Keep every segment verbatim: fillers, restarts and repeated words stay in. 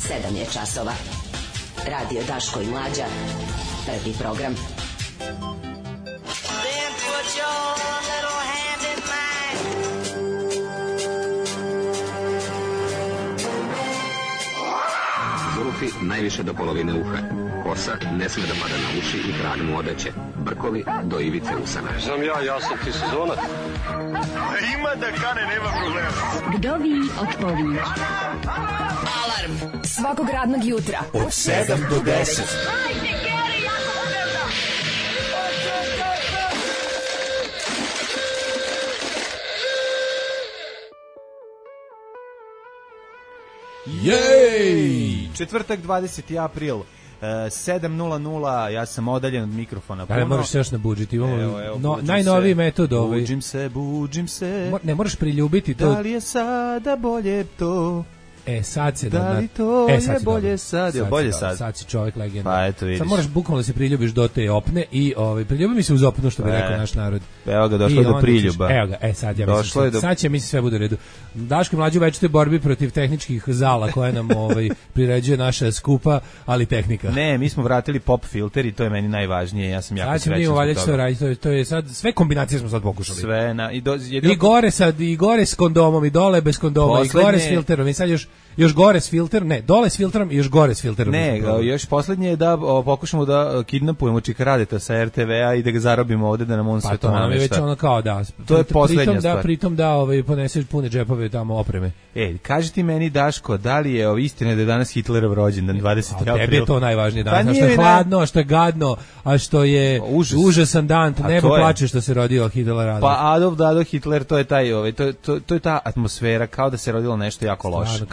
sedam je časova. Radio Daško i Mlađa, prvi program. Zulufi najviše do polovine uha. Kosa ne sme da pada na uši i krag mu odeće. Brkovi do ivice usana. Znam ja, ja sam ti sezonac. Ima da kane, nema problema. Vdovi od povinja. Alarm svakog radnog jutra od sedam do deset. Hajde, Geri, jako se velda. Jej! Četvrtak, dvadeseti april, sedam nula nula, ja sam odaljen od mikrofona. Da, moraš se još nabuđiti. Imamo evo, evo, no, najnoviji metod. Ovaj. Buđim se, buđim se. Mo, ne, moraš priljubiti to. Da li je sada bolje to? E, sad se... Da li to e, je sad bolje sad? sad, bolje sad, sad? sad si čovjek legenda. Pa eto vidiš. Sad moraš bukvalno da se priljubiš do te opne i ovaj, priljubi mi se uz opnu, što bi e, rekao naš narod. Evo ga, došlo je do priljuba. Ćeš, evo ga, e sad ja mislim, do... sad će mi se sve bude u redu. Daško i Mlađa u večitoj borbi protiv tehničkih zala koje nam ovaj, priređuje naša skupa, ali tehnika. Ne, mi smo vratili pop filter i to je meni najvažnije. Ja sam jako srećan zbog toga. Sve raditi, to, je, to je sad, sve kombinacije smo sad pokušali. Sve, na, i, do, jedino... I gore sad, i gore s kondomom, i dole bez kondoma, poslednje... i gore s filterom, i sad još još gore s filterom, ne, dole s filterom i još gore s filterom. Ne, još poslednje je da o, pokušamo da kidnapujemo Čika Radeta sa er te ve a i da ga zarobimo ovde da nam on pa sve to namešta. Pa to nam je već ono kao da. To je poslednja pritom stvar. Da, pritom da ovaj, poneseš pune džepove tamo opreme. E, kaži ti meni, Daško, da li je istina da je danas Hitlerov rođendan, dvadeseti april? Tebi je to najvažnije danas, pa što je hladno, a što je gadno, a što je užas. užasan dan, nebo plače što se rodio Hitler Adolf. Pa Adolf Dado Hitler, to je taj, ovaj, to, to, to je ta atmosfera, kao da se rodilo nešto jako loše.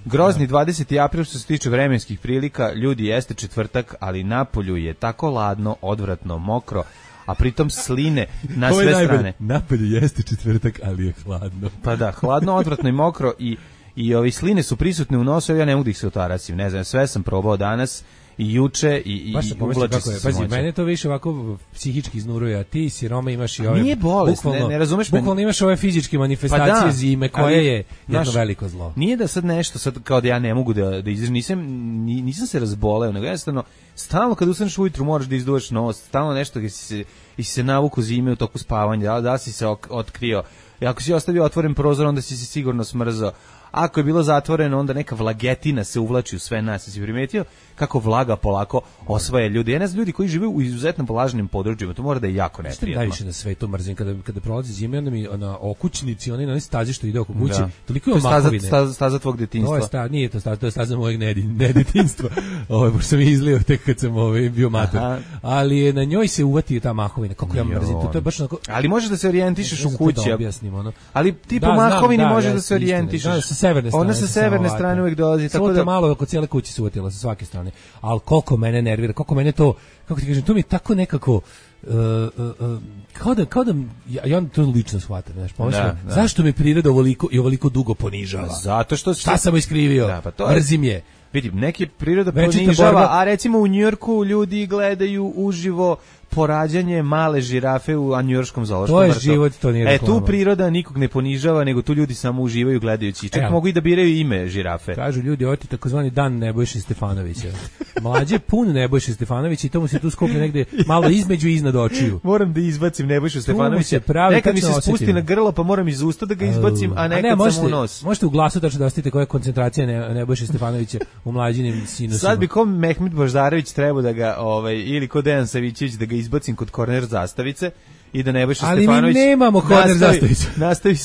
Grozni dvadeseti april što se tiče vremenskih prilika, ljudi, jeste četvrtak, ali napolju je tako ladno, odvratno, mokro, a pritom sline na sve najbolj, strane. Napolju jeste četvrtak, ali je hladno. Pa da, hladno, odvratno i mokro i, i ovi sline su prisutne u nosu, ja ne mogu da ih se otarasim, ne znam, sve sam probao danas i juče i, i uvlači se Pazi, mene to više ovako psihički iznuruje, a ti siroma imaš i ove... Nije bolest, ne, ne razumeš me. Bukvalno imaš ove fizičke manifestacije pa da, zime, koje ali, je jedno naš, veliko zlo. Nije da sad nešto, sad kao da ja ne mogu da, da izdržim, nisam, nisam se razboleo, nego jednostavno, stalno kad ustaneš ujutru moraš da izduvaš nos, stalno nešto gdje si se, i si se navuku zime u toku spavanja, da, da si se ok, otkrio, i ako si ostavio otvoren prozor, onda si se sigurno smrzao. Ako je bilo zatvoreno, onda neka vlagetina se uvlači u sve nas. Si primetio kako vlaga polako osvaja ljudi? Ja ne znam, ljudi koji žive u izuzetno vlažnim područjima, to mora da je jako neprijatno. Najviše na svetu mrzim kada kada prolazi zima, onda mi na okućnici, oni na stazi što ide oko kuće, da. Toliko je mahovine. To je staza, staza tvog detinjstva. To je staza, nije to staza, to je staza mojeg nedetinjstva. Ovo je sam izlio tek kad sam ovaj bio mator. Ali je na njoj se uvati ta mahovina. Kako ja mrzim to, to je baš onako. Ali možeš da se orijentišeš u kući. Da objasnim, ono. Ali ti po mahovini možeš da se orijentišeš. Severne strane. Ona sa severne strane uvijek dolazi, tako da malo oko cijele kuće se uvatila sa svake strane. Al koliko mene nervira, koliko mene to, kako ti kažem, to mi je tako nekako uh, uh, uh, kao da kao da ja, ja to lično shvatam, znaš, pomislim, da, da. Zašto me priroda ovoliko i ovoliko dugo ponižava? Zato što šta sam iskrivio? Da, pa to je, mrzim je. Vidim, neki priroda ponižava, borba, a recimo u Njujorku ljudi gledaju uživo porađanje male žirafe u njujorškom zoološkom vrtu. To je život, to nije reklama. E, tu priroda nikog ne ponižava, nego tu ljudi samo uživaju gledajući. Čak e, mogu i da biraju ime žirafe. Kažu ljudi, ovo ti takozvani dan Nebojše Stefanovića. Mlađe pun Nebojše Stefanovića i to mu se tu skupi negde malo između i iznad očiju. Moram da izbacim Nebojšu Stefanovića. Nekad mi se spusti na grlo, pa moram iz usta da ga izbacim, a nekad a ne, možete, samo u nos. Možete u glasu tačno da ostite koja je koncentracija ne, Nebojše Stefanovića u mlađinim sinusima. Sad bi ko Mehmet Boždarević trebao da ga, ovaj, ili ko Dejan Savićević da ga izbacim kod korner zastavice i da Nebojša ali Stefanović mi nemamo korner zastavicu. Nastavi,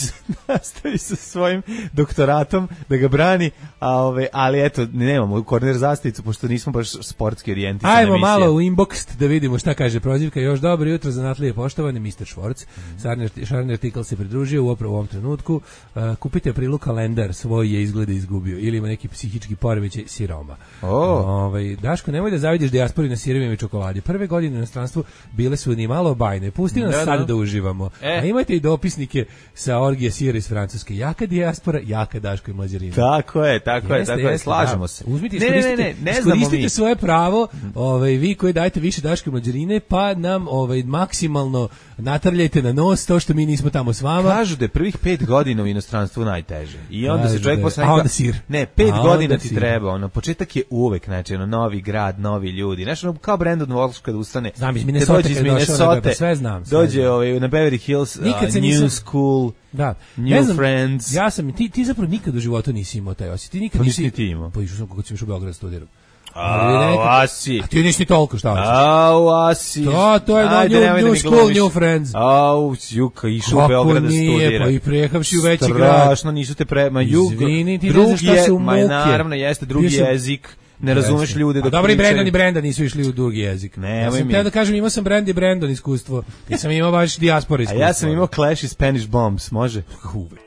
nastavi sa svojim doktoratom da ga brani, a ove, ali eto, nemamo korner zastavicu pošto nismo baš sportski orijentisani. Ajmo emisija. Malo u inbox da vidimo šta kaže prozivka. Još dobro jutro zanatlije poštovani mister Švorc. Mm. Šarni artikl se pridružio u ovom trenutku. Uh, kupite aprilu kalendar, svoj je izgleda izgubio ili ima neki psihički poremećaj siroma. Oh. Ovaj Daško, nemoj da zavidiš dijaspori na sirevima i čokoladi. Prve godine u inostranstvu bile su ni malo bajne. Pusti nas Da, sad da. da uživamo. E. A imate i dopisnike sa orgije sira iz Francuske. Jaka dijaspora, jaka Daško i Mlađarina. Tako je, tako je, Jeste, tako je, jeste, slažemo da. se. Uzmite, ne, ne, ne, iskoristite, ne, ne znamo iskoristite mi. svoje pravo, ovaj, vi koji dajete više Daške i Mlađarine, pa nam ovaj, maksimalno natrljajte na nos to što mi nismo tamo s vama. Kažu da je prvih pet godina u inostranstvu najteže. I onda Kažu se čovjek da je- posle a onda sir. Ne, pet A godina onda ti sir. treba, ono, početak je uvek, znači, ono, novi grad, novi ljudi. Znaš, ono, kao Brandon Walsh kada ustane. Znam, iz kad Minnesota dođe iz kad je došao na Minnesota, Beber, sve znam, sve dođe znam. ovaj, na Beverly Hills, uh, Nikad se New nisam- School, Da. New Ne znam, Friends. Ja sam, ti, ti zapravo nikad u životu nisi imao taj osjećaj. Ti nikad Pa nisi... nisi ti imao. Pa išao sam kako si išao u Beograd studiram. A, asi. A ti nisi ni toliko, šta hoćeš? Au, asi. To, to je na Ajde, New, nemoj da New mi School, glumiš. New Friends. Au, Juka, išao u Kako Beograd da nije, studira. pa i prehavši u veći grad. Strašno, nisu te prema jug. Izvini, ti ne drugi znaš šta je, su ma muke. naravno, jeste drugi Bio sam- jezik. Ne razumeš Jeste. ljude A dok dobro, i pričaju. Brandon i Brenda nisu išli u drugi jezik. Nemoj ja sam mi. teo da kažem, imao sam Brand i Brandon iskustvo. Nisam imao baš dijaspora A iskustvo. ja sam imao Clash i Spanish Bombs, može?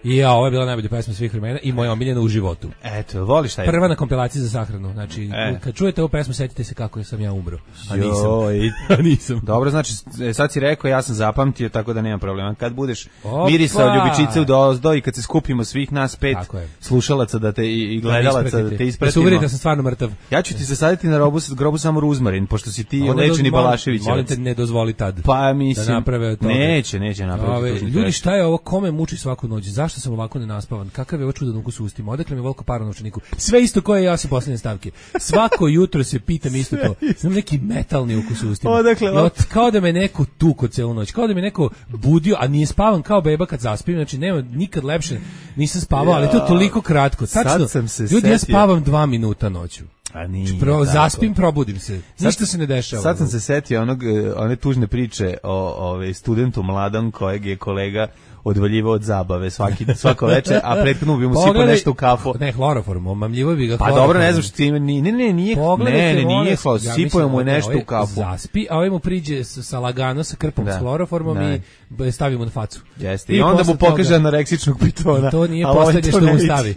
I ja, ovo je bila najbolja pesma svih vremena i moja omiljena u životu. Eto, voliš taj? Prva na kompilaciji za sahranu. Znači, E. kad čujete ovu pesmu, setite se kako sam ja umro. A nisam. Joj. A nisam. Dobro, znači, e, sad si rekao, ja sam zapamtio, tako da nema problema. Kad budeš Opa! mirisao ljubičice u dozdo i kad se skupimo svih nas pet Tako je. slušalaca da te, i, i gledalaca da te Da se ispratimo. uverite da sam stvarno mrtav. Ja ću ti se saditi na robu, grobu samo ruzmarin, pošto si ti Onda lečeni do- molim- Balašević. Molim te, ne dozvoli tad. Pa mislim, da naprave od toga. neće, neće napraviti. Ove, tužni ljudi, trash. šta je ovo? Kome muči svaku noć? Zašto sam ovako nenaspavan? Kakav je ovo čudan ukus u ustima? Odakle mi volko para u novčaniku? Sve isto koje ja sa poslednje stavke. Svako jutro se pitam isto to. Znam neki metalni ukus u ustima. Odakle, I od- kao da me neko tuko celu noć. Kao da me neko budio, a nije spavan kao beba kad zaspim. Znači, nema nikad lepše. Nisam spavao, ali to je toliko kratko. Sad Tačno, sam se ljudi, ja setio. spavam dva minuta noću. A nije Pro, tako. zaspim, probudim se. Ništa se ne dešava. Sad sam se setio onog, e, one tužne priče o ove, studentu mladom kojeg je kolega odvaljivao od zabave svaki, svako veče, a prethodno bi mu sipao Pogledaj- nešto u kafu. Ne, hloroform, omamljivo bi ga Pa hloroformom. dobro, ne znam što ti ima, ni- ne, ne, nije, Pogledajte, ne, ne, molim nije vas, hlor, ja sipao mislim mu je da nešto ovaj u kafu. Zaspi, a ovaj mu priđe sa, sa lagano, sa krpom Da. s hloroformom Da. i b- stavi mu na facu. Jeste, i onda posle mu pokaže toga- anoreksičnog pitona. I to nije ali ovaj poslednje to što mu neće. stavi.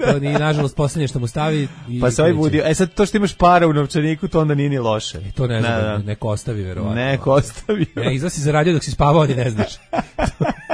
To nije, nažalost, poslednje što mu stavi. I Pa se ovaj kreće. budio. E sad, to što imaš para u novčaniku, to onda nije ni loše. E, to ne znam, Da, da. neko ostavi, verovatno. Neko ostavi. Ne, izda si zaradio dok si spavao, ni ne znaš.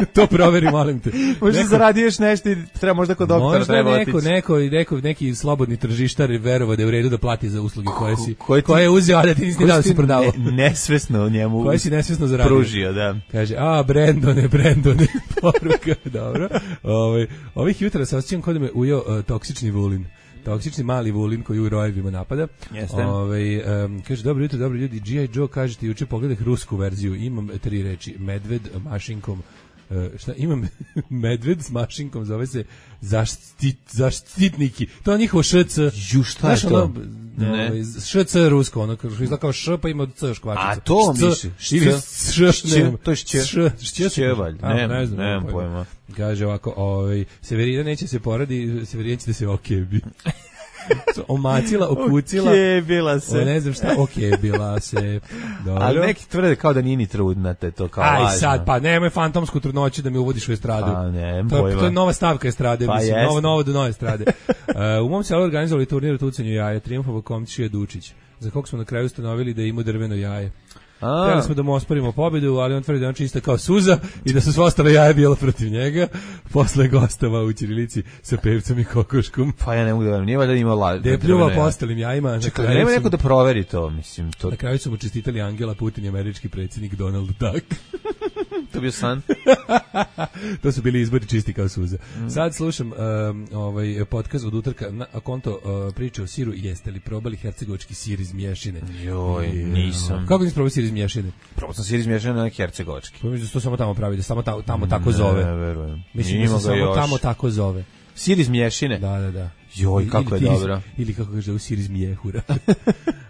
to proveri, molim te. Možda Neko- zaradiješ nešto i treba možda kod doktora Možda treba neko, otići. neko, neko, neki slobodni tržištar verovao da je u redu da plati za usluge koje si, koje ti- koje je uzeo, a da ti nisi ni Koji dao da si si prodavao. ne- nesvesno njemu Koje si nesvesno zaradio. pružio, da. Kaže, a, Brendone, Brendone, poruka, dobro. Ovaj, ovih jutra se osjećam kod da me ujeo uh, toksični vulin. Toksični mali vulin koji u rojevima napada. Jeste. Ovaj, um, kaže, dobro jutro, dobro ljudi, G I. Joe, kažete, juče pogledaj rusku verziju, imam tri reči, medved, mašinkom, uh, šta, imam medved s mašinkom, zove se zaštit, zaštitniki. To je njihovo š c. Ju, šta je Znaš, to? ono, Ne. ovaj, š c rusko, ono, kao- izgleda kao š, pa ima c još kvačica. A to Šc, misliš? Ili Šc? š, Šće? ne, To je šće? Š, šće, Šće, valjda. A, Nemam- ne znam, nemam nemam pojma. Kaže ovako, ovaj, Severina neće se poradi, Severina će da se okebi. Omacila, okucila. Okej, bila se. O, ne znam šta, okej, bila se. Dobro. Ali neki tvrde kao da nije ni trudna, te to kao Aj lažno. sad, pa nemoj fantomsku trudnoću da mi uvodiš u estradu. Pa, nemam to, je, pojma. to je nova stavka estrade, Pa mislim, jeste. novo, novo do nove estrade. uh, u mom selu organizovali turnir u tucanju jaja, Trijumfovo Komčija Dučić, za kog smo na kraju ustanovili da ima drveno jaje. A, Htjeli smo da mu osporimo pobedu, ali on tvrdi da on čista kao suza i da su sve ostale jaje bilo protiv njega. Posle gostava u ćirilici sa pevcom i kokoškom. pa ja ne mogu da verujem, nije valjda imao laž. Da je pljuvao po ostalim jajima. Na Čekaj, kraju nema su- neko da proveri to, mislim, to, Na kraju su mu čestitali Angela Putin i američki predsjednik Donald Duck. to bio san. To su bili izbori čisti kao suza. Sad slušam um, ovaj podcast od utorka na a konto uh, priče o siru. Jeste li probali hercegovački sir iz mješine? Joj, nisam. Kako nisi probao sir iz mješine? Probao sam sir izmješan na hercegovački. Pa mislim da se to samo tamo pravi, da samo tamo, tamo tako zove. Ne, verujem. Mislim Ima da se ga samo još. tamo tako zove. Sir iz mješine? Da, da, da. Joj, kako je Ili- ili- dobro. Ili kako kaže u sir iz mjehura.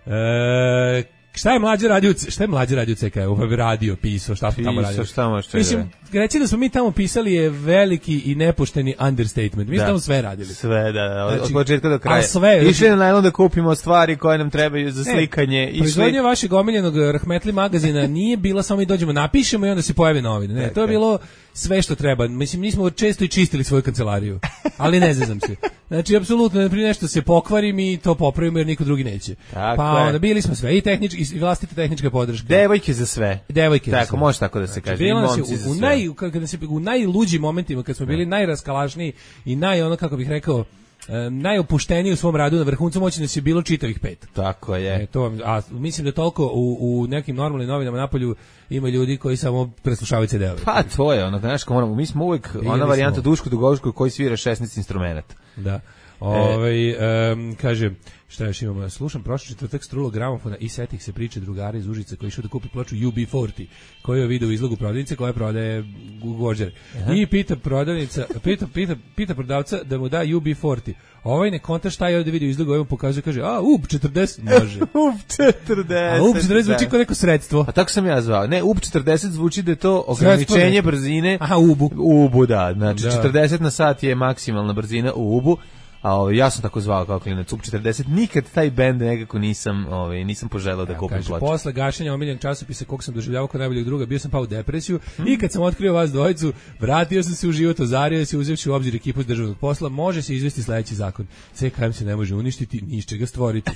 e, šta je mlađe radio, šta je mlađe radio C K U? Pa radio, pisao, šta smo tamo Pisao, radili? šta možeš čega? Mislim, reći da smo mi tamo pisali je veliki i nepošteni understatement. Mi smo Da. tamo sve radili. Sve, da, da, od, Znači, od početka do kraja. ali sve, Išli znači- na najlon da kupimo stvari koje nam trebaju za Ne, slikanje. Išli... Proizvodnja vašeg omiljenog Rahmetli magazina nije bila samo mi dođemo, napišemo i onda se pojave novine. Ne, to je bilo sve što treba. Mislim, nismo često i čistili svoju kancelariju. Ali ne zezam se. Znači, apsolutno, prije nešto se pokvari, mi to popravimo jer niko drugi neće. Tako pa je. onda bili smo sve, i tehnički, i vlastita tehnička podrška. Devojke za sve. Devojke tako, za sve. može tako da se kaže. I Bilo nas je momci za u, u, sve. naj, kada se, u najluđim momentima, kad smo bili najraskalašniji i naj, ono, kako bih rekao, e, najopušteniji u svom radu na vrhuncu moći nas je bilo čitavih pet. Tako je. E, to, a mislim da toliko u, u nekim normalnim novinama napolju ima ljudi koji samo preslušavaju ce de ove. Pa to je, ono, znaš, moramo, mi smo uvijek Bili ona varijanta smo. Duško Dugovičko koji svira šesnaest instrumenta. Da. Ovaj em, kaže, šta još imamo? Slušam prošli četvrtak strulo gramofona i setih se priče drugara iz Užica koji išao da kupi ploču U B četrdeset, koju je video u izlogu prodavnice koja prodaje Gvožđer. I pita prodavnica, pita, pita, pita prodavca da mu da U B četrdeset. Ovaj ne konta šta je ovdje video u izlogu, ovaj mu pokazuje, kaže, a, U B četrdeset može. U B četrdeset. A U B četrdeset zvuči kao neko sredstvo. A tako sam ja zvao. Ne, U B četrdeset zvuči da je to ograničenje brzine. Aha, U B U. U U B U, da. Znači, Da. četrdeset na sat je maksimalna brzina u U B U. A ovaj, ja sam tako zvao kao klinac U B četrdeset. Nikad taj bend nekako nisam, ovaj, nisam poželeo da kupim Kaže, ploču. posle gašenja omiljenog časopisa kog sam doživljavao kao najboljeg druga, bio sam pao u depresiju i kad sam otkrio vas dvojicu, vratio sam se u život, ozario se, uzevši u obzir ekipu s državnog posla, može se izvesti sledeći zakon. C K M se ne može uništiti, ni iz čega stvoriti.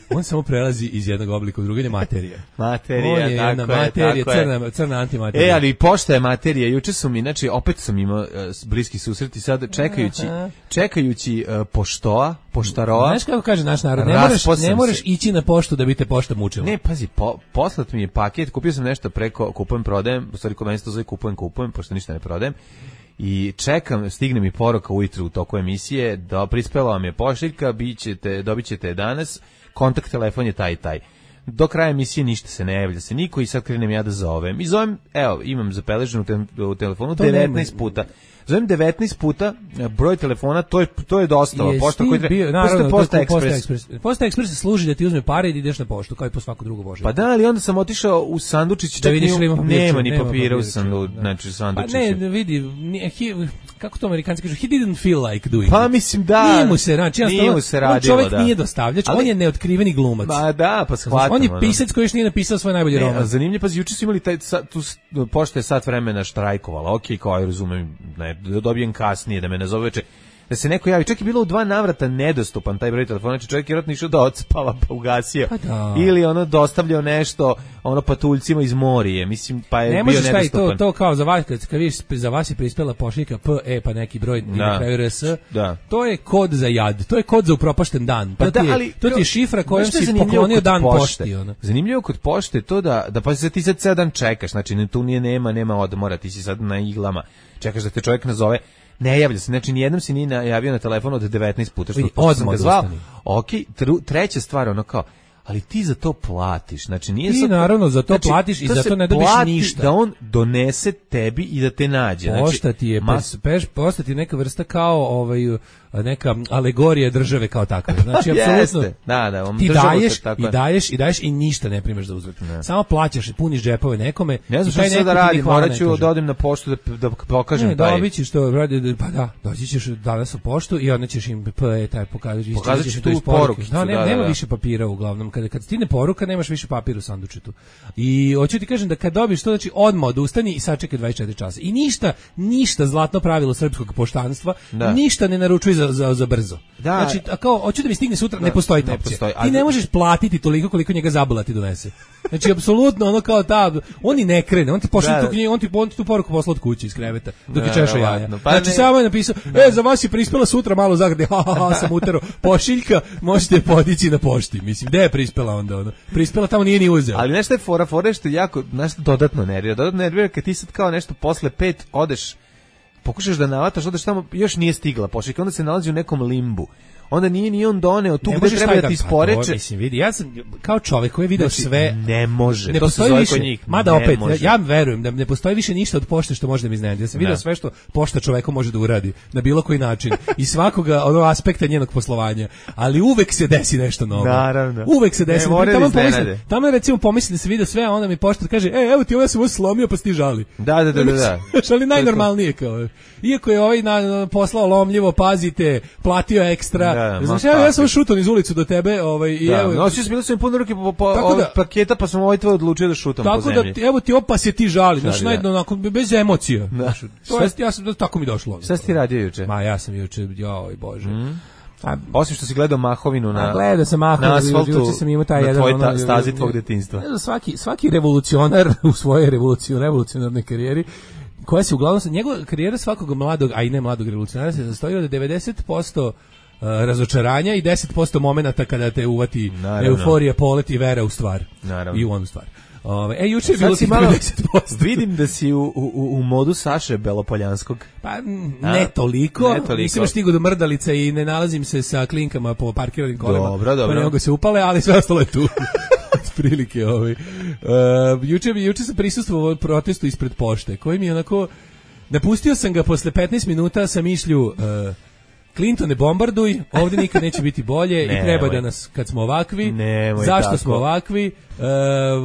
On samo prelazi iz jednog oblika u drugi, je materija. Materija, On je jedna tako je, materija, tako je. crna, crna antimaterija. E, ali pošta je materija. Juče su mi, znači, opet sam imao uh, bliski susret i sad čekajući, Aha. čekajući uh, poštoa, poštaroa. Znaš kako kaže naš narod, ne moraš, Raspao sam ne moraš se. ići na poštu da bi te pošta mučila. Ne, pazi, po, poslat mi je paket, kupio sam nešto preko kupujem, prodajem, u stvari kod mene se to zove kupujem, kupujem, pošto ništa ne prodajem. I čekam, stigne mi poruka ujutru u toku emisije, da prispela vam je pošiljka, bićete, dobit ćete je danas, kontakt telefon je taj i taj. Do kraja emisije ništa se ne javlja se niko i sad krenem ja da zovem. I zovem, evo, imam zapeleženo u, te, u telefonu To devetnaest nema. puta. Zovem devetnaest puta, broj telefona, to je, to je dostava. Jesi Pošta ti koji treba, bio, pošto naravno, je Posta to je Posta Ekspres. Ekspres. Posta Ekspres služi da ti uzme pare i da ideš na poštu, kao i po svako drugo bože. Pa da, ali onda sam otišao u sandučić, Da čak vidiš ni- ili ima papirča, nema ni nema papira u papirča, sandu, da. znači Pa sandučiću. ne, vidi, nije, he, kako to Amerikanci kažu, he didn't feel like doing Pa it. mislim da. Nije mu se, znači, nije jednostavno, mu se on radilo, čovjek da. nije dostavljač, Ali- on je neotkriveni glumac. Ma da, pa shvatam. On je ono. pisac koji još nije napisao svoj najbolji Ne, a roman. zanimljivo, pa juče su imali taj, sa- tu s- pošta je sat vremena štrajkovala, okej, kao aj razumem, ne, da dobijem kasnije, da me nazove veče, da se neko javi, čak je bilo u dva navrata nedostupan taj broj telefona, znači čovjek je vjerojatno išao da odspava pa ugasio, Pa da. ili ono dostavljao nešto ono patuljcima iz Morije, mislim, pa je Ne bio možeš taj to, nedostupan. to kao za vas, kad, kad vidiš za vas je prispela pošiljka P E pa neki broj i Da. na kraju R S, Da. to je kod za jad, to je kod za upropašten dan. Pa to, da, ti je, ali to ti je šifra kojom znaš šta je si zanimljivo poklonio kod dan pošte? pošti. Ono. Zanimljivo kod pošte je to da, da pa se ti sad ceo dan čekaš, znači ne, tu nije nema, nema odmora, ti si sad na iglama, čekaš da te čovjek nazove, ne javlja se, znači nijednom si nije javio na telefon od devetnaest puta, što Vidi, što sam odmah ga zvao. odustani. Ok, tru, treća stvar, ono kao, ali ti za to platiš, znači nije Ti sad, naravno za to platiš i za se to ne dobiš plati ništa. da on donese tebi i da te nađe. Pošta ti je, ma- pes, peš, pošta ti je neka vrsta kao ovaj, neka alegorija države kao takve. Znači, apsolutno, Jeste, da, da, on ti država se daješ tako i je. daješ i daješ i ništa ne primaš za uzvrat. Samo plaćaš, puniš džepove nekome. Ne znam i šta taj sad da neko ti ni radim, hvala morat ne ću kaže. da odem na poštu da, da pokažem Ne, taj. dobit ćeš to, radi, pa da, doći ćeš danas u poštu i onda ćeš im P E taj pokazati. Pokazat ću ćeš tu iz poruke. porukicu, Da, ne, da, da, nema da. više papira uglavnom. Kada kad stigne poruka, nemaš više papira u sandučetu. I hoću ti kažem da kad dobiješ to, znači odmah odustani i sačekaj dvadeset četiri časa. I ništa, ništa zlatno pravilo srpskog poštanstva, Da. ništa ne naručuj za, za, za brzo. Da. Znači, a kao, hoću da mi stigne sutra, ne postoji ta ne opcija. postoji. A Ti ne da- možeš platiti toliko koliko njega zabula ti donese. Znači, apsolutno, ono kao ta, on i ne krene, on ti pošalje Da, tu da. knjigu, on ti, on ti tu poruku posla od kuće iz kreveta, dok je Da, češao jaja. verovatno. Pa Znači, ne- samo je napisao, e, za vas je prispela sutra malo zagrade, ha, ha, ha, sam utero, pošiljka, možete je podići na pošti. Mislim, gde je prispela onda? Ono? Prispela tamo nije ni uzeo. Ali nešto je fora, fora je što jako, nešto dodatno nervira. Dodatno nervira kad ti sad kao nešto posle pet odeš, pokušaš da navataš, odeš tamo, još nije stigla pošiljka, onda se nalazi u nekom limbu. Onda nije ni on doneo tu Ne gde možeš treba taj da ti dan- pa to, isporeče. mislim, vidi, ja sam kao čovjek koji je video Znači, sve, ne može. ne to se postoji zove više, kod njih. mada Ne opet, ja, može. ja verujem da ne postoji više ništa od pošte što može da mi iznenadi. Ja sam video Da. sve što pošta čoveku može da uradi, na bilo koji način, i svakoga ono aspekta njenog poslovanja, ali uvek se desi nešto novo. Naravno. Uvek se desi. Ne, moraju tamo da iznenade. pomislim, tamo recimo pomisli da se vidi sve, a onda mi poštar kaže, e, evo ti ovo ja sam ovo slomio pa si ti žali. Da, da, da, da, da. Ali najnormalnije kao. Iako je ovaj na, na, poslao lomljivo, pazite, platio ekstra. Da, Znaš, ma evo, ja kako. sam šutom iz ulicu do tebe, ovaj, i Da, evo, nosio sam, bilo sam im puno ruke po, po Tako ovog da- paketa, pa sam ovaj tvoj odlučio da šutam po tako zemlji. da, ti- evo ti opa se ti žali, znaš, Da, da. najedno, onako, bez emocija. Da. Znaš, to je, ja sam, tako mi došlo. Šta si ti radio juče? Ma, ja sam juče, joj, bože. A, Osim što si gledao Mahovinu na, gledao sam Mahovinu, na asfaltu, sam imao taj na jedan, tvoj ono, ta, stazi tvog detinjstva. Svaki, svaki revolucionar u svojoj revoluciju, revolucionarnoj karijeri, koja se uglavnom, njegova karijera svakog mladog, a i ne mladog revolucionara se sastoji od devedeset posto razočaranja i deset posto momenata kada te uvati Naravno. euforija, polet i vera u stvar. Naravno. I u onu stvar. Ove, e, juče je bilo ti malo devedeset posto. Vidim da si u, u, u modu Saše Belopoljanskog. Pa ne toliko. Ne toliko. Nisam još stigao do mrdalica i ne nalazim se sa klinkama po parkiranim kolima. Dobro, dobro. Pa ne mogu se upale, ali sve ostalo je tu. Prilike ovaj. Uh, juče, juče sam prisustvovao protestu ispred pošte, koji mi je onako... Napustio sam ga posle petnaest minuta sa mišlju... Uh, Clinton ne bombarduj, ovdje nikad neće biti bolje i treba da nas, kad smo ovakvi, Nemoj zašto tako. smo ovakvi, uh,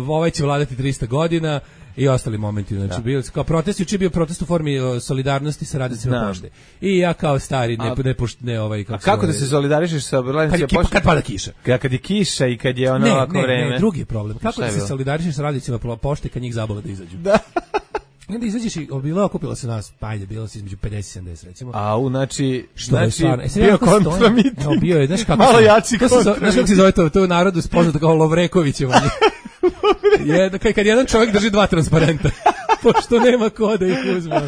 ovaj će vladati trista godina i ostali momenti. Znači, da. Bio, kao protest, juče je bio protest u formi uh, solidarnosti sa radnicima pošte. I ja kao stari, ne, ne, pošt, ne ovaj... Kako, a kako ovaj, da se solidarišeš sa radnicima pošte? Kad, kad pada kiša. Kad, kad je kiša i kad je ono ne, ovako ne, vreme. Ne, drugi je problem. Kako Šta da se solidarišeš sa radnicima pošte kad njih zabole da izađu? Da. Onda izađeš i bilo okupilo se nas, pa ajde, bilo se između pedeset i sedamdeset recimo. A u znači, što znači, je stvarno, e, bio kontramit. Evo, bio je, znaš kako malo se, jači kontramit. Znaš kako se zove to, to u narodu spoznato kao Lovrekovićevanje. je, kad, kad jedan čovjek drži dva transparenta, pošto nema ko da ih uzme.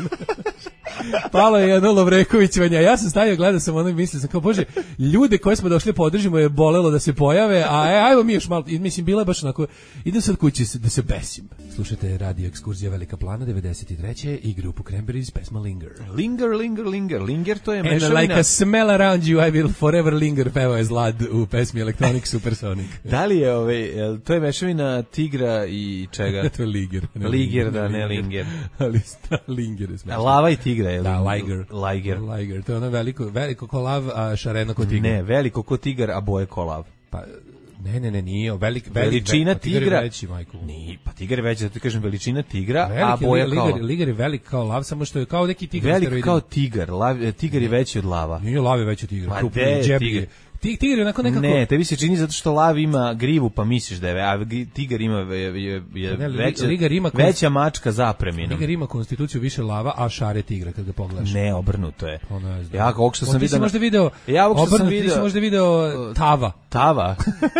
Palo je jedno Lovrekovićevanje, a ja sam stavio, gledao sam ono i mislio sam kao, bože, ljude koje smo došli podržimo je bolelo da se pojave, a e, ajmo mi još malo, i mislim, bila je baš onako, idem sad kući da se besim. Slušajte Radio Ekskurzija Velika Plana devedeset treće i grupu Cranberries, pesma Linger. Linger, linger, linger, linger, to je And mešavina. like a smell around you, I will forever linger, pevao je Zlad u pesmi Electronic Supersonic. Da li je ovaj, to je mešavina tigra i čega? To je Liger. Ne liger, da, ne linger. Ali sta, Linger je smešno. Lava i tigra je. Da, Liger. Liger. Liger, to je ono veliko, veliko ko lav, a šareno ko tigar. Ne, veliko ko tigar, a boje ko lav. Pa, ne, ne, ne, nije, velik, velik, veličina velik, tigra. Tigar je veći, majko. Nije, pa tigar je veći, zato ti kažem veličina tigra, veliki, a boja liger, kao lav. Liger je velik kao lav, samo što je kao neki tigar. Velik kao tigar, lav, tigar je veći od lava. Nije, lav je veći od tigra. Pa de, tigar. Tigar je onako nekako... Ne, tebi se čini zato što lav ima grivu, pa misliš da je, a tigar ima je, je, je ne, veća, ligar ima konst... veća mačka zapreminom. Tigar ima konstituciju više lava, a šare tigra kad ga pogledaš. Ne, obrnuto je. Ono je ja ovog što sam vidio... Ti si možda video... Ja ovog što sam vidio... Ti si možda video tava. Tava?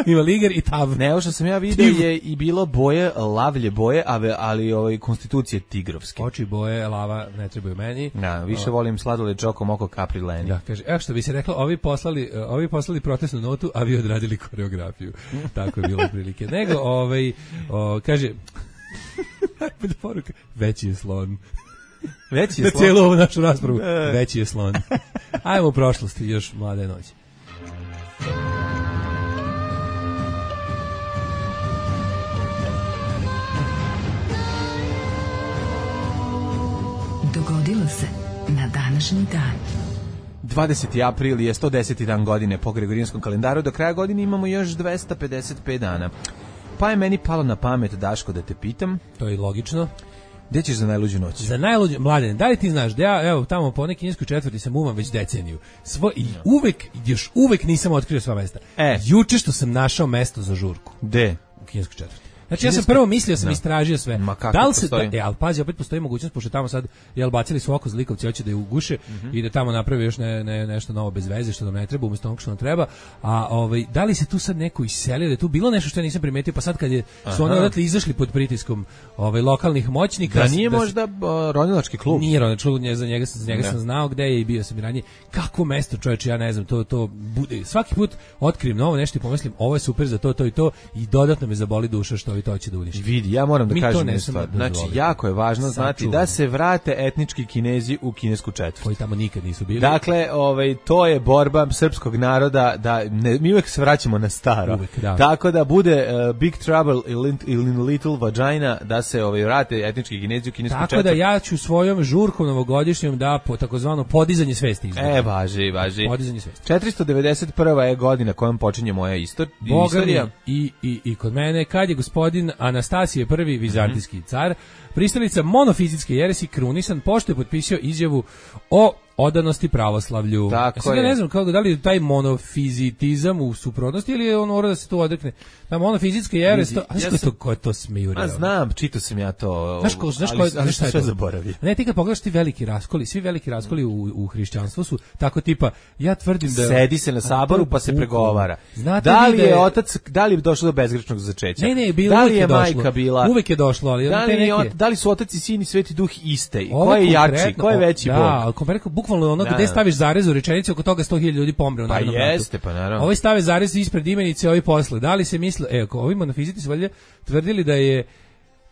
Ima ligar i tav. Ne, ovo što sam ja vidio je i bilo boje, lavlje boje, ali ovaj konstitucije tigrovske. Oči boje, lava ne trebaju meni. Da, više o... volim sladoled čokom oko Capri Leni. Da, kaže, evo što bi se reklo, ovi poslali, ovi poslali protestnu notu, a vi odradili koreografiju. Tako je bilo prilike. Nego, ovaj, o, kaže, poruka, veći je slon. Veći je na slon. cijelu ovu našu raspravu, veći je slon. Ajmo u prošlosti, još mlade noći. Dogodilo se na današnji dan. dvadeseti april je sto deseti dan godine po Gregorijanskom kalendaru, do kraja godine imamo još dvesta pedeset pet dana. Pa je meni palo na pamet, Daško, da te pitam. To je logično. Gde ćeš za najluđu noć? Za najluđu, Mladen, da li ti znaš da ja, evo, tamo po nekoj kineskoj četvrti sam uvam već deceniju. Svo, i uvek, još uvek nisam otkrio sva mesta. E. Juče što sam našao mesto za žurku. Gde? U kineskoj četvrti. Znači ja sam prvo mislio, sam no. istražio sve. Ma kako da li se, postoji? Da, e, ali pazi, opet postoji mogućnost, pošto tamo sad, jel, bacili su oko zlikovci, hoće da je uguše mm-hmm. i da tamo napravi još ne, ne, nešto novo bez veze, što nam ne treba, umjesto onog što nam treba. A ovaj, da li se tu sad neko iselio, da je tu bilo nešto što ja nisam primetio, pa sad kad je, su oni odatle izašli pod pritiskom ovaj, lokalnih moćnika. Da nije da, možda uh, ronilački klub? Nije ronilački klub, za njega, za njega sam znao gde je i bio sam i ranije. Kako mesto, čoveče, ja ne znam, to, to bude, svaki put otkrijem novo nešto i pomislim, ovo je super za to, to i to, i dodatno me zaboli duša što ovi to će da uništi. Vidi, ja moram da Mi kažem jednu stvar. Znači, jako je važno znati da se vrate etnički Kinezi u kinesku četvrt. Koji tamo nikad nisu bili. Dakle, ovaj, to je borba srpskog naroda, da ne, mi uvek se vraćamo na staro. Uvek, da. Tako da bude uh, Big Trouble in Little Vagina, da se ovaj, vrate etnički Kinezi u kinesku Tako četvrt. Tako da ja ću svojom žurkom novogodišnjom da po takozvano podizanje svesti izgleda. E, važi, važi. Podizanje svesti. četiristo devedeset prva je godina kojom počinje moja istor, istorija. I, i, I kod mene, kad je gospodin Anastasije prvi vizantijski car, pristalica monofizitske jeresi krunisan, pošto je potpisao izjavu o odanosti pravoslavlju. Tako ja sad je. ne znam kako, da li je taj monofizitizam u suprotnosti ili je on mora da se to odrekne. Ta monofizitska jere, sto, a znaš ja ko je sam- to, ko je to smijureo? A znam, čitao sam ja to. Znaš ko, znaš ali- ko, ali znaš šta sam je sve to? zaboravio. Ne, ti kad pogledaš ti veliki raskoli, svi veliki raskoli u, u hrišćanstvu su tako tipa, ja tvrdim da... Sedi se na saboru pa se Bukvalno. pregovara. Znate da vi li da je je- otac, da li je došlo do bezgrešnog začeća? Ne, ne, bilo, da li uvek je, je došlo. majka bila? Uvek je došlo, ali Da te li, je, neke- ot- da li su otac i sin i sveti duh iste? Ovo Ko je jači? konkretno- Ko je veći da, bog? ali konkretno, bukvalno ono Da, gde da. staviš zarez u rečenici, oko toga sto hiljada ljudi pomre u Pa narednom ratu. jeste, pa naravno. Ovi stave zarez ispred imenice, ovi posle. Da li se misle, evo, ovi monofiziti su valjda tvrdili da je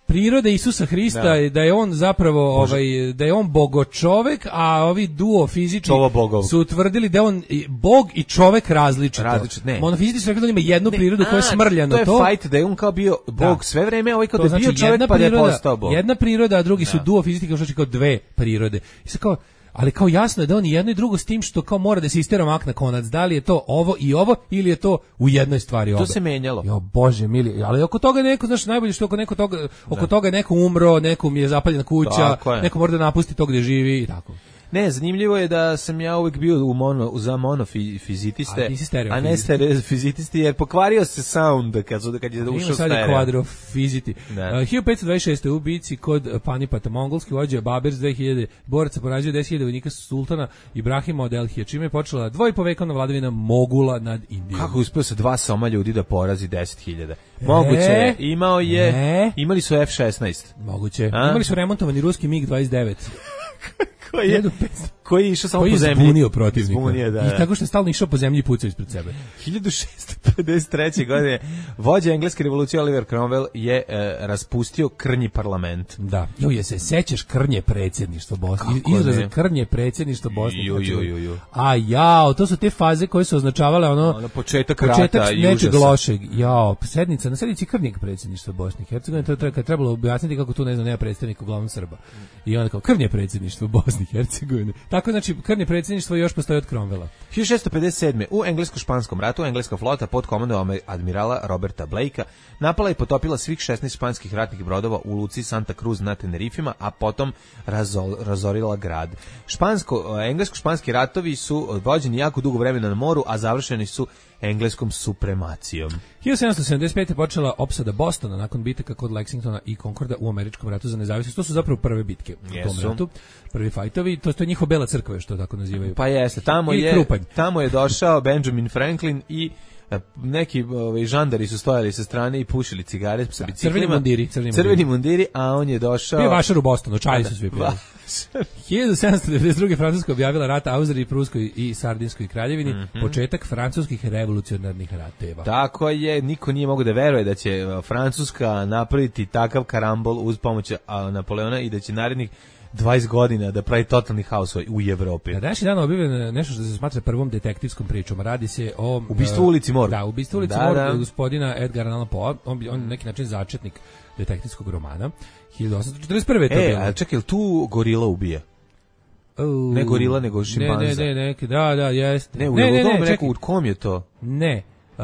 priroda Isusa Hrista, Da. da. da je on zapravo ovaj da je on bogočovek, a ovi duo fizički Čovo bogov. su tvrdili da je on i bog i čovek različito. Različit, ne. Monofiziti su rekli da on ima jednu prirodu koja je A, smrljana. To je to fight da je on kao bio bog Da. sve vreme, ovaj kao To da je znači bio čovjek jedna pa da je priroda- postao bog. Jedna priroda, a drugi su Da. duo fizički, kao što znači kao dve prirode. I sad kao, ali kao jasno je da on i jedno i drugo s tim što kao mora da se istera mak na konac. Da li je to ovo i ovo ili je to u jednoj stvari oba. To se menjalo. Jo, bože mili, ali oko toga je neko, znaš, najbolje što oko neko toga, oko toga je neko umro, nekom je zapaljena kuća, Tako je. neko mora da napusti to gde živi i tako. Ne, zanimljivo je da sam ja uvijek bio u mono, za monofizitiste, A ti si stereo a ne stereofizitisti, jer pokvario se sound kad, su, kad je Ima ušao sad je stereo. kvadrofiziti. Da. Uh, hiljadu petsto dvadeset šeste. u bici kod Panipata mongolski vođa Babers dve hiljade boraca poražio deset hiljada vojnika sultana Ibrahima od Elhija, čime je počela dvojpovekovna vladavina Mogula nad Indijom. Kako je uspio sa dva soma ljudi da porazi deset hiljada? Moguće je, imao je, Ne. imali su F šesnaest. Moguće. A? Imali su remontovani ruski mig dvadeset devet. Koji je, koji je išao samo Koji po je zemlji. zbunio protivnika. Zbunio, da, I da. tako što je stalno išao po zemlji i pucao ispred sebe. hiljadu šessto pedeset treće. godine vođa engleske revolucije Oliver Cromwell je e, raspustio krnji parlament. Da. Jo, je se sećaš krnje predsjedništva Bosne? Kako Izraza ne? krnje predsjedništva Bosne. Ju, ju, ju, ju. A jao, to su te faze koje su označavale ono Ono, početak početak rata i nečeg užasa. lošeg. Jao, sednica, na sednici krnjeg predsjedništva Bosne i Hercegovine, to je treba, trebalo objasniti kako tu ne znam, nema predstavnika uglavnom Srba. I onda kao krnje predsjedništvo Bosne i Hercegovine. Tako znači krnje predsjedništvo još postoji od Cromwella. hiljadu šessto pedeset sedme. u englesko-španskom ratu engleska flota pod komandom admirala Roberta Blakea napala i potopila svih šesnaest španskih ratnih brodova u luci Santa Cruz na Tenerifima, a potom razol, razorila grad. Špansko, englesko-španski ratovi su vođeni jako dugo vremena na moru, a završeni su engleskom supremacijom. hiljadu sedamsto sedamdeset pete. počela opsada Bostona nakon bitaka kod Lexingtona i Concorda u američkom ratu za nezavisnost. To su zapravo prve bitke u tom Jesu. ratu. Prvi fajtovi, to, to je njihova bela crkva, što tako nazivaju. Pa jeste, tamo Ili je, Krupanj. tamo je došao Benjamin Franklin i e, neki ovaj, žandari su stojali sa strane i pušili cigare sa biciklima. crveni mundiri, crveni crveni mundiri, a on je došao... Bio je vašar u Bostonu, čaji su svi pili. Va- hiljadu sedamsto devedeset druge. Francuska objavila rat Austriji, Pruskoj i Sardinskoj kraljevini, Mhm. početak francuskih revolucionarnih rateva. Tako je, niko nije mogao da veruje da će e, Francuska napraviti takav karambol uz pomoć a, Napoleona i da će narednih dvadeset godina da pravi totalni haos u Evropi. Na današnji dan objavljeno nešto što se smatra prvom detektivskom pričom. Radi se o... Ubistvo e, u ulici Morgue. Da, ubistvo u ulici Da, Morgue da. gospodina Edgara Allan Poe. On, bi- on je na neki način začetnik detektivskog romana. hiljadu osamsto četrdeset prve. je to E, bilo. a čekaj, jel tu gorila ubija? U, ne gorila, nego Ne, šimpanza. ne, ne, neki, da, da, jeste. Ne, u ne, ne, ne, ne, ne, čekaj, u kom je to? ne. E,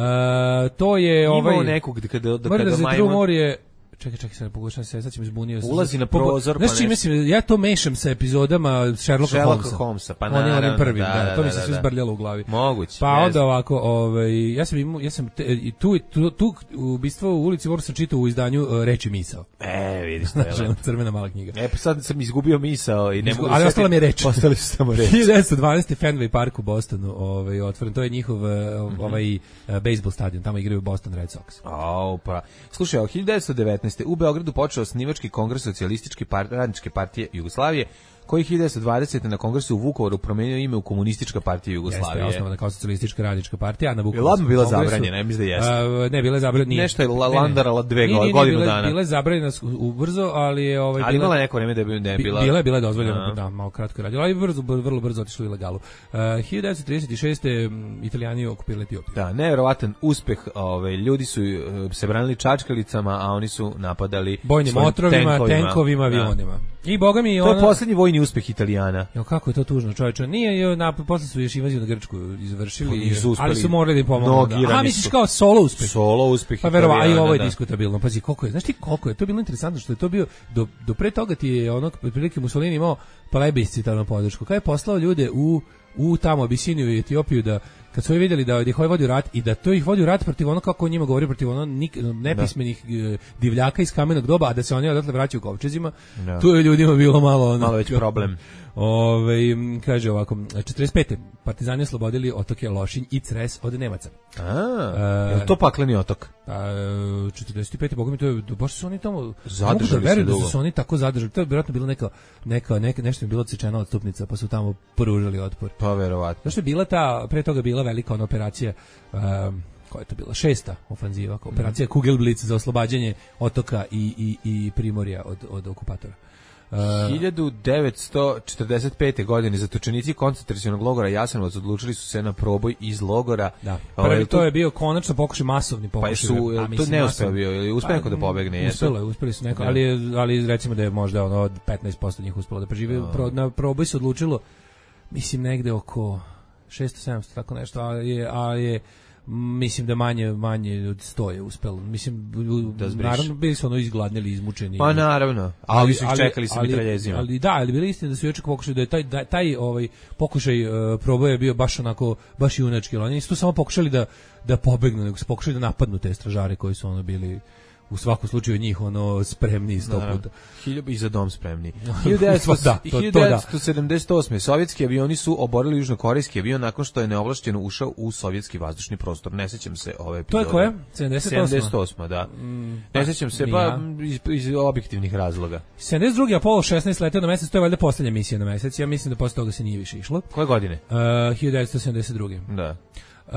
to je ovaj... Imao nekog da kada, da Murder kada the True majmun... More je... Čekaj, čekaj, sad pokušam se, sad će me zbunio. Ulazi na Pogo- prozor, pa Znaš čime nešto. si, ja to mešam sa epizodama Sherlocka, Sherlocka Holmesa. Holmesa, pa On je onim naravno, prvim, da, da, to da, mi se da, sve da. zbrljalo u glavi. Moguće. Pa ne onda znam. ovako, ovaj, ja sam imao, ja sam te, i tu, tu, tu ubistvo u ulici Mora sam čitao u izdanju uh, Reči misao. E, vidiš to je Znači, lepo. crvena mala knjiga. E, pa sad sam izgubio misao i ne Izgu- mogu... ali da ostala setim- mi je reč. Ostali su samo reči. hiljadu devetsto dvanaeste. Fenway Park u Bostonu, ovaj, otvoren, to je njihov uh, ovaj, uh, bejsbol stadion, tamo igraju Boston Red Sox. Au, pa. Slušaj, od hiljadu devetsto devetnaeste. u Beogradu počeo osnivački kongres socijalističke par, radničke partije Jugoslavije, koji hiljadu devetsto dvadesete. na kongresu u Vukovaru promenio ime u Komunistička partija Jugoslavije. Jeste, osnovana kao socijalistička radnička partija, a na Je Vukovarskom li odmah bila kongresu- zabranjena? Ne mislim da jeste. A, ne, bila je zabranjena. nije. Nešto je la- Ne, ne. landarala dve Nije, nije, nije, godinu bila je- dana. Bila je zabranjena s- ubrzo, ali je ovaj Ali bila- imala neko vreme da je bi- da je Bi- bila... Bila je, bila je dozvoljena, Aha. da, malo kratko je radila, ali je brzo, vrlo brzo otišlo u ilegalu. Uh, hiljadu devetsto trideset šeste. m, Italijani okupirali Etiopiju. Da, nevjerovatan uspeh, ovaj ljudi su e, se branili čačkalicama, a oni su napadali Bojnim svojim otrovima, tenkovima, Da. avionima. I boga mi To ono... je poslednji vojni uspeh Italijana. Jo, kako je to tužno, čoveče. Nije, jo, na, posle su još invaziju na Grčku izvršili, Nisu uspeli. ali su morali da im pomognu. A misliš kao solo uspeh? Solo uspeh Pa verovatno, a i ovo je da. diskutabilno. Pazi, koliko je, znaš ti koliko je, to je bilo interesantno što je to bio, do, do pre toga ti je ono, prilike Mussolini imao plebiscitarnu podršku. Kada je poslao ljude u, u tamo Abisiniju i Etiopiju da kad su vidjeli da ih ovaj vodi rat i da to ih vodi u rat protiv ono kako on njima govori protiv ono nik, nepismenih da. divljaka iz kamenog doba, a da se oni odatle vraćaju kovčezima, da. Tu je ljudima bilo malo ono, malo već problem. Ove, kaže ovako, četrdeset pete partizani oslobodili otoke Lošinj i Cres od Nemaca. A, je to pakleni otok? A, četrdeset pete boga mi to je, baš su oni tamo zadržali da se dugo. Da su oni tako zadržali, to je vjerojatno bilo neka, neka, neka nešto je bilo odsečena odstupnica, pa su tamo pružili otpor. Pa verovatno. Zašto je bila ta, pre toga bila velika ona operacija, um, koja je to bila, šesta ofanziva, operacija mm. Kugelblitz za oslobađanje otoka i, i, i primorja od, od okupatora. Uh, hiljadu devetsto četrdeset pete. godine zatočenici koncentracionog logora Jasenovac odlučili su se na proboj iz logora. Da. Prvi ovaj, to je bio konačno pokušaj, masovni pokušaj. Pa su, a, to ne uspeo bio, ili uspeo neko da pobegne? Uspelo je, uspeli su neko, ali, ali recimo da je možda ono petnaest posto njih uspelo da prežive. Pro, na proboj se odlučilo, mislim negde oko šesto sedamsto, tako nešto, a je, a je mislim da manje manje od sto je uspelo. Mislim da naravno bili su ono izgladnili, izmučeni. Pa naravno. Ali su ih čekali sa mitraljezima. Ali da, ali bili istina da su još pokušali da je taj da, taj ovaj pokušaj uh, proboja bio baš onako baš junački. Oni nisu samo pokušali da da pobegnu, nego su pokušali da napadnu te stražare koji su ono bili u svakom slučaju njih ono spremni sto puta. Hiljadu i za dom spremni. hiljadu devetsto sedamdeset osme. Sovjetski avioni su oborili južnokorejski avion nakon što je neovlašćeno ušao u sovjetski vazdušni prostor. Ne sećam se ove epizode. To je koje? sedamdeset osma. sedamdeset osma, da. Mm, ne sećam se, pa iz, iz objektivnih razloga. sedamdeset drugi. Apollo šesnaest leteo na mesec, to je valjda poslednja misija na mesec. Ja mislim da posle toga se nije više išlo. Koje godine? Uh, hiljadu devetsto sedamdeset druge. Da. Uh,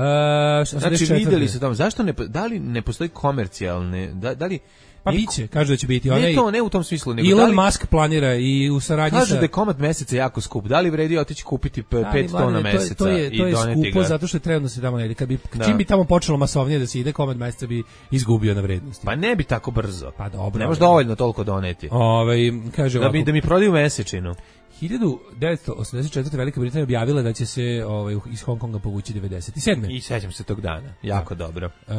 znači videli su tamo, zašto ne, da li ne postoji komercijalne, da, da li pa biće, kaže da će biti onaj. Ne to, ne u tom smislu, nego Elon da li, Musk planira i u saradnji kaže sa. Kaže da je komad meseca jako skup. Da li vredi otići kupiti pet tona meseca to je, to je, i doneti ga? To je skupo zato što je trenutno se tamo ne ide. Kad bi da. Čim bi tamo počelo masovnije da se ide, komad meseca bi izgubio na vrednosti. Pa ne bi tako brzo. Pa dobro. Ne može dovoljno toliko doneti. Ovaj kaže da bi da mi prodaju mesečinu. hiljadu devetsto osamdeset četvrte. Velika Britanija objavila da će se ovaj, iz Hong Konga povući devedeset sedme. I sećam se tog dana, jako da. dobro. E,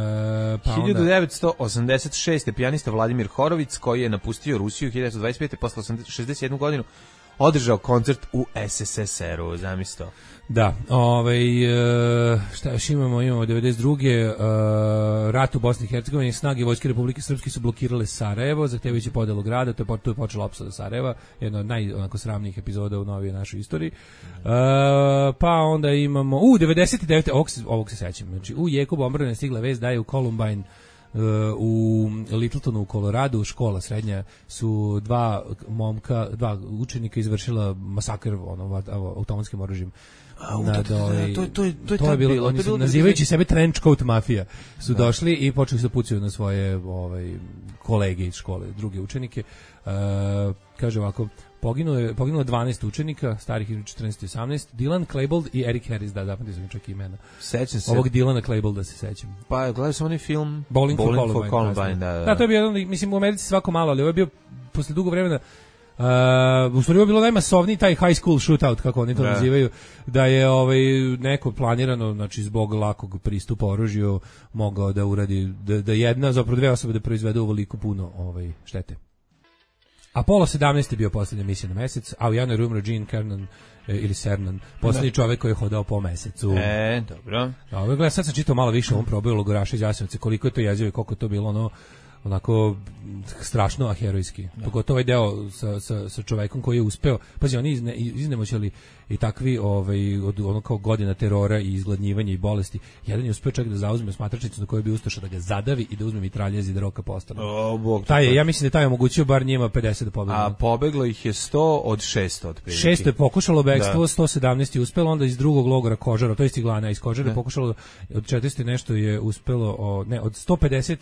pa hiljadu devetsto osamdeset šeste. pijanista Vladimir Horović, koji je napustio Rusiju hiljadu devetsto dvadeset pete. posle šezdeset sedme. godinu, održao koncert u es es es er-u, zamisli to. Da, ovaj, šta još imamo, imamo devedeset druge. Uh, rat u Bosni i Hercegovini, snage Vojske Republike Srpske su blokirale Sarajevo, zahtevajući podelu grada, to je, to je počela opsada Sarajeva, jedna od naj onako sramnijih epizoda u novijoj našoj istoriji. Uh, pa onda imamo, u devedeset devete. ovog se, ovog se sećam, znači u jeku bombardovanja stigla vest da je u Columbine u Littletonu u Koloradu škola srednja su dva momka, dva učenika izvršila masakr ono automatskim oružjem. A, to, ovaj, to, to, to, to je bilo, bilo oni su, nazivajući sebe trench coat mafija su da. došli i počeli su da pucaju na svoje ovaj, kolege iz škole, druge učenike. Uh, kaže ovako, poginulo je, poginulo je dvanaest učenika, starih između četrnaest i osamnaest, Dylan Klebold i Eric Harris, da, zapamtio sam čak imena. Sećam se. Ovog Dylana Klebolda se sećam. Pa, gledao sam onaj film Bowling, Bowling for, for Columbine, Columbine da, da. Da, to je bio jedan, mislim, u Americi svako malo, ali ovo je bio posle dugo vremena. Uh, u stvari je bilo najmasovniji taj high school shootout, kako oni to da. nazivaju, da je ovaj, neko planirano, znači zbog lakog pristupa oružju mogao da uradi, da, da jedna, zapravo dve osobe da proizvedu ovoliko puno ovaj, štete. Apollo sedamnaest je bio posljednja misija na mesec, a u januaru umro Gene Cernan e, ili Cernan, posljednji čovjek koji je hodao po mesecu. E, dobro. Dobro, gledaj, sad sam čitao malo više o ovom probaju logoraša iz Jasenovca, koliko je to jezivo i koliko je to bilo ono onako strašno, a herojski. Da. Pogotovo ovaj deo sa, sa, sa čovekom koji je uspeo, pazi, oni izne, iznemoćali i takvi ovaj, od ono kao godina terora i izgladnjivanja i bolesti. Jedan je uspeo čak da zauzme smatračnicu na kojoj bi ustašao da ga zadavi i da uzme mitraljez i da roka postane. O, Bog, taj je, ja mislim da taj je omogućio bar njima pedeset da pobegnu. A pobeglo ih je sto od šesto otprilike. šesto je pokušalo bekstvo, da. sto sedamnaest je uspelo, onda iz drugog logora Kožara, to je Ciglana, iz Kožara je pokušalo, od četiristo nešto je uspelo, o, ne, od sto pedeset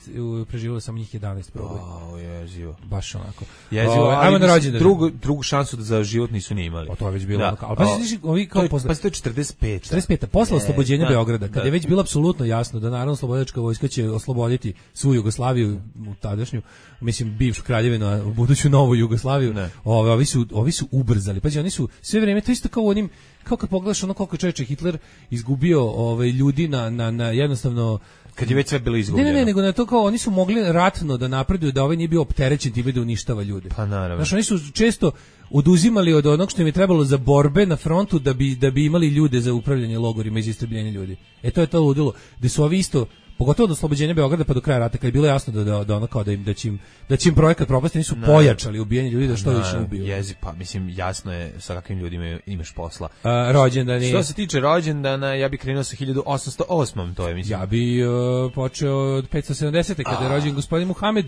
preživjelo samo njih jedanaest proboj. Oh, jezivo. Baš onako. Jezivo, O, ali ajmo na mislim, rođendan. drugu, drugu šansu da za život nisu ni imali. O, to je već bilo. Da. Onako. Ali pa znači, ovi kao to je, posle... pa to je četrdeset pet. četrdeset peta posle oslobođenja da, Beograda, kada da. je već bilo apsolutno jasno da naravno slobodačka vojska će osloboditi svu Jugoslaviju, u tadašnju, mislim bivšu kraljevinu, a u buduću novu Jugoslaviju. Ove, ovi su ovi su ubrzali. Pa oni su sve vrijeme to isto kao onim, kao kad pogledaš ono koliko čovječe Hitler izgubio ovaj ljudi na na na jednostavno kad je već sve bilo izgubljeno. Ne, ne, ne, nego na to kao oni su mogli ratno da napreduju, da ovaj nije bio opterećen time da uništava ljude. Pa naravno. Znaš, oni su često oduzimali od onog što im je trebalo za borbe na frontu da bi da bi imali ljude za upravljanje logorima i za istrebljenje ljudi. E to je to ludilo. Da su ovi isto, pogotovo do oslobođenja Beograda pa do kraja rata, kad je bilo jasno da da, da ono kao da im da će im da će im projekat propasti, nisu no. pojačali ubijanje ljudi da što no, više ubiju. Jezi, pa mislim jasno je sa kakvim ljudima imaš posla. A, rođendan je. Što se tiče rođendana, ja bih krenuo sa hiljadu osamsto osmom, to je mislim. Ja bih uh, počeo od petsto sedamdesete kada je rođen gospodin Muhamed,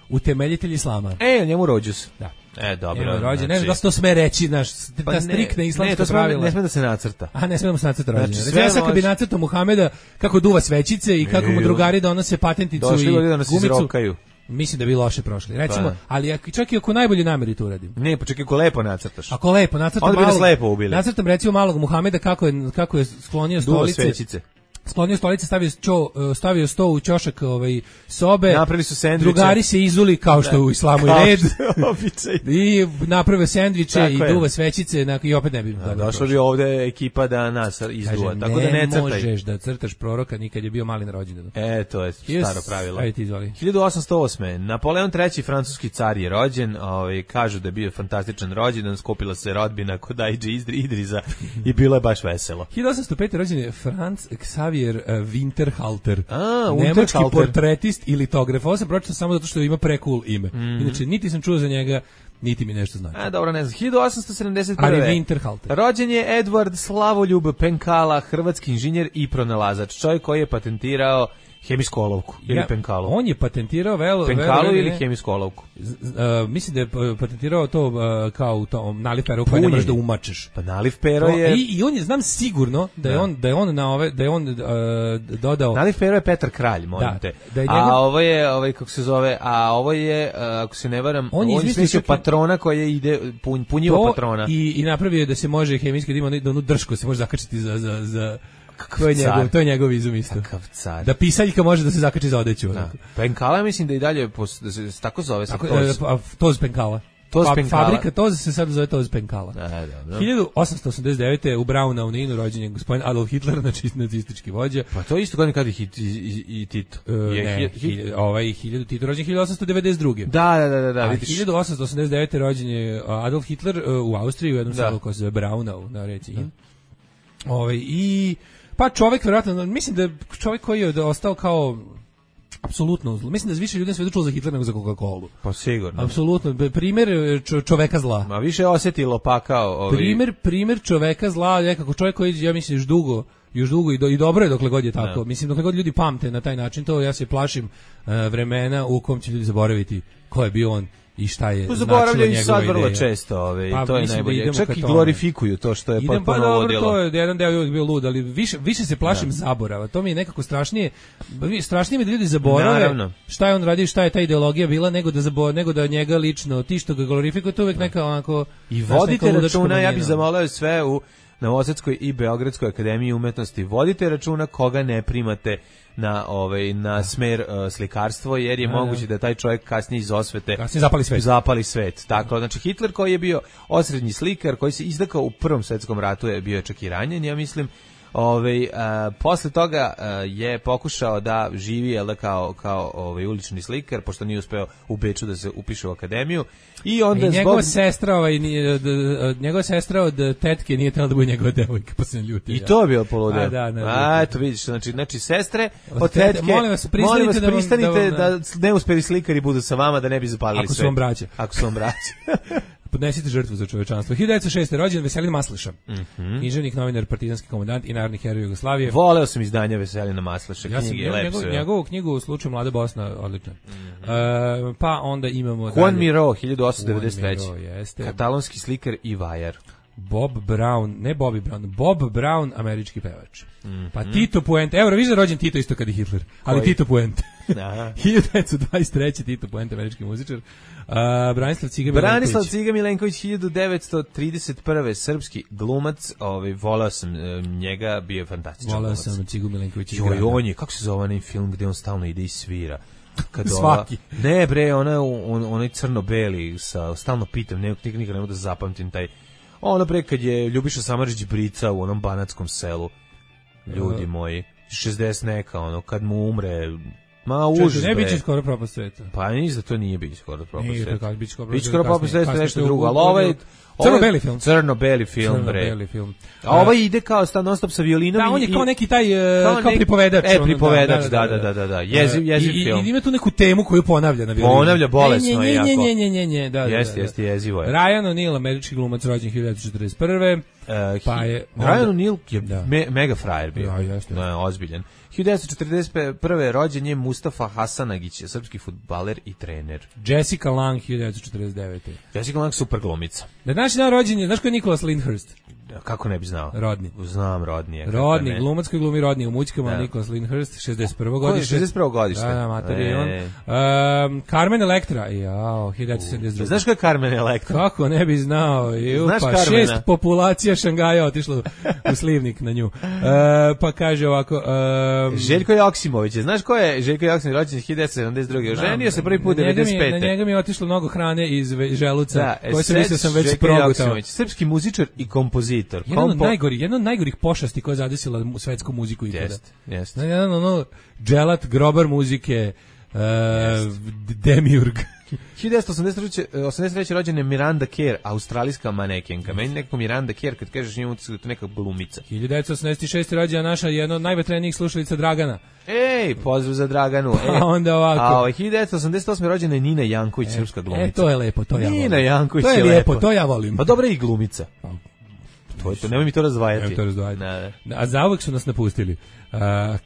utemeljitelj islama. E, njemu rođus. Da. E, dobro. Evo, rođen, znači, ne da se to sme reći, naš, ta pa striktna islamska pravila. Ne sme da se nacrta. A ne sme da se nacrta rođendan. Znači, ja sad kad bi nacrtao Muhameda kako duva svećice i kako mu drugari donose patenticu došli i da nas gumicu. Izrokaju. Mislim da bi loše prošli. Recimo, pa. ali čak i ako najbolje nameri to uradim. Ne, pa čak i ako lepo nacrtaš. Ako lepo nacrtam malog. Onda bi nas lepo ubili. Nacrtam recimo malog Muhameda kako je kako je sklonio stolice. Duva svećice. Sklonio stolice, stavio čo, stavio sto u ćošak ovaj sobe. Napravili su sendviče. Drugari se izuli kao što u islamu je red. Običaj. I naprave sendviče i duva svećice, na i opet ne bi. Da, došla bi ovde ekipa da nas izduva. Kaže, tako da ne crtaj. Možeš da crtaš proroka nikad je bio mali na rođendanu. E, to je staro pravilo. Ajde ti izvoli. hiljadu osamsto osme Napoleon treći francuski car je rođen, ovaj kažu da je bio fantastičan rođendan, skupila se rodbina kod Aidže Idriza i bilo je baš veselo. hiljadu osamsto pete rođen je Franz Xavier Winterhalter, A, nemački portretist i litograf. Ovo sam pročitao samo zato što ima pre-cool ime. Mm-hmm. Inače, niti sam čuo za njega, niti mi nešto znači. A, dobro, ne znam. hiljadu osamsto sedamdeset prve Ali Winterhalter. Rođen je Edward Slavoljub Penkala, hrvatski inženjer i pronalazač. Čovjek koji je patentirao hemijsku olovku ili ja, penkalu. On je patentirao velo, penkalu velo, ili hemijsku olovku. Z, uh, mislim da je patentirao to uh, kao u tom naliv pero koji ne možeš da umačeš. Pa naliv pero je I, i on je znam sigurno da je da. on da je on na ove da je on uh, dodao. Naliv pero je Petar Kralj, molim da, te. Da je njegov... njegov... A ovo je ovaj kako se zove, a ovo je uh, ako se ne varam, on je izmislio patrona koji ide pun, punjivo patrona. I i napravio da se može hemijski da ima da onu dršku se može zakačiti za za za To je, njegov, to je njegov izum isto. Da pisaljka može da se zakači za odeću. Da. Penkala mislim da i dalje pos, da se tako zove. Tako, toz. E, toz Penkala. Toz pa, Penkala. Fabrika Toz se sad zove Toz Penkala. Da, da, da. hiljadu osamsto osamdeset devete u Braunau na Inu rođen je gospodin Adolf Hitler, znači nacistički vođa. Pa to isto godin kad i, hit, i, i, i Tito. E, je, ne, hit, hit, ovaj hiljadu Tito rođen hiljadu osamsto devedeset druge. Da, da, da, da, da vidiš. hiljadu osamsto osamdeset devete rođen je Adolf Hitler u Austriji u jednom selu koji se zove Braunau na reci In. Ovaj i pa čovjek verovatno, mislim da čovjek koji je ostao kao apsolutno zlo. Mislim da više ljudi na svetu čulo za Hitlera nego za Coca-Colu. Pa sigurno. Apsolutno. Primjer čo, čoveka zla. Ma više osjetilo pa kao ovi... Primjer, primjer čoveka zla, nekako čovjek koji, ja mislim, još dugo, još dugo i, do, i dobro je dokle god je tako. No. Mislim, dokle god ljudi pamte na taj način, to ja se plašim uh, vremena u kom će ljudi zaboraviti ko je bio on i šta je značilo njegova ideja. Zaboravljaju sad vrlo često, ove, pa, to je najbolje. Da čak i glorifikuju to što je idem, potpuno pa, vodilo. To je jedan deo uvijek bio lud, ali više, više se plašim da. zaborava. To mi je nekako strašnije. Strašnije mi da ljudi zaborave Naravno. šta je on radio, šta je ta ideologija bila, nego da zabor, nego da njega lično, ti što ga glorifikuju, to uvijek neka onako... I vodite računa, ja bih zamolio sve u Novosadskoj i Beogradskoj akademiji umetnosti. Vodite računa koga ne primate na ovaj na smer uh, slikarstvo, jer je a, moguće da taj čovjek kasnije iz osvete kasnije zapali svet. Zapali svet. Tako, znači Hitler koji je bio osrednji slikar, koji se izdakao u Prvom svetskom ratu, je bio čak i ranjen, ja mislim. Ovaj posle toga a, je pokušao da živi jel, kao kao ovaj ulični slikar, pošto nije uspeo u Beču da se upiše u akademiju. I onda I njegova zbog... sestra, ovaj nije njegova sestra od tetke nije htjela da bude njegova devojka, pa se ljuti. I to je bilo poludeo. A, da, ne, A eto vidiš, znači znači sestre od tetke. Molim vas, pristanite, molim vas, pristanite da, da, da neuspeli slikari budu sa vama, da ne bi zapalili sve. Ako su vam braća. Ako su vam braća. Podnesite žrtvu za čovečanstvo. hiljadu devetsto šeste rođen Veselin Masleša. Mm-hmm. Književnik, novinar, partizanski komandant i narodni heroj Jugoslavije. Voleo sam izdanja Veselina Masleša, ja knjige, lepo njegov, sve. Njegovu knjigu u slučaju Mlada Bosna, odlična. Mm-hmm. Uh, pa onda imamo... Juan Miró, hiljadu osamsto devedeset treće. Juan Miró, jeste. Katalonski slikar i vajar. Bob Brown, ne Bobby Brown, Bob Brown, američki pevač. Mm-hmm. Pa Tito Puente, evo, viš da rođen Tito isto kad i Hitler, ali Koji? Tito Puente. Aha. hiljadu devetsto dvadeset treće Tito Puente, američki muzičar. Uh, Branislav Ciga Milenković. Branislav Ciga Milenković, hiljadu devetsto trideset prve srpski glumac, ovaj, volao sam e, njega, bio je fantastičan Volao glumac. sam Cigu Milenković iz Joj, Grada. on je, kako se zove onaj film gde on stalno ide i svira? Kad Svaki. Ova, ne bre, ona, on, onaj crno-beli, sa, stalno pitam, ne, nikad ne mogu da zapamtim taj, ono bre, kad je Ljubiša Samardžić brica u onom banatskom selu, ljudi moji, šezdeset neka, ono, kad mu umre, ma užas bre. Ne biće skoro propast sveta. Pa ništa, to nije biće skoro propast Nije, sveta. to kako biće skoro Biće skoro propast sveta, kasnije, nešto kasnije, drugo, u- ali ovo je... Crno-beli film. Crno-beli film, bre. Crno-beli film. A ovaj ide kao sta non stop sa violinom. Da, on je i- kao neki taj, uh, kao kao nek- pripovedač. E, ono, pripovedač, da, da, da, da, da. Jeziv, jeziv I, i, film. I ima tu neku temu koju ponavlja na violinu. Ponavlja bolesno nje, je jako. nje, nje, nje, nje, nje, da, da, Jeste, da, da. jeste, jezivo je. Ryan O'Neal, američki glumac, rođen hiljadu devetsto četrdeset prve. Uh, Pa hi- je- Ryan onda- O'Neal je Da. me, mega frajer bio. Ja, jeste. Da, ozbiljan. hiljadu devetsto četrdeset prve rođen je Mustafa Hasanagić, srpski fudbaler i trener. Jessica Lange, hiljadu devetsto četrdeset devete. Jessica Lange super glumica. Na današnji dan rođen je, znaš ko je Nicholas Lyndhurst? Kako ne bi znao? Rodni. Znam Rodni. je, kako Rodni, ne. glumac koji glumi Rodni u mućkama, Da. Nicholas Lyndhurst, šezdeset prvo Ko je godište. šezdeset prvo godište? Da, da, mater je on. E. Um, Carmen Electra, jao, hiljadu devetsto sedamdeset druge. Znaš ko je Carmen Electra? Kako ne bi znao, ju, Znaš pa Carmena? šest populacija Šangaja otišlo u slivnik na nju. E, pa kaže ovako... Um, Željko Joksimović, znaš ko je Željko Joksimović, rođen hiljadu devetsto sedamdeset druge. Oženio se prvi put na njega mi je- devedeset pete. Na njega mi je otišlo mnogo hrane iz ve- želuca, Da, koje sam mislio sam već Željko progutao. Joksimović, srpski muzičar i kompozitor. Jedan od Kompo- najgorih, jedna od najgorih pošasti koja je zadesila mu- svetsku muziku ikada. Jeste, jeste. Na jedan ono dželat, grobar muzike, uh, demiurg. hiljadu devetsto osamdeset treće rođena je Miranda Kerr, australijska manekenka. Meni nekako Miranda Kerr, kad kažeš njemu, utisak da je to neka glumica. hiljadu devetsto osamdeset šeste rođena naša jedna od najvetrenijih slušalica Dragana. Ej, pozdrav za Draganu. E, A onda ovako. A ovaj, hiljadu devetsto osamdeset osme rođena je Nina Janković, srpska glumica. E, to je lepo, to ja volim. Nina Janković To je je lijepo, lepo. to ja volim. Pa dobra je i glumica. To je to, nemoj mi to razdvajati. Nemoj to razdvajati. Da, da. A zauvek su nas napustili. Uh,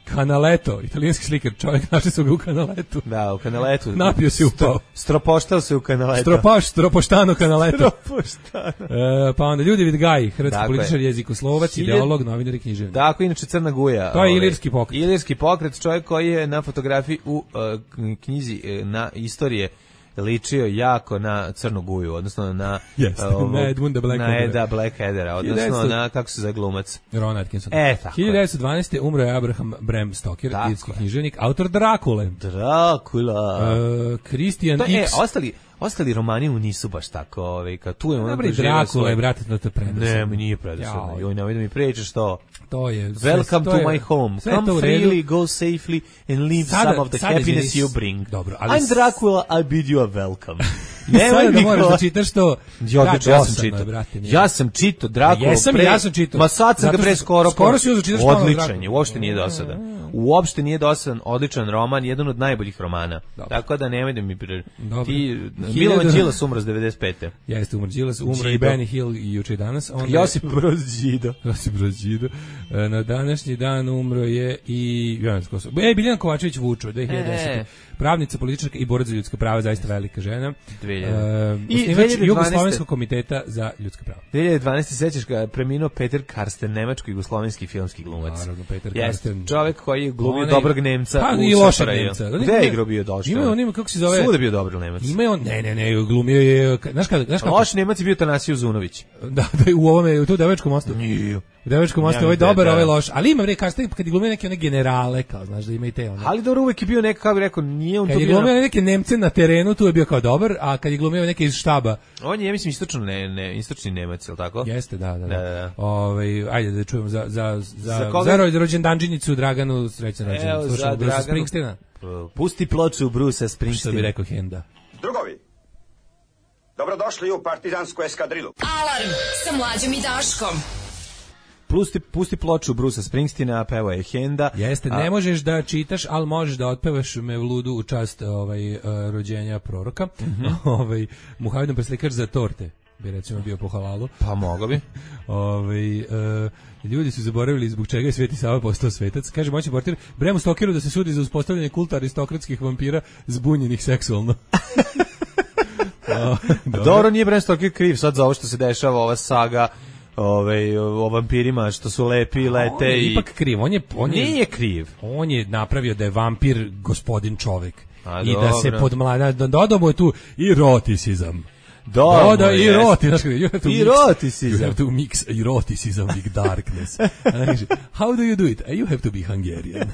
Canaletto, italijanski slikar, čovjek, našli su ga u Canaletu. Da, u kanaletu. Napio se upao. Stropoštao se u kanaletu. Stropaš, stropoštano Canaletto. Stropoštano. Uh, pa onda Ljudevit Gaj, hrvatski Tako političar, je. jezikoslovac, Hiljad- ideolog, novinar i književnik. Tako, inače Crna Guja. To je ovaj, ilirski pokret. Ilirski pokret, čovjek koji je na fotografiji u uh, knjizi uh, na istorije ličio jako na Crnu Guju, odnosno na Jeste, ovog- na Edmunda Blackheadera. na Eda Blackheadera, odnosno hiljadu devetsto na, kako se zove glumac. Ron Atkinson. E, tako je. hiljadu devetsto dvanaeste umro je Abraham Bram Stoker, Tako irski je. književnik, autor Drakule. Dracula. Uh, Christian To, e, X. ostali, ostali romani mu nisu baš tako, ovaj, kao tu je ono Dobro, i doživio Drakula svoj- je, brate, to te predosadno. Ne, mi nije predosadno. Jao. Joj, nemoj da mi pričaš to. To je... sve- Welcome to to je- my home. sve je to Come u redu. freely, go safely and leave Sada- some of the sada, happiness izvini, you bring. dobro, ali I'm s- Dracula, I bid you a welcome. Sada da mi moraš ko- da čitaš to. Ja, odlično, ja sam dosadno je, čitao. brate, nije. Ja sam čitao Drakulu. Pa jesam i pre- ja sam čitao. Ma sad sam Zato ga pre što- skoro. skoro si uzeo čitaš ponovo Odličan Drakulu. je, uopšte nije dosadan. Uopšte nije dosadan, odličan roman, jedan od najboljih romana. Dobro. Tako da nemoj da mi... Pre... Dobro. Ti, Hiljadu- Milovan Đilas umro s devedeset pete. Jeste, umro Đilas, umro i Đido. Benny Hill i juče i danas. Onda je- Josip Broz Đido. Josip Broz Đido. E, Na današnji dan umro je i... ja ne znam ko su- E, Biljana Kovačević Vučo, dve hiljade desete. E. Pravnica, političarka i borac za ljudska prava, zaista velika žena. dve hiljade. E, I osnivač dve hiljade dvanaeste. Jugoslovenskog komiteta za ljudska prava. dve hiljade dvanaeste. sećaš ga, preminuo Peter Karsten, nemačko-jugoslovenski filmski glumac. Naravno, Peter Jeste, Karsten. čovjek koji je glumio Onaj- dobrog Nemca Pa, u i lošeg Safraju. Nemca. Gde je igrao bio došao? Ima on ima, kako se zove? Svuda je bio dobar Nemac. Ima je on, ne, ne, ne, glumio je, znaš kada, znaš kako? Loš Nemac je bio Tanasiju Zunović. Da, da, u ovome, u tu Devačkom mostu. Nije. U Devačkom mostu, Ja, ovaj da, dobar, da. ovaj loš. Ali ima, bre, Karsten, kad je glumio neke one generale, kao, znaš, da ima i te one. Ali dobro, uvek je bio neka, kako bih rekao, nije on Kad to je bio... glumio neke Nemce na terenu, tu je bio kao dobar, a kad je glumio neke iz štaba, On je, ja mislim, istočno ne, ne, istočni Nemac, je li tako? jeste, da, da, da. Da, da, da. Ovaj, ajde da čujemo za, za, za, Za za, koga? za rođendanđinicu Draganu, srećan Evo, rođendan. za Slušamo Bruce Draganu. Springsteena, Pusti ploču Bruce'a što bi Springsteena. rekao Henda. Drugovi, dobrodošli u partizansku eskadrilu. Alarm sa Mlađom i Daškom. Pusti, pusti ploču Bruce'a Springsteena, peva je Henda. Jeste, A- ne možeš da čitaš, ali možeš da otpevaš Mevludu u čast ovaj, uh, rođenja proroka. Mhm. ovaj, Muhamedom preslikač za torte bi recimo bio po halalu. Pa mogo bi. Ovaj, uh, ljudi su zaboravili zbog čega je Sveti Sava postao svetac. Kaže moćni portir, Bremu Stokeru da se sudi za uspostavljanje kulta aristokratskih vampira zbunjenih seksualno. O, dobro. Dobro, nije Bram Stoker kriv sad za ovo što se dešava, ova saga ovaj o vampirima što su lepi, lete on je i ipak kriv, on je on je, nije kriv. On je napravio da je vampir gospodin čovek. A, i dobro. da se podmlada, dodao mu je tu eroticizam. Da, da, eroticizam. Eroticizam. You have to mix eroticism with darkness. How do you do it? You have to be Hungarian.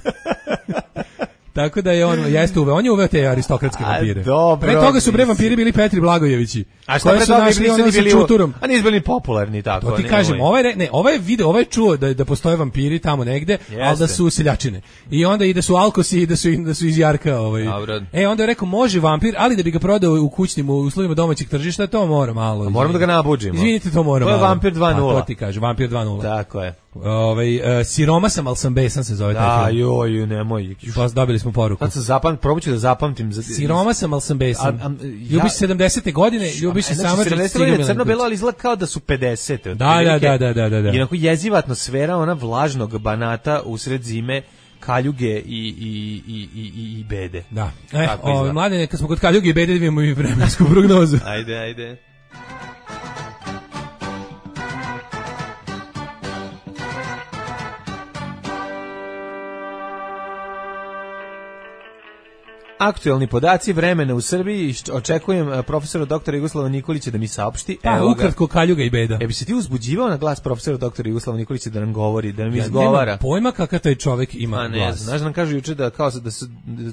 Tako da je on jeste uveo, on je uveo te aristokratske vampire. Dobro. Pre toga su bre vampiri bili Petri Blagojevići. A šta pre toga našli ono sa čuturom. A nisu bili popularni tako. To ti kažem, ovaj ne, ovaj video, ovaj čuo da da postoje vampiri tamo negde, Jeste. al da su seljačine. I onda i da su alkosi i da su da su iz Jarka, ovaj. Dobro. E onda je rekao može vampir, ali da bi ga prodao u kućnim uslovima domaćeg tržišta, to mora malo. A moramo da ga nabuđimo. Izvinite, to mora. To je malo. vampir dva nula. Pa to ti kaže, vampir dva nula. Tako je. Ovaj uh, siroma sam, al sam besan se zove taj Da, film. joj, nemoj. Pa dobili smo poruku. Sad sam zapamtim, probaću da zapamtim. Za... Siroma sam, al sam besan. A, a, ljubiš sedamdesete godine, ljubiš se samo sedamdesete godine crno-belo, ali izgleda kao da su pedesete. Da, da, da, da, da, da. I onako jeziva atmosfera, ona vlažnog Banata usred zime, kaljuge i, i, i, i, i bede. Da. E, o, mladine, kad smo kod kaljuge i bede, vidimo i vremensku prognozu. Ajde, ajde. Aktuelni podaci vremena u Srbiji, očekujem profesora doktora Jugoslava Nikolića da mi saopšti. Pa, evo ukratko kaljuga i beda. E bi se ti uzbuđivao na glas profesora doktora Jugoslava Nikolića da nam govori, da nam ja, izgovara? Nema pojma kakav taj čovjek ima A ne, glas. Znaš da nam kažu juče da, kao da, su,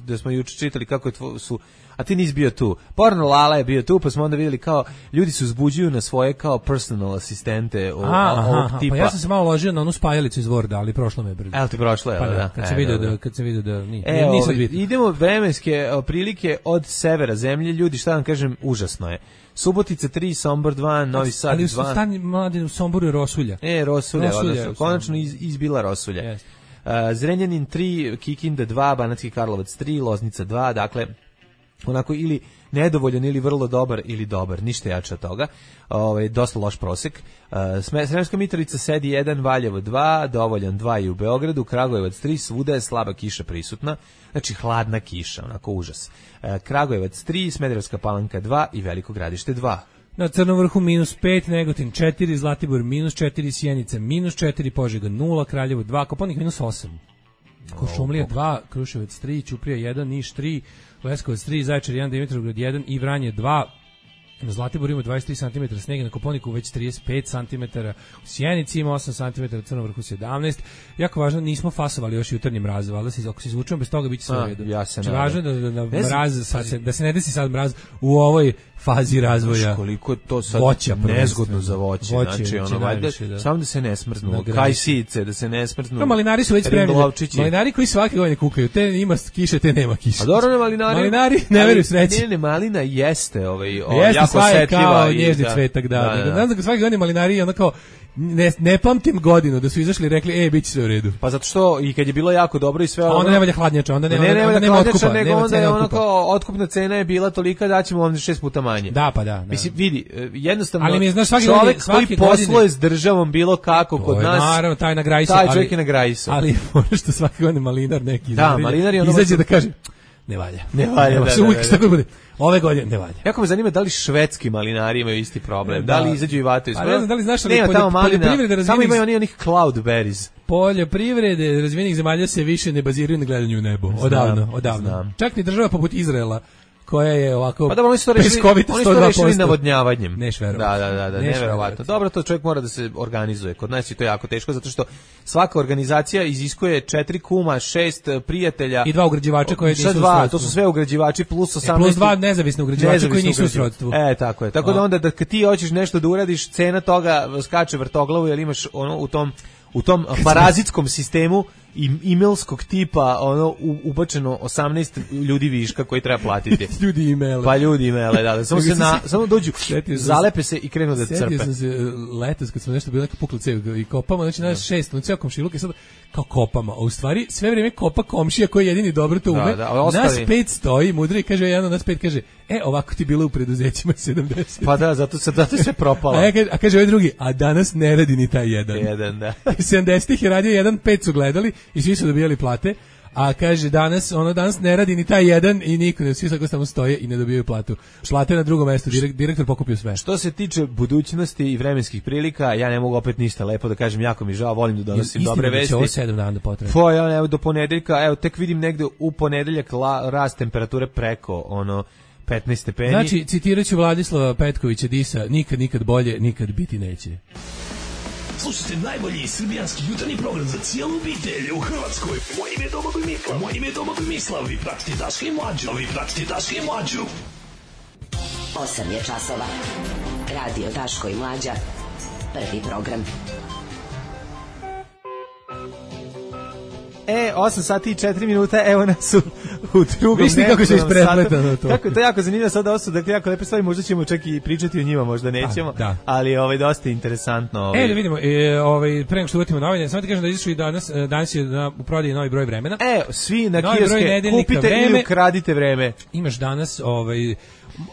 da smo juče čitali kako je tvo, su, a ti nisi bio tu. Porno Lala je bio tu, pa smo onda vidjeli kao ljudi se uzbuđuju na svoje kao personal asistente o, aha, ovog aha, tipa. Pa ja sam se malo ložio na onu spajalicu iz Worda, ali prošlo me je brzo. Evo ti prošlo je, pa da, da. kad sam e, vidio da, da, kad sam vidio da ni, e, nisam bitno. Idemo vremenske prilike od severa zemlje, ljudi, šta vam kažem, užasno je. Subotica tri, Sombor dva, Novi Sad dva. Ali su stani mladi u Somboru je Rosulja. E, Rosulja, Rosulja odnosno, konačno iz, izbila Rosulja. Yes. Uh, Zrenjanin tri, Kikinda dva, Banatski Karlovac tri, Loznica dva, dakle, onako ili nedovoljan ili vrlo dobar ili dobar, ništa jače od toga. Ovaj dosta loš prosek. Uh, Sremska Mitrovica sedi jedan, Valjevo dva, dovoljan dva i u Beogradu, Kragujevac tri, svuda je slaba kiša prisutna. Znači hladna kiša, onako užas. Uh, Kragujevac tri, Smederevska Palanka dva i Veliko Gradište dva. Na Crnom vrhu minus pet, Negotin četiri, Zlatibor minus četiri, Sjenica minus četiri, Požega nula, Kraljevo dva, Kopaonik minus osam. Košumlija dva, Kruševac tri, Ćuprija jedan, Niš tri, Leskovac tri, Zaječar jedan, Dimitrovgrad jedan i Vranje dva. Na Zlatiboru ima dvadeset tri centimetra snega, na Kopaoniku već trideset pet centimetara, u Sjenici ima osam centimetara, u Crnom vrhu sedamnaest. Jako važno, nismo fasovali još jutarnji mraz, valjda se ako se izvučemo bez toga biće sve u redu. Ja se znači, važno da, da, da, mraz, sad se, da se ne desi sad mraz u ovoj fazi razvoja. Koliko je to sad voća, nezgodno za voće, voće znači ono najviše, da. Samo da se ne smrznu, kajsice, da se ne smrznu. No, malinari su već spremni. Malinari koji svake godine kukaju, te ima kiše, te nema kiše. A dobro, ne malinari. Malinari ne veruju sreći. Ne, ne, malina jeste, ovaj, o, jeste, jako osetljiva i gnježni cvetak, da. da, da, da. Ne znam, svake godine malinari ono kao Ne, ne pamtim godinu da su izašli i rekli, e, bit će sve u redu. Pa zato što i kad je bilo jako dobro i sve ono... A onda ne valja hladnjača, onda nema, ne, ne, onda nema otkupa. Nego nema onda je ono otkupa. kao, otkupna cena je bila tolika da ćemo vam šest puta manje. Da, pa da. da. Mislim, vidi, jednostavno, ali mi je, znaš, svaki čovjek godine, svaki koji posluje s državom bilo kako kod je, nas... Naravno, taj na grajsu. Taj čovjek je na grajsu. Ali ono što svaki godine malinar neki da, malinar je ono izađe da kaže, ne valja. Ne valja, da, da, uvijek tako bude. Ove godine ne valja. Jako me zanima da li švedski malinari imaju isti problem. Da, da li izađu i vataju. Pa ne znam da li znaš, ali nema tamo malina, razvijenih... samo imaju oni onih cloudberries. Poljoprivrede razvijenih zemalja se više ne baziraju na gledanju u nebo. Odavno, znam, odavno. Znam. Čak ni država poput Izraela koja je ovako pa da oni su to rešili, oni su to rešili navodnjavanjem. Neš da, da, da, da, neverovatno. Dobro, to čovjek mora da se organizuje. Kod nas je to jako teško zato što svaka organizacija iziskuje četiri kuma, šest prijatelja i dva ugrađivača koji nisu u srodstvu. To su sve ugrađivači plus osamnaest. E, plus dva nezavisne ugrađivača koji nisu u srodstvu. E, tako je. Tako A. da onda da kad ti hoćeš nešto da uradiš, cena toga skače vrtoglavu jer imaš ono u tom u tom parazitskom sistemu emailskog tipa ono ubačeno osamnaest ljudi viška koji treba platiti. ljudi emaile. Pa ljudi emaile, da, da samo se na samo dođu, zalepe se i krenu da crpe. Sjetio sam se letos kad smo nešto bilo neka pukla cev i kopamo, znači nas šest, znači komšiluk i sad kao kopama, a u stvari sve vrijeme kopa komšija koji jedini dobro to ume. Da, da, nas pet stoji, mudri i kaže jedan, nas pet kaže, e, ovako ti bilo u preduzećima sedamdeset. Pa da, zato se zato sve propalo. A, ja kaže, a kaže ovaj drugi, a danas ne radi ni taj jedan. Jedan, da. sedamdesetih je radio jedan, pet su gledali i svi su dobijali plate, a kaže danas, ono danas ne radi ni taj jedan i niko ne, svi tako samo stoje i ne dobijaju platu. Šlate na drugom mestu, direkt, direktor pokupio sve. Što se tiče budućnosti i vremenskih prilika, ja ne mogu opet ništa lepo da kažem, jako mi žao, volim da donosim dobre vesti. Istina da će ovo sedam dana potrebno. Pa ja, evo, do ponedeljka, evo, tek vidim negde u ponedeljak la, rast temperature preko, ono, petnaest stepeni. Znači, citirat ću Vladislava Petkovića Disa, nikad, nikad bolje, nikad biti neće. Slušajte najbolji srbijanski jutarnji program za cijelu obitelj u Hrvatskoj. Moje ime je Domagoj Mislav. Moje ime je Domagoj Mislav. Vi pratite Daška i Mlađu. Vi pratite Daška i Mlađu. osam je časova. Radio Daško i Mlađa. Prvi program. E, osam sati i četiri minuta, evo nas u, u drugom. Viš ti kako se isprepletano to. Kako, to je jako zanimljivo sad, ovo su dakle jako lepe stvari, možda ćemo čak i pričati o njima, možda nećemo, da. Ali ovaj, dosta interesantno. Ovaj. E, da vidimo, e, ovaj, pre nego što uvatimo novine, samo ti kažem da izašli danas, danas je na, u prodaji novi broj vremena. E, svi na novi kioske, kupite vreme, ili ukradite vreme. Imaš danas, ovaj,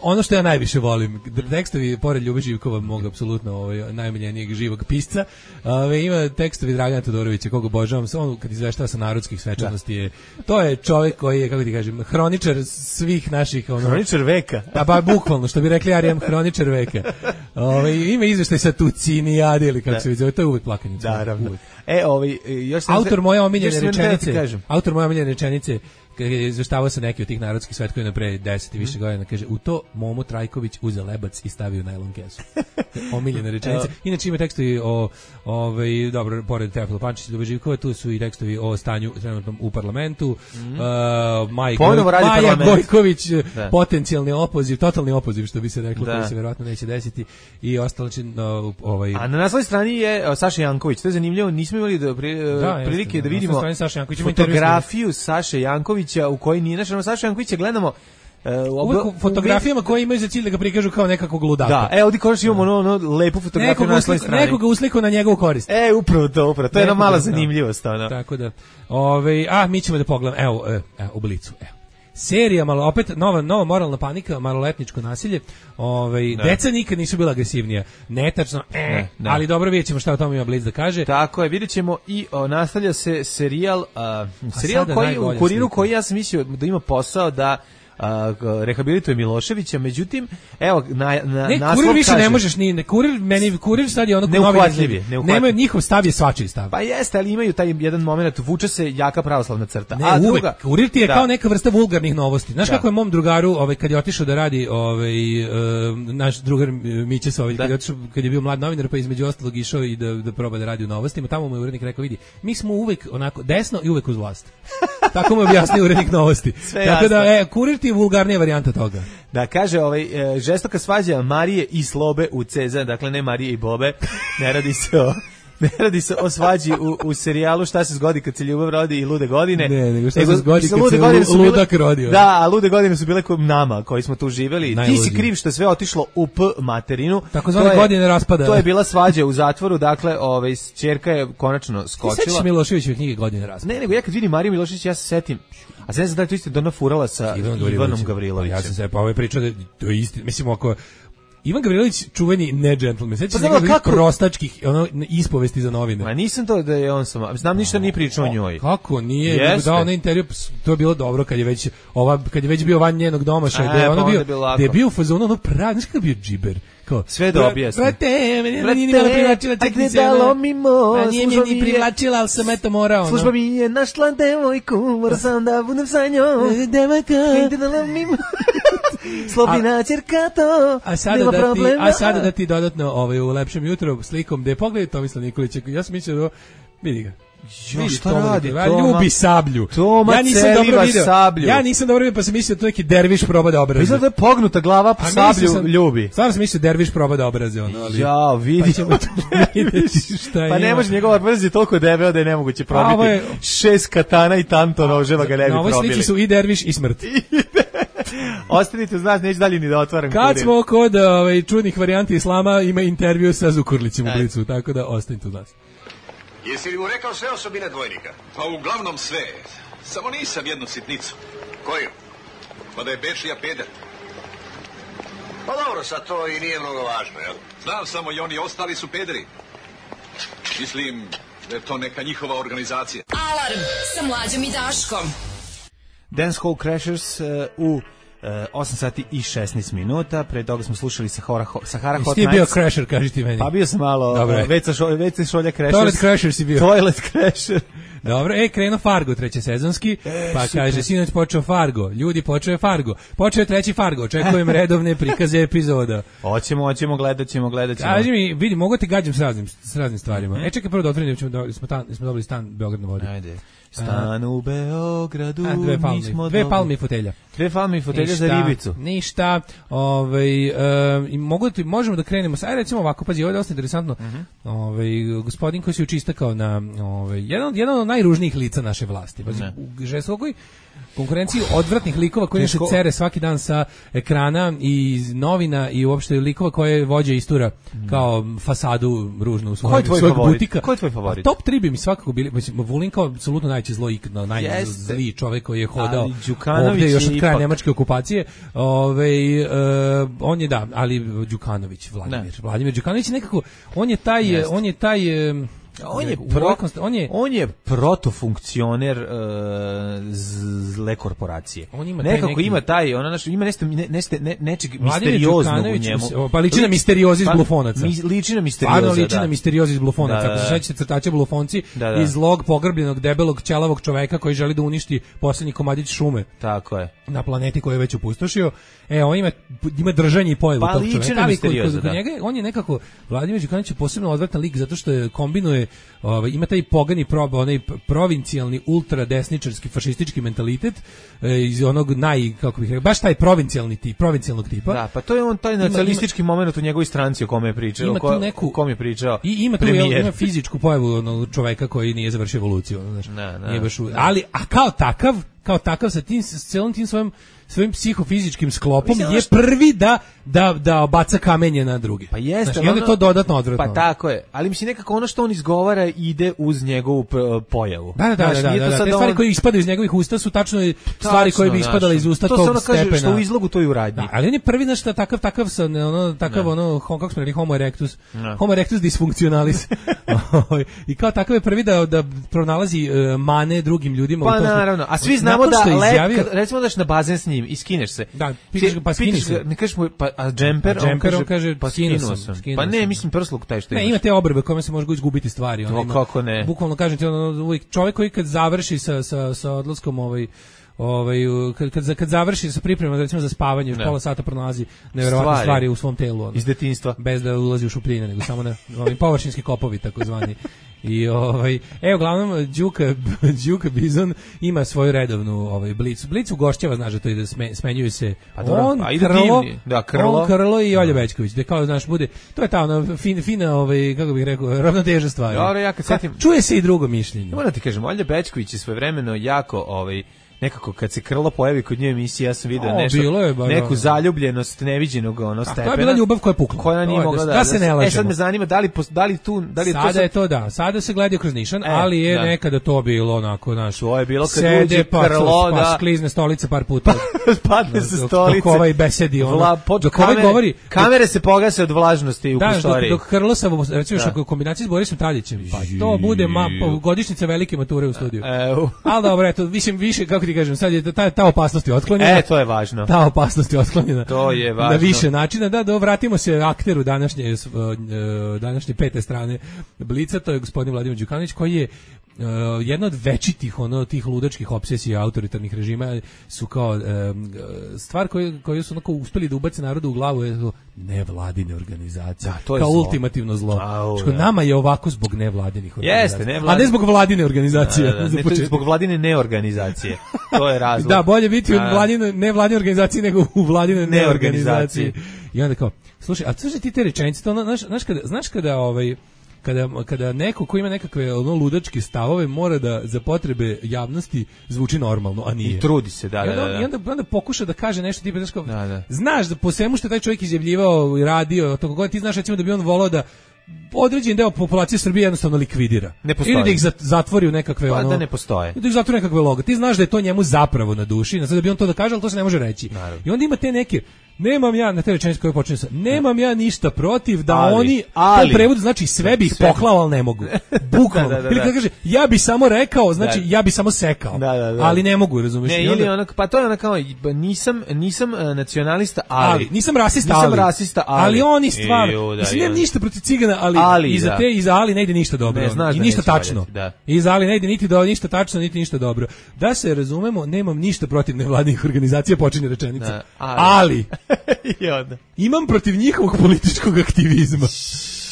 ono što ja najviše volim, tekstovi pored Ljube Živkova, mog apsolutno ovaj, najomiljenijeg živog pisca, ovaj, ima tekstovi Dragana Todorovića, koga obožavam, on kad izveštava sa narodskih svečanosti je, to je čovjek koji je, kako ti kažem, hroničar svih naših... Ono, hroničar veka. Pa, ba, bukvalno, što bi rekli Arijem, hroničar veka. Ovaj, ima izveštaj sa Tucinijade ili kako da. Se vidi, to je uvek plakanica. Da, ravno. E, ovaj, još sam autor moje omiljene rečenice, da autor moje omiljene rečenice, izveštavao se neki od tih narodskih svetkovina pre deset i više mm. godina, kaže, u to Momo Trajković uzeo lebac i stavio najlon kesu. Omiljene rečenice. Inače ima tekstovi o, ovaj, dobro, pored Teofila Pančića i Ljube Živkova, tu su i tekstovi o stanju trenutnom u parlamentu, mm. uh, Maj Goj, Maja Gojković, da. Potencijalni opoziv, totalni opoziv, što bi se reklo, da. Koji se verovatno neće desiti, i ostalo će, no, ovaj... A na naslovnoj strani je Saša Janković, to je zanimljivo, nismo imali da, pri, da, prilike jeste, da vidimo fotografiju Saše Janković u koji nije našao Saša Jankovića, gledamo uh, uvek u fotografijama koje imaju za cilj da ga prikažu kao nekakvog ludaka. Da, e, ovdje konačno imamo ono, ono lepu fotografiju na svojoj strani. Nekoga usliku na njegovu korist. E, upravo to, upravo. To je jedna mala zanimljivost. Ono. Tako da, ove, a mi ćemo da pogledamo, evo, evo, u Blicu, evo. Serija, malo, opet nova, nova moralna panika, maloletničko nasilje. Ovaj, deca nikad nisu bila agresivnija. Netačno, e, ne, ne. Ali dobro, vidjet ćemo šta o tome ima Blic da kaže. Tako je, vidjet ćemo i o, nastavlja se serijal, a, serijal koji, u Kuriru slika. Koji ja sam mislio da ima posao da a, rehabilituje Miloševića, međutim, evo, na, na, ne, naslov Kurir više kaže, ne možeš, ni, ne, Kurir, meni, Kurir sad je ono neuhvatljiv, nemaju, njihov stav je svačiji stav. Pa jeste, ali imaju taj jedan moment, vuče se jaka pravoslavna crta. Ne, a uvek, druga, Kurir ti je da. Kao neka vrsta vulgarnih novosti. Znaš da. Kako je mom drugaru, ovaj, kad je otišao da radi, ovaj, uh, naš drugar Miće Sović, kad je otišao, kad je bio mlad novinar, pa između ostalog išao i da, da proba da radi u novostima, tamo mu je urednik rekao, vidi, mi smo uvek onako desno i uvek uz vlast. Tako mu objasnio urednik novosti. Sve tako jasno. Da, e, Kurir ti je vulgarnija varijanta toga. Da, kaže, ovaj, e, žestoka svađa Marije i Slobe u Ceza, dakle ne Marije i Bobe, ne radi se o... Ne radi se o svađi u, u serijalu Šta se zgodi kad se ljubav rodi i lude godine. Ne, nego šta nego, se zgodi kad se lu, ludak rodio. Da, a lude godine su bile kod nama koji smo tu živeli. Najluđi. Ti si kriv što je sve otišlo u P materinu. Tako zvane godine raspada. To je bila svađa u zatvoru, dakle, ovaj, ćerka je konačno skočila. Ti sećaš Miloševićeve knjige Godine raspada? Ne, nego ja kad vidim Mariju Milošević, ja se setim. A sad ne znam da li to isto Dona furala sa Ivan Ivanom Gavrilovićem. Ja sam se pa ovaj pričao da to je isti, mislim ako Ivan Gavrilović čuveni ne džentlmen. Sećaš se nekih prostačkih ono ispovesti za novine. Ma nisam to da je on sam. Znam ništa ni pričao o njoj. Kako nije? Nego dao na intervju, to je bilo dobro kad je već ova kad je već bio van njenog domaša, da je ono bio, da je bio u fazonu ono pravi, znači kako bio džiber. Kao sve da objasni. Brate, meni nije malo privlačila čekaj se. Dalo mi mo, nije mi ni privlačila, al sam eto morao. Služba mi je našla devojku, moram sam da budem sa njom. Devojka, ide dalo mi mo. Slobina ćerka to. A sada da ti, a sada da ti dodatno ovaj u lepšem jutru slikom gde pogledaj Tomislav Nikolića. Ja sam mislio da vidi ga. Jo, šta radi? Toma, ljubi sablju. Toma ja nisam dobro video. Sablju. Ja nisam dobro video, pa sam mislio da to neki derviš proba da obraze. Izgleda da je pognuta glava, pa sablju sam, ljubi. Stvarno sam mislio derviš proba da obraze ono, ali. Ja, vidi. Pa ćemo tu vidjeti šta je. Pa ne može njegova obraz je toliko debeo da je nemoguće probiti. Je, šest katana i tanto noževa ga ne bi probili. Na ovoj slici su i derviš i smrt. Ostanite uz nas, neću dalje ni da otvaram. Kad kurir. Smo kod ovaj, čudnih varijanti islama, ima intervju sa Zukorlićem u Blicu, tako da ostanite uz nas. Jesi li mu rekao sve osobine dvojnika? Pa uglavnom sve. Samo nisam jednu sitnicu. Koju? Pa da je Bečija peder. Pa dobro, sad to i nije mnogo važno, jel? Znam samo i oni ostali su pederi. Mislim da je to neka njihova organizacija. Alarm sa Mlađom i Daškom. Dance Hall Crashers uh, u uh, osam sati i šesnaest minuta. Pre toga smo slušali Sahara, Sahara Hot Nights. Jesi ti bio Crasher, kaži ti meni? Pa bio sam malo, Dobre. Veca šolja, Veca šolja Crashers. Toilet Crasher si bio. Toilet Crasher. Dobro, e, krenuo Fargo treće sezonski, e, pa super. Kaže, sinoć počeo Fargo, ljudi, počeo je Fargo, počeo je treći Fargo, očekujem redovne prikaze epizoda. Hoćemo, hoćemo, gledat ćemo, gledat ćemo. Kaži mi, vidi, mogu ti gađam s raznim, s raznim stvarima. Mm -hmm. E, čekaj, prvo da otvorim, ćemo do, smo, ta, smo dobili stan Beograd na vodi. Ajde. Stan u Beogradu, a, dve palmi, nismo dve palmi i fotelja. Dve palmi i fotelja ništa, za ribicu. Ništa, ovaj, e, i mogu ti, možemo da krenemo, aj recimo ovako, pazi, ovo je dosta interesantno, mm -hmm. ovaj, gospodin koji se učistakao na, ovaj, jedan, jedan od najružnijih lica naše vlasti, pazi, u žestokoj konkurenciji odvratnih likova koji se cere svaki dan sa ekrana i novina i uopšte likova koje vođe istura kao fasadu ružnu u svojeg, svojeg butika. Ko je tvoj favorit? Top tri bi mi svakako bili, mislim, Vulin kao apsolutno najveći zlo ikada, najzliji čovjek koji je hodao ovdje još od kraja nemačke okupacije. Ove, uh, on je da, ali Đukanović, Vladimir. Ne. Vladimir Đukanović je nekako, on je taj, Jest. on je taj... Um, On je, pro, on je on je protofunkcioner uh, zle korporacije. On ima nekako neki, ima taj, ona naš ima nešto ne, neste, ne, nečeg misterioznog u njemu. Pa liči na misteriozi iz pa, Blufonaca. Mi, liči na misterioza. Pa liči na misteriozi iz Blufonaca. Ako se sećate crtača Blufonci, da, da. Iz zlog pogrbljenog debelog ćelavog čoveka koji želi da uništi poslednji komadić šume. Tako je. Na planeti koju je već opustošio. E, on ima ima držanje i pojavu pa, tog čoveka. Ali kod, kod, kod njega on je nekako Vladimir Đukanović je posebno odvratan lik zato što je kombinuje ovaj ima taj pogani prob, onaj provincijalni ultradesničarski fašistički mentalitet e, iz onog naj kako bih rekao baš taj provincijalni tip, provincijalnog tipa. Da, pa to je on taj nacionalistički momenat u njegovoj stranci o kome je pričao, ima ko, neku, o kome je pričao. I ima tu ima fizičku pojavu onog čoveka koji nije završio evoluciju, ono, znači. Ne, ne, nije baš, u, ali a kao takav, kao takav sa tim s celom tim svojim svojim psihofizičkim sklopom mislim, je prvi da da da baca kamenje na druge. Pa jeste, znači, i onda je to dodatno odvratno. Pa tako je, ali mislim nekako ono što on izgovara ide uz njegovu pojavu. Da, da, da, znači, da, da, da, da. Te stvari on... koje ispadaju iz njegovih usta su tačno stvari koje bi ispadale iz usta to tog ono stepena. To se ono kaže što u izlogu to i u radnji. Da, ali on je prvi nešto takav takav sa ono takav ne. ono kako smo rekli homo erectus. Ne. Homo erectus dysfunctionalis. I kao takav je prvi da da pronalazi uh, mane drugim ljudima pa, u tom. Pa naravno, a svi znamo da lep, recimo daš na bazen s njim i skineš se. Da, pitaš ga, pa skini se. Ne kažeš mu, pa, a džemper, a džemper on, on kaže, pa skinuo sam. Pa ne, mislim prsluk taj što imaš. Ne, ima te obrve kojima se može izgubiti stvari. To ima, kako ne. Bukvalno kažem ti, ono, čovjek koji kad završi sa, sa, sa odlaskom ovaj, ovaj, kad, kad, kad završi sa pripremom recimo za spavanje, još pola sata pronalazi neverovatne stvari. stvari u svom telu. Ono, iz detinjstva. Bez da ulazi u šupljine, nego samo na ovim površinski kopovi, takozvani. I ovaj evo uglavnom Đuka Đuka Bizon ima svoju redovnu ovaj blic. Blic ugošćava, znaš da to ide sme, smenjuju se. Pa dobro, on, a ide Krlo, da Krlo, on, Krlo i Olja Bećković. Da kao znaš bude, to je ta ona fin, fina ovaj kako bih rekao, ravnoteža stvari. Dobro, ja kad setim, čuje se i drugo mišljenje. Moram ti kažem, Olja Bećković je svojevremeno jako ovaj nekako kad se Krlo pojavi kod nje emisije, ja sam video nešto, je, ba, neku zaljubljenost neviđenog ono stepena. To je bila ljubav koja je pukla. Koja nije mogla da, da, se ne lažemo. E sad me zanima da li da li tu da li sada to sad... je to da, sada se gleda kroz nišan, e, ali je da. nekada to bilo onako naš. To je bilo kad uđe Krlo da sklizne stolice par puta. Padne sa stolice. Dok ovaj besedi ono. Vla, dok ovaj govori, kamere se pogase od vlažnosti u prostoriji. Da, dok Krlo sa recimo što kombinacija s Borisom Tadićem, pa to bude godišnjica velike mature u studiju. Al dobro, eto, mislim više kako ti kažem, sad je ta ta opasnost je otklonjena. E, to je važno. Ta opasnost je otklonjena. To je važno. Na više načina. Da, da vratimo se akteru današnje današnje pete strane Blica, to je gospodin Vladimir Đukanović koji je Uh, jedna od večitih ono tih ludačkih opsesija autoritarnih režima su kao uh, stvar koju koju su onako uspeli da ubace narodu u glavu je to nevladine organizacije. Da, to je kao zlo. Ultimativno zlo. Što nama je ovako zbog nevladinih organizacija. Jeste, nevladine. A ne zbog vladine organizacije. Da, da, ne, to je zbog vladine neorganizacije. To je razlog. Da, bolje biti u vladine ne vladine organizacije nego u vladine neorganizacije. I onda kao, slušaj, a slušaj ti te rečenice, to ono, znaš, znaš kada znaš kada ovaj kada kada neko ko ima nekakve ono ludačke stavove mora da za potrebe javnosti zvuči normalno, a nije. I trudi se, da, da, da. I onda, onda pokuša da kaže nešto tipa znači da, da. Znaš da po svemu što je taj čovjek izjavljivao i radio, to kako ti znaš recimo da bi on voleo da određen deo populacije Srbije jednostavno likvidira. Ili da ih zatvori u nekakve pa, ono. Da ne postoje. Da ih zatvori nekakve logo. Ti znaš da je to njemu zapravo na duši, na sad da bi on to da kaže, al to se ne može reći. Naravno. I onda ima te neke Nemam ja, na te rečenice koje počinju sa, nemam ja ništa protiv da ali, oni, ali, to u prevodu znači sve bi ih sve. poklao, ali ne mogu. Bukvalno. da, da, da, ili kada kaže, ja bi samo rekao, znači da. ja bi samo sekao, da, da, da. ali ne mogu, razumiješ? Ne, ili onak, pa to je onak kao, nisam, nisam uh, nacionalista, ali, ali, nisam rasista, nisam ali, rasista, ali, ali oni stvarno, Eju, da, mislim, nemam ja. ništa protiv cigana, ali, ali iza da. te, iza ali ne ide ništa dobro, ne, znaš i da ništa neće tačno, valjati, da. iza ali ne ide niti do, ništa tačno, niti ništa dobro. Da se razumemo, nemam ništa protiv nevladinih organizacija, počinje rečenica, da, ali, ali imam protiv njihovog političkog aktivizma.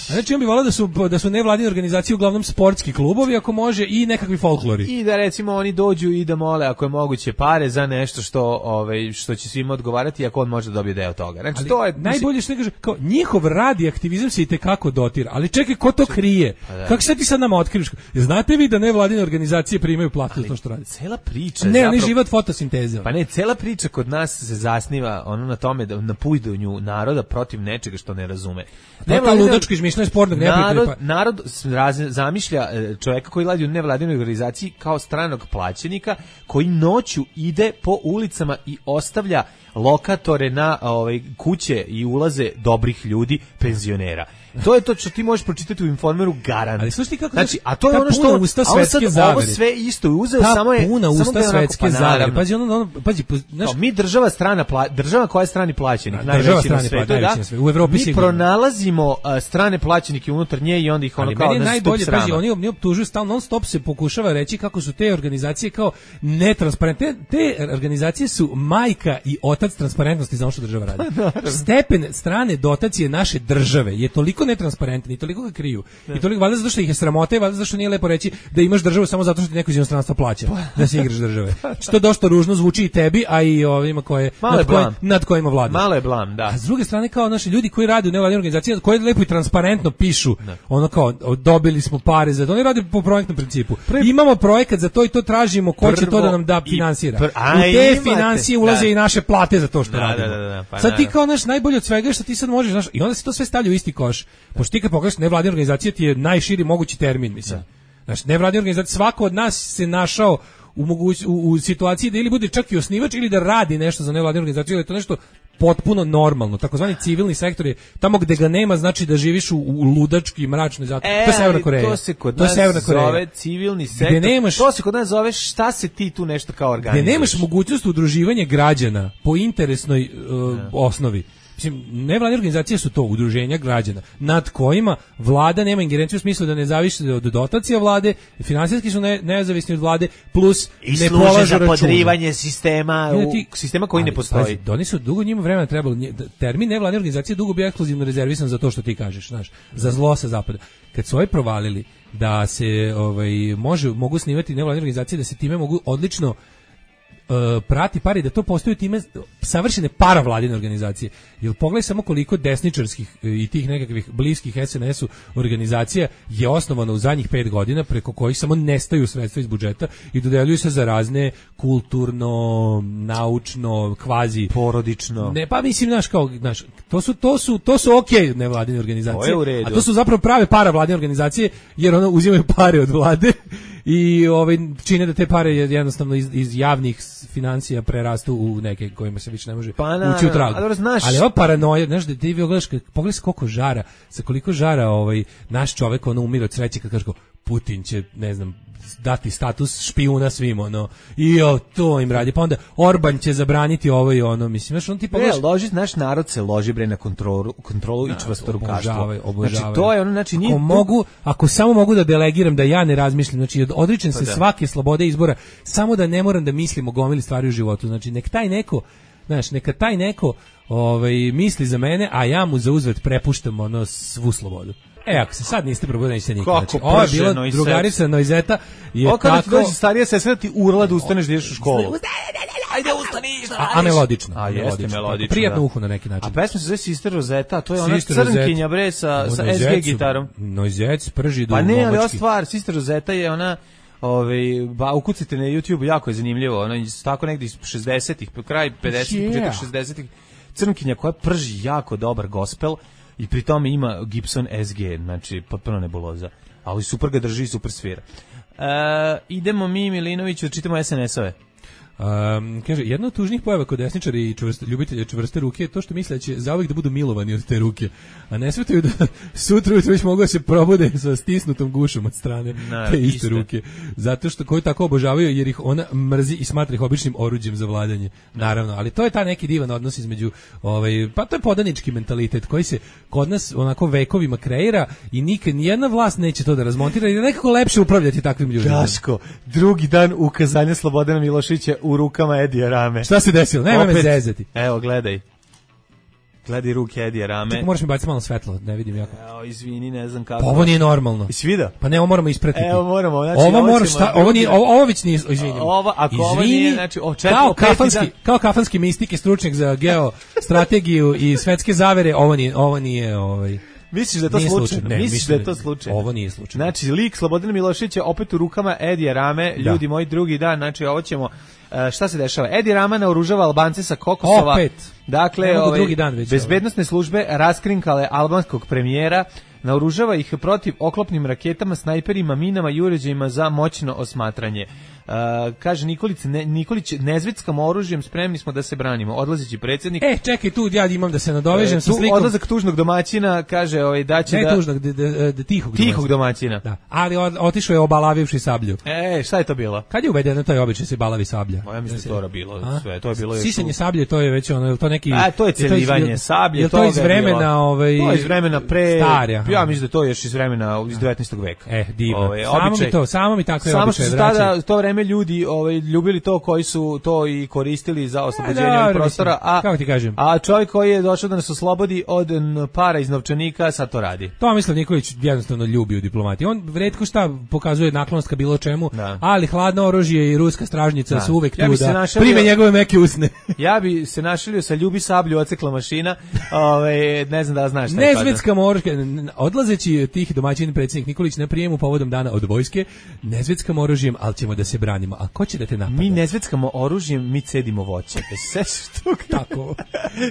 A znači on bi volao da su, da su nevladine organizacije uglavnom sportski klubovi, ako može, i nekakvi folklori. I da recimo oni dođu i da mole, ako je moguće, pare za nešto što, ovaj, što će svima odgovarati, ako on može da dobije deo toga. Znači, ali to je, najbolje što ne kaže, kao, njihov rad i aktivizam se i tekako dotira, ali čekaj, ko to krije? Da. Kako se ti sad nama otkriviš? Znate vi da nevladine organizacije primaju platu za to što radi? Cela priča. Ne, ali život fotosinteze. Pa ne, cela priča kod nas se zasniva ono na tome da na pujdanju naroda protiv nečega što ne razume. Ne, ta ludačko izmišljanje sportnog narod, narod zamišlja čovjeka koji radi u nevladinoj organizaciji kao stranog plaćenika koji noću ide po ulicama i ostavlja lokatore na ovaj, kuće i ulaze dobrih ljudi, penzionera. To je to što ti možeš pročitati u Informeru, garant. Ali slušaj kako, znači, a to je ono što usta svetske zavere. Ovo sve isto je uzeo, ta samo je puna usta svetske zavere. Pazi ono, ono pazi, znaš, mi država strana pla, država koja je strani plaćenik, najveći na svetu, da. U Evropi mi sigurno. pronalazimo uh, strane plaćenike unutar nje i onda ih ono kao nas najbolje pazi, oni oni optužuju stalno, non stop se pokušava reći kako su te organizacije kao netransparentne. Te, te organizacije su majka i otac transparentnosti za ono što država radi. Stepen strane dotacije naše države je toliko netransparentan i toliko ga kriju. Da. I toliko valjda zato što ih je sramota i valjda zato što nije lepo reći da imaš državu samo zato što ti neko iz inostranstva plaća da se igraš države. Što dosta ružno zvuči i tebi, a i ovima koje nad, koje, nad kojima vladaš. Malo je blam, da. A s druge strane kao naši ljudi koji rade u nevladinim organizacijama, koji lepo i transparentno pišu, da. Ono kao dobili smo pare za to, oni rade po projektnom principu. Prvi, imamo projekat za to i to tražimo, ko će to da nam da finansira. Pr, u te imate, financije ulaze da. I naše plate za to što da, radimo. Da, da, da, pa sad ti kao naš najbolje od svega što ti sad možeš, znaš, i onda se to sve stavlja u isti koš. Pošto ti kad pogledaš nevladine organizacije ti je najširi mogući termin, mislim. Znači, nevladine organizacije, svako od nas se našao u, moguć, u, u situaciji da ili bude čak i osnivač ili da radi nešto za nevladinu organizaciju, ili je to nešto potpuno normalno. Takozvani civilni sektor je tamo gde ga nema, znači da živiš u, u ludački i mračnoj zato. E, to je Severna Koreja. To se kod nas zove civilni sektor. Nemaš, to se kod nas zove šta se ti tu nešto kao organizuješ. Gde nemaš mogućnost udruživanja građana po interesnoj uh, osnovi. Mislim, nevladine organizacije su to udruženja građana nad kojima vlada nema ingerenciju u smislu da ne zavisi od dotacija vlade, finansijski su ne, nezavisni od vlade, plus i ne polažu za računa. podrivanje sistema, u, ti, sistema koji ali, ne postoji. Pazi, oni su dugo njima vremena trebalo, termin nevladine organizacije dugo bio ekskluzivno rezervisan za to što ti kažeš, znaš, za zlo sa zapada. Kad su ovaj provalili da se ovaj, može, mogu snimati nevladine organizacije, da se time mogu odlično Uh, prati pari, da to postaju time savršene paravladine organizacije. Jer pogledaj samo koliko desničarskih i tih nekakvih bliskih es en esu organizacija je osnovano u zadnjih pet godina, preko kojih samo nestaju sredstva iz budžeta i dodeljuju se za razne kulturno, naučno, kvazi porodično. Ne, pa mislim, znaš, kao, znaš, to su to su to su okej okay nevladine organizacije, to je u redu. A to su zapravo prave paravladine organizacije, jer ono uzimaju pare od vlade i ovaj čine da te pare jednostavno iz, iz javnih financija prerastu u neke kojima se više ne može pa na, ući u trag. Ali, znaš, ali ova paranoja, znaš, da ti gledaš, pogledaj koliko žara, sa koliko žara ovaj naš čovek ono umire od sreće kad kaže Putin će, ne znam, dati status špijuna svima, ono, i jo, to im radi, pa onda Orban će zabraniti ovo i ono, mislim, znaš, on ti pogledaš... Ne, loži, naš narod se loži, bre, na kontrolu, kontrolu i čvrstorukaštvo. Obožavaju, obožavaju. Znači, to je ono, znači... Nije ako, mogu, ako samo mogu da delegiram, da ja ne razmišljam, znači, odričem se pa svake slobode izbora, samo da ne moram da mislim o gomili stvari u životu, znači, nek taj neko, znaš, neka taj neko ovaj, misli za mene, a ja mu za uzvrat prepuštam, ono, svu slobodu. E, ako se sad niste probudili, nećete nikad. Znači, ovo je bila drugarica Noizeta. O, kada ti dođe starija sestra, ti urla da ustaneš da ideš u školu. Ajde, ustani, šta radiš? A, a melodično. A, jeste melodično. Prijatno uhu na neki način. A pesma se zove Sister Rosetta, to je ona crnkinja, bre, sa, sa es ge gitarom. Noizet prži do pa ne, ali ova stvar, Sister Rosetta je ona... Ove, ba, ukucite na YouTube, jako je zanimljivo, ono, tako negdje iz šezdesetih, kraj pedesetih, početak šezdesetih, crnkinja koja prži jako dobar gospel i pri tome ima Gibson es ge, znači potpuno nebuloza, ali super ga drži i super svira. E, idemo mi, Milinoviću, čitamo es en esove. Um, kaže, jedna od tužnih pojava kod desničara i čvrste, ljubitelja čvrste ruke je to što misle da će zauvijek da budu milovani od te ruke, a ne svetaju da sutra ujutro već mogu da se probude sa stisnutom gušom od strane no, te iste, iste ruke. Zato što koju tako obožavaju jer ih ona mrzi i smatra ih običnim oruđem za vladanje. Naravno, ali to je ta neki divan odnos između, ovaj, pa to je podanički mentalitet koji se kod nas onako vekovima kreira i nikad nijedna vlast neće to da razmontira jer je nekako lepše upravljati takvim ljudima. Daško, drugi dan ukazanja Slobodana Miloševića u rukama Edija Rame. Šta se desilo? Nema me zezati. Evo, gledaj. Gledaj ruke Edija Rame. Čekaj, moraš mi baciti malo svetlo, ne vidim jako. Evo, izvini, ne znam kako. Pa ovo nije normalno. Jesi vidio? Pa ne, ovo moramo ispratiti. Evo, moramo. Znači, ovo mora šta, ovo nije, ovo, ovo već nije, izvini. Ovo, ako izvini, ovo nije, znači, o četiri, kao kafanski, dan... kao kafanski mistik i stručnjak za geostrategiju i svetske zavere, ovo nije, ovo nije, ovaj... Misliš da je to nije slučajno? slučajno. Ne, Misliš da je to slučajno? Ovo nije slučajno. Znači, lik Slobodana Miloševića opet u rukama Edija Rame, da. Ljudi moji, drugi dan, znači ovo ćemo, uh, šta se dešava? Edi Rama naoružava Albance sa Kokosova. Opet. Dakle, ovaj, drugi dan već, bezbednosne službe raskrinkale albanskog premijera, naoružava ih protiv oklopnim raketama, snajperima, minama i uređajima za moćno osmatranje. Uh, kaže Nikolić, ne, Nikolić nezvetskom oružjem spremni smo da se branimo. Odlazeći predsjednik. E, čekaj, tu ja imam da se nadovežem e, sa slikom. Odlazak tužnog domaćina, kaže ovaj, da će ne da... tužnog, de, de, de, tihog, tihog domaćina. Da. Ali otišao je obalavivši sablju. E, šta je to bilo? Kad je uvedeno taj običaj se balavi sablja? Ja mislim da je to bilo, A? sve, to je bilo još... Sisanje sablje, to je već ono, to neki... A, to je celivanje sablje, je to iz vremena, ovaj... To je iz vremena pre... Starja. Ja mislim da to je još iz vremena, iz devetnaestog veka. E, divno. Ovaj, samo mi to, samo mi tako je samo običaj. Samo što su tada, to vreme ljudi, ovaj, ljubili to koji su to i koristili za oslobođenje ovih prostora, a, kako ti kažem? A čovjek koji je došao da nas oslobodi od para iz novčanika, sad to radi. Tomislav Nikolić jednostavno ljubi u diplomatiji. On retko šta pokazuje naklonost ka bilo čemu, da. Ali hladno oružje i ruska stražnjica da. Su uvek ja tu da našalio, prime njegove meke usne. Ja bi se našalio sa ljubi sablju, ocekla mašina, ovaj, ne znam da znaš šta je. Nezvetska moruška, odlazeći tih domaćin predsjednik Nikolić na prijemu povodom dana od vojske, nezvetskom oružjem, ali ćemo da se branimo. A ko će da te napada? Mi nezvetskamo oružjem, mi cedimo voće. Se što tako.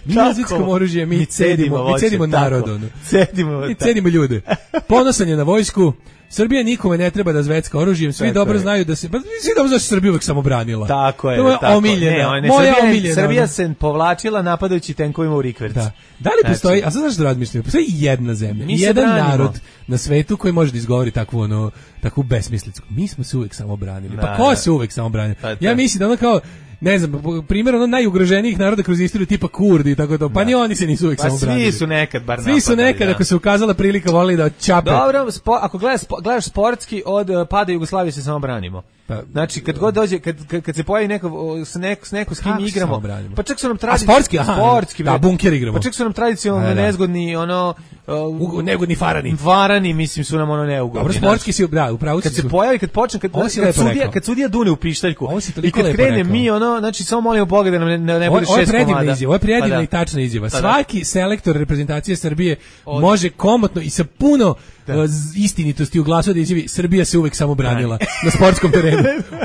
Mi nezvetskom oružjem, mi cedimo, mi cedimo narod. Cedimo, mi cedimo ljude. Ponosan je na vojsku. Srbija nikome ne treba da zvecka oružjem, svi tako dobro je. Znaju da se, pa svi dobro znaju da se Srbija uvek samo branila. Tako je, to je tako. Omiljena, ne, ne, moja Srbija, omiljena. Srbija se povlačila napadajući tenkovima u rikverc. Da. Da li postoji, znači, a sad znaš što razmišljam, postoji jedna zemlja, jedan branimo. Narod na svetu koji može da izgovori takvu, ono, takvu besmislicu. Mi smo se uvek samo branili. Da, pa ko se uvek samo branili? Pa, ja mislim da ono kao, ne znam, primjer ono najugroženijih naroda kroz istoriju tipa Kurdi i tako to, pa ni oni se nisu uvijek pa samo branili. Svi su nekad bar napadali. Svi su nekad, da. Ako se ukazala prilika, volili da čape. Dobro, spo, ako gledaš, gledaš sportski, od uh, pada Jugoslavije se samo branimo. Pa, znači, kad god dođe, kad, kad, kad se pojavi neko, s neko, s neko s kim igramo, pa čak su nam tradicionalno... sportski, aha, sportski, da, bunker igramo. Pa čak su nam tradicionalno nezgodni, ono... Uh, neugodni farani. Farani, mislim, su nam ono neugodni. Dobro, sportski si, da, upravo kad se pojavi, kad počne, kad, kad, sudija, kad sudija dune u pištaljku i kad krene mi, ono, znači, samo molimo Boga da nam ne, ne, ne bude šest komada. Izjava, ovo je predivna i tačna izjava. Svaki selektor reprezentacije Srbije može komotno i sa puno da. Istinitosti u glasu da izjavi Srbija se uvek samo branila na sportskom terenu.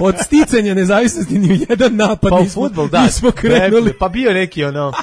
Od sticanja nezavisnosti ni u jedan napad pa nismo, futbol, da. nismo krenuli. Pa bio neki ono...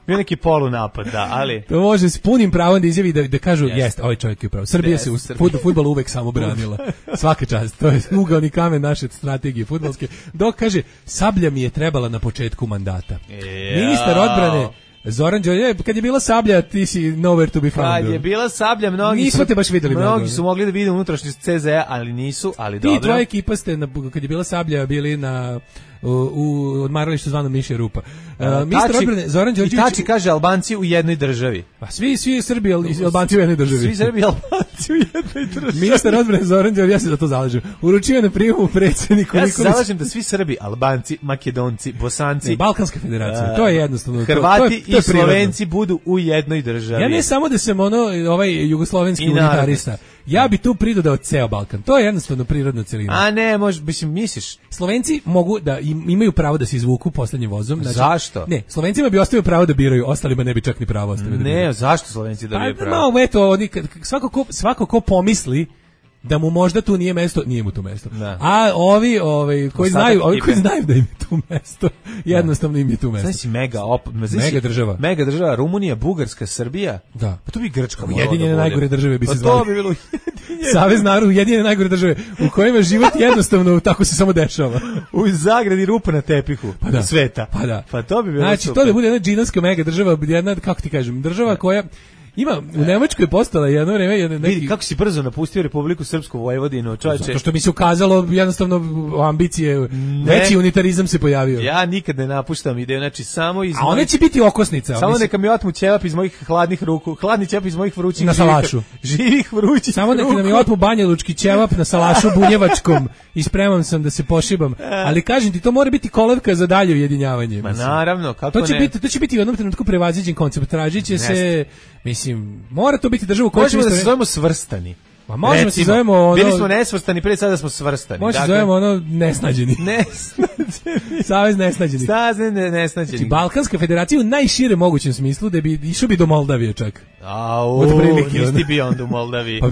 Bio neki polunapad, da, ali... To može s punim pravom da izjavi da, da kažu, jest, jest ovaj čovjek je pravo. Srbija yes, se u Srbija. Fudbalu uvek samo branila. Svaka čast, to je ugaoni kamen naše strategije fudbalske. Dok kaže, sablja mi je trebala na početku mandata. Jao. Ministar odbrane Zoran Đorđević, kad je bila sablja, ti si nowhere to be found. Kad je bila sablja, mnogi nismo su, te baš videli. Mnogi su mogli da vide unutrašnjost C Z A, ali nisu, ali ti dobro. Ti tvoja ekipa ste, na, kad je bila sablja, bili na... u, u odmaralištu zvano Mišja Rupa. Uh, ministar odbrane Zoran Đorđević... I tači kaže Albanci u jednoj državi. Pa svi, svi Srbi i Albanci u jednoj državi. Svi Srbi i Albanci u jednoj državi. Ministar odbrane Zoran Đorđević, ja se za to zalažem. Uručio na prijemu predsjedniku Nikolić. Ja se zalažem da svi Srbi, Albanci, Makedonci, Bosanci... Ne, Balkanska federacija, uh, to je jednostavno... Hrvati to, to je, to je i Slovenci budu u jednoj državi. Ja ne samo da sam ono, ovaj jugoslovenski unitarista. Ja bi tu pridodao ceo Balkan. To je jednostavno prirodna celina. A ne, možeš, mislim, misliš. Slovenci mogu da im, imaju pravo da se izvuku poslednjim vozom. Znači, zašto? Ne, Slovencima bi ostavio pravo da biraju, ostalima ne bi čak ni pravo ostavio da biraju. Ne, zašto Slovenci dobiju pa, pravo? No, eto, oni, svako, ko, svako ko pomisli da mu možda tu nije mesto, nije mu tu mesto. Da. A ovi, ovi koji Ostatak znaju, ovi koji znaju da im je tu mesto, jednostavno im je tu mesto. Znači mega op, znači, mega država. Mega država, Rumunija, Bugarska, Srbija. Da. Pa to bi Grčka. Ujedinjene da najgore države bi se pa zvali. To bi bilo Savez naroda ujedinjene najgore države u kojima život jednostavno tako se samo dešava. U zagradi rupa na tepihu pa da. sveta. Pa da. Pa to bi bilo znači, super. to da bude jedna džinovska mega država, jedna, kako ti kažem, država koja ima, u Nemačkoj je postala jedno vreme jedan neki... Vidi kako si brzo napustio Republiku Srpsku Vojvodinu, čoveče. Zato što mi se ukazalo jednostavno ambicije, ne. veći unitarizam se pojavio. Ja nikad ne napuštam ideju, znači samo iz... A ona će biti okosnica. Samo mislim... neka mi otmu ćevap iz mojih hladnih ruku, hladni ćevap iz mojih vrućih na salašu. Živih vrućih Samo neka mi otmu banjalučki ćevap na salašu bunjevačkom i spreman sam da se pošibam. Ali kažem ti, to mora biti kolevka za dalje ujedinjavanje. Ma naravno, kako to će ne? Biti, to će biti u jednom trenutku prevaziđen koncept. Tražit će se... Mislim, mora to biti država koja će... Možemo da se zovemo svrstani. Ma možemo da se zovemo ono... Bili smo nesvrstani, pre sada smo svrstani. Možemo dakle, se zovemo ono nesnađeni. Nesnađeni. Savez nesnađenih. Savez nesnađenih. Znači, Balkanska federacija u najširem mogućem smislu da bi išao bi do Moldavije čak. Au, nisi ti bio onda u Moldaviji. Pa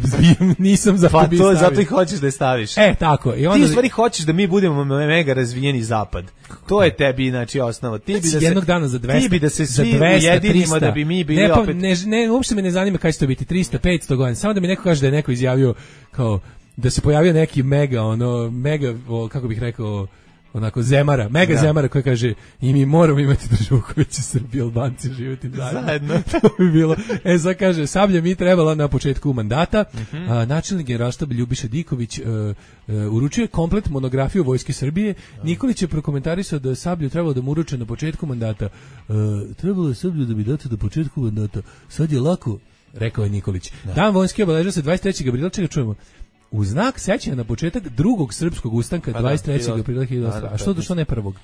nisam za pa to zato i hoćeš da je staviš. E, tako. I onda... Ti u stvari hoćeš da mi budemo mega razvijeni zapad. To je tebi, znači, osnova. Ti bi da se, jednog dana za dvesta, ti bi da se svi ujedinimo da bi mi bili ne, pa, opet... Ne, ne, uopšte me ne zanima kaj će to biti, trista, petsto godina. Samo da mi neko kaže da je neko izjavio kao da se pojavio neki mega, ono, mega, o, kako bih rekao, onako zemara, mega da. zemara koji kaže i mi moramo imati državu koja će Srbi i Albanci živjeti zajedno. zajedno. To bi bilo. E, sad kaže, Sablja mi trebala na početku mandata, uh-huh. a, načelnik generalštaba Ljubiša Diković uh, uh, uručuje komplet monografiju Vojske Srbije. Uh-huh. Nikolić je prokomentarisao da je Sablju trebalo da mu uruče na početku mandata. Uh, trebalo je Sablju da bi date do početku mandata. Sad je lako, rekao je Nikolić. Da. Dan vojske obeležava se dvadeset trećeg aprila, čega čujemo. U znak sećanja na početak drugog srpskog ustanka dvadeset trećeg aprila hiljadu osamsto. A što to što ne prvog?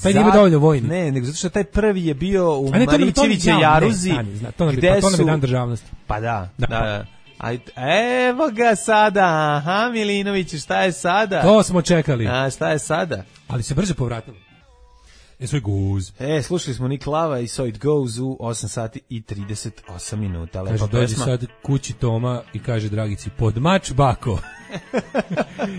Taj nije dovoljno vojni. Ne, nego zato što taj prvi je bio u ne, Marićeviće Jaruzi. Ne, ne, to nam je, pa, to nam je dan državnosti. Pa da, da. da, da. A, evo ga sada, aha Milinović, šta je sada? To smo čekali. A šta je sada? Ali se brže povratilo. E, so it goes. E, slušali smo Nick Lava i So it goes u osam sati i trideset osam minuta. Lepa kaže, dođe pesma. sad kući Toma i kaže Dragici, pod mač bako.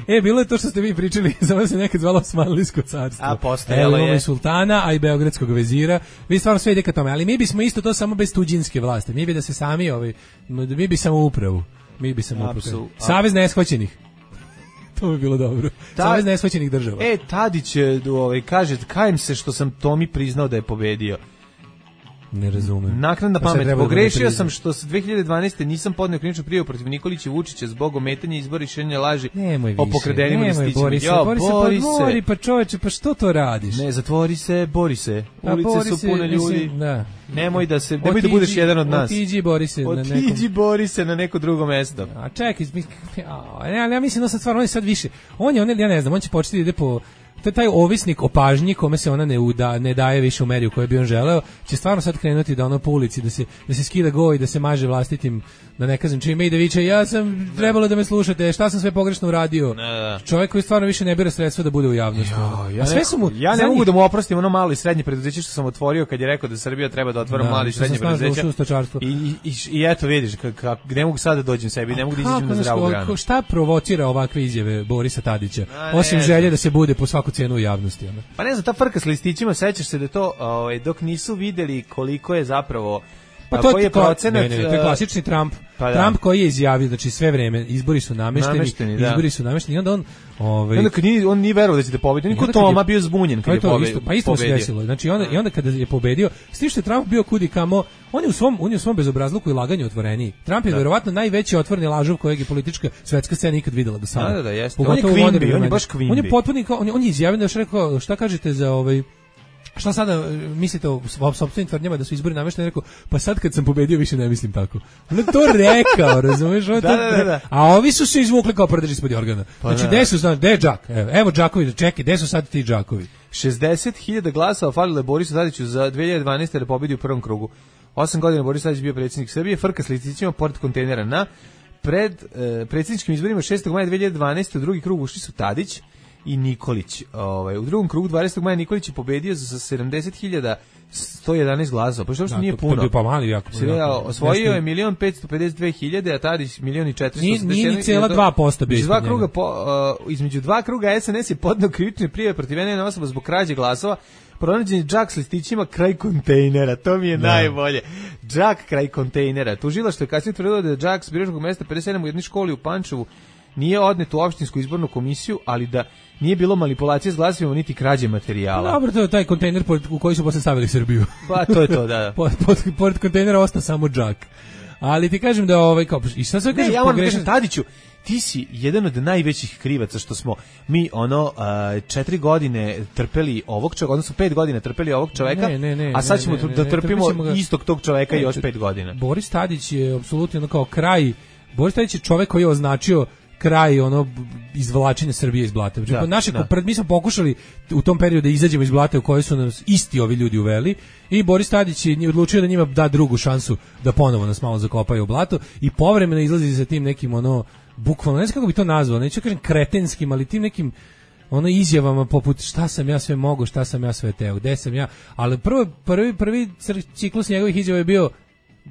E, bilo je to što ste vi pričali, samo se nekad zvalo Osmanlijsko carstvo. A, postojalo je. I sultana, a i beogradskog vezira. Vi stvarno sve ide ka tome, ali mi bismo isto to samo bez tuđinske vlasti. Mi bi da se sami, ovaj, mi bi samo upravu. Mi bi samo upravu. Savez neshvaćenih. To bi bilo dobro. Ta, Savez neshvaćenih država. E, Tadić ovaj, kaže, kajem se što sam Tomi priznao da je pobedio. Ne razumem. Naknadna pamet. Pogrešio sam što se dve hiljade dvanaeste nisam podneo krivičnu prijavu protiv Nikolića i Vučića zbog ometanja izbora i širenja laži o pokradenim listićima. Borise, jo, Borise, bori pa bori, pa čoveče, pa što to radiš? Ne, zatvori se, bori se. Ulice pa su pune ljudi. Mislim, da. Nemoj da se, nemoj otiđi, da budeš jedan od nas. Otiđi, bori se otiđi, na nekom. Otiđi, bori se na neko drugo mesto. A čekaj, ja, ja mislim da sad stvarno on je sad više. On je, on je, ja ne znam, on će početi da ide po to je taj ovisnik o pažnji kome se ona ne uda, ne daje više u meri u kojoj bi on želeo, će stvarno sad krenuti da ono po ulici, da se, da se skida go i da se maže vlastitim, da ne kažem čime i da viče, ja sam trebalo da me slušate, šta sam sve pogrešno uradio. Ne. Čovjek koji stvarno više ne bira sredstva da bude u javnosti. Jo, ja, a sve su mu, ja ne zadnjih... mogu da mu oprostim ono malo i srednje preduzeće što sam otvorio kad je rekao da Srbija treba da otvara mali i srednje preduzeće. I, i, i, I eto vidiš, kako ne mogu sad da dođem sebi, ne mogu da izađem na zdravu granu. Šta provocira ovakve izjave Borisa Tadića? Osim želje da se bude po svaku cijenu u javnosti. Ona. Pa ne znam, ta frka s listićima, sećaš se da to, ovaj, dok nisu videli koliko je zapravo, pa to koji je procenat... Ne, ne, ne, to je klasični Trump. Pa da. Trump koji je izjavio, znači sve vreme, izbori su namešteni, namešteni da. izbori su namešteni, i onda on... Ovaj, onda kad nije, on nije verovao da će da pobedi, niko Toma bio zbunjen kad je pobedio. Pa isto se desilo, znači onda, i onda kada je pobedio, s tim što je Trump bio kudi kamo, on je u svom, on je u svom bezobrazluku i laganju otvoreniji. Trump je da. verovatno najveći otvoreni lažov kojeg je politička svetska scena ikad videla do sada. Da, da, da, jeste. On je kvimbi, on je baš kvimbi. On je potpuno, on je, on je izjavio da je rekao, šta kažete za ovaj... Šta sada mislite o sopstvenim tvrdnjama da su izbori namešteni? Rekao, pa sad kad sam pobedio više ne mislim tako. On je to rekao, razumiješ? Da, da, da, da. A ovi su se izvukli kao prdež ispod organa. Pa znači, gde su, gde je Džak? Evo, evo Džakovi, čekaj, gde su sad ti Džakovi? šezdeset hiljada glasova falilo je Borisu Tadiću za dve hiljade dvanaeste da pobedi u prvom krugu. Osam godina Boris Tadić bio predsjednik Srbije, frka s listićima pored kontejnera na pred eh, predsjedničkim izborima šestog maja dve hiljade dvanaeste u drugi krug ušli su Tadić i Nikolić. Ovaj, u drugom krugu dvadesetog maja Nikolić je pobedio za sedamdeset hiljada sto jedanaest glasova. Pa što da, nije to, puno. To pa mali jako. jako osvojio je milion petsto pedeset dve hiljade, a Tadić milion i četiristo osamdeset jedan. Nije ni cijela dva posto bio. Između dva kruga po, uh, između dva kruga S N S je podneo krivične prijave protiv ene osoba zbog krađe glasova. pronađen je džak s listićima kraj kontejnera, to mi je Da. najbolje. Džak kraj kontejnera. Tužilaštvo je kasnije tvrdilo da je džak s biračkog mesta pedeset sedam u jednoj školi u Pančevu nije odnet u opštinsku izbornu komisiju, ali da nije bilo manipulacije s glasovima niti krađe materijala. Dobro, to je taj kontejner u koji su posle stavili Srbiju. Pa to je to, da. da. pod, pod, pored kontejnera ostao samo džak. Ali ti kažem da ovaj kao i sad sve Ne, kažem ja moram da pogrešno. kažem, Tadiću, ti si jedan od najvećih krivaca što smo mi ono a, četiri godine trpeli ovog čovjeka, odnosno pet godina trpeli ovog čovjeka, Ne, ne, ne, a sad ne, ćemo ne, ne, da ne, trpimo trpit ćemo ga. istog tog čovjeka Ne, još to- pet godina. Boris Tadić je apsolutno ono kao kraj. Boris Tadić je čovjek koji je označio kraj ono b- izvlačenja Srbije iz blata. Znači, Da, po naše da. pred mi smo pokušali u tom periodu da izađemo iz blata u koje su nas isti ovi ljudi uveli i Boris Tadić je odlučio da njima da drugu šansu da ponovo nas malo zakopaju u blato i povremeno izlazi sa tim nekim ono bukvalno ne znam kako bi to nazvao, neću kažem kretenskim, ali tim nekim ono izjavama poput šta sam ja sve mogao, šta sam ja sve teo, gde sam ja, ali prvo, prvi, prvi cr- ciklus njegovih izjava je bio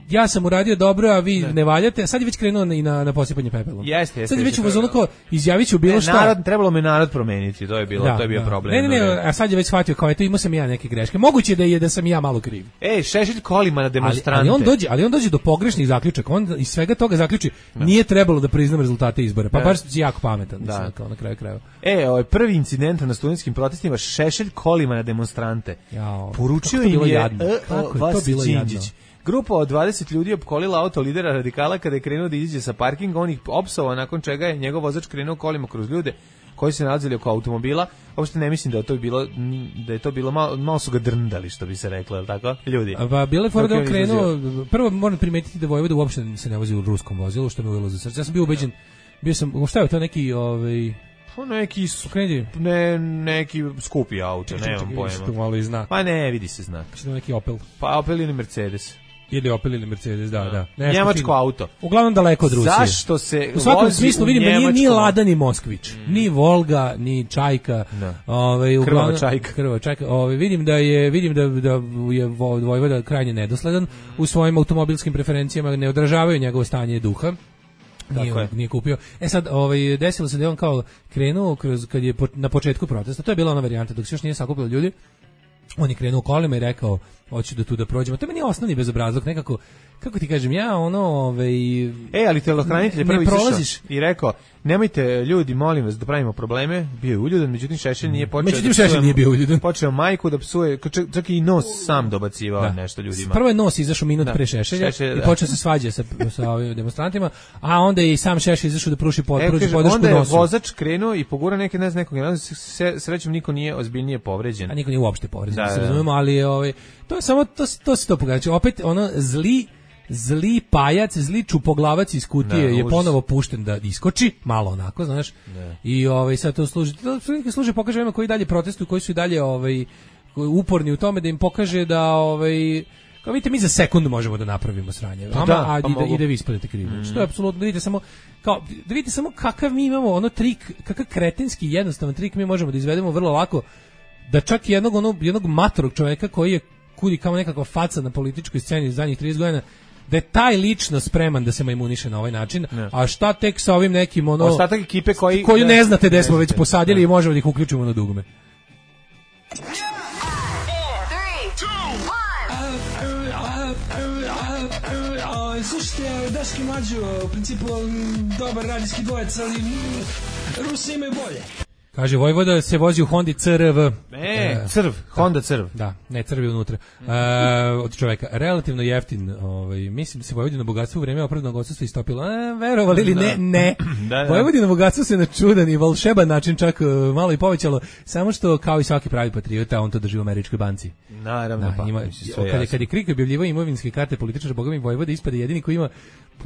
ja sam uradio dobro, a vi ne, ne valjate, a sad je već krenuo na, i na, na posipanje pepelom. Jeste, jeste, sad je već jeste, u fazonu to kao izjavit ću bilo Ne, šta. narod, trebalo me narod promeniti, to je bilo, Da, to je bio da. problem. Ne, ne, no, ne, a sad je već shvatio kao eto imao sam i ja neke greške. Moguće je da je da sam i ja malo kriv. Ej, Šešelj kolima na Ali, demonstrante. ali on dođe, ali on dođe do pogrešnih zaključaka. On iz svega toga zaključi nije trebalo da priznam rezultate izbora. Pa Da. baš si jako pametan, mislim, Da. kao na kraju krajeva. E, ovaj prvi incident na studentskim protestima, Šešelj kolima na demonstrante. Jao, Poručio kako je to bilo im je jadno. e, Kako je to Vas bilo Đinđić. jadno. Grupa od dvadeset ljudi opkolila auto lidera radikala kada je krenuo da izađe sa parkinga, on ih opsovao, nakon čega je njegov vozač krenuo kolima kroz ljude koji se nalazili oko automobila. Uopšte ne mislim da je to bilo da je to bilo malo, malo su ga drndali, što bi se reklo, je li tako? Ljudi. Pa bilo je fora Dok da je on on krenuo, prvo moram primetiti da Vojvoda uopšte se ne vozi u ruskom vozilu, što me uvelo za srce. Ja sam bio ubeđen, bio sam, šta je to neki, ovaj, Pa neki su, okreni, ne, neki skupi auto, nemam što pojma. malo i znak. Pa ne, vidi se znak. Što neki Opel. Pa Opel ili Mercedes. Ili Opel ili Mercedes, da, da. Nešto Njemačko fino. auto. Uglavnom daleko od Rusije. Zašto se U svakom vozi smislu u vidim da nije ni njemačkom- Lada ni Moskvić, Mm. ni Volga, ni Čajka. Da. Ovaj Krvava uglavnom Čajka. Krvava Čajka. Ovaj vidim da je vidim da da je Vo- Vojvoda krajnje nedosledan u svojim automobilskim preferencijama, ne odražavaju njegovo stanje duha. Nije, Tako je. nije kupio. E sad, ovaj desilo se da je on kao krenuo kroz kad je po, na početku protesta. To je bila ona varijanta dok se još nije sakupilo ljudi. On je krenuo kolima i rekao hoću da tu da prođemo. To je meni osnovni bezobrazluk, nekako kako ti kažem, ja ono, ovaj E, ali telohranitelj je ne prvo izašao prolaziš. i rekao, nemojte ljudi, molim vas, da pravimo probleme. Bio je uljudan, međutim Šešelj nije počeo. Međutim, da Šešelj psuje- nije bio uljudan. Počeo majku da psuje, čak, čak i nos sam dobacivao Da. nešto ljudima. Prvo je nos izašao minut Da. pre Šešelja Šešelj, i da. počeo se svađa sa, sa ovim demonstrantima, a onda je i sam Šešelj izašao da pruži pod, Evo, pruži kaže, podršku onda je nosu. vozač krenuo i pogura neke, ne znam, nekog, ne znam, se- srećom niko nije ozbiljnije povređen. A niko nije uopšte povređen, Da, da se da. razumemo, ali je, ovaj, to je samo, to, se- to se to pokaže. Znači, opet, ono, zli, zli pajac, zli čupoglavac iz kutije Da, je užas. ponovo pušten da iskoči, malo onako, znaš, i ovaj, sad to služi, to služi, služi pokaže ovima koji dalje protestuju, koji su i dalje ovaj, uporni u tome da im pokaže da, ovaj, kao vidite, mi za sekund možemo da napravimo sranje, Pa vama, da, a pa i da, mogu. i da vi ispadete krivi. Znači, to je apsolutno, da vidite samo, kao, da vidite samo kakav mi imamo ono trik, kakav kretenski jednostavan trik mi možemo da izvedemo vrlo lako, da čak i jednog, ono, jednog matorog čoveka koji je kudi kao nekakva faca na političkoj sceni zadnjih trideset godina, da je taj lično spreman da se majmuniše na ovaj način, Ne. a šta tek sa ovim nekim ono Ostatak ekipe koji... koju ne znate gde smo već znate. posadili i možemo da ih uključimo na dugme. Slušajte, Daški Mlađo, u principu m, dobar radijski dvojec, ali m, Rusi imaju bolje. Kaže, Vojvoda se vozi u Hondi C R V. E, crv, Honda crv. Da, ne crvi unutra. E, od čoveka, relativno jeftin. Ovaj, mislim da se Vojvodino bogatstvo u vreme opravdanog odsustva istopilo. E, verovali ili ne? Ne. Da, da. Vojvodino bogatstvo se na čudan i volšeban način čak e, malo i povećalo, samo što kao i svaki pravi patriota, on to drži u američkoj banci. Naravno, Da, pa, ima, mislim, sve kad, je, jasno. kad je Krik objavljivao imovinske karte političara, boga mi Vojvoda ispade jedini koji ima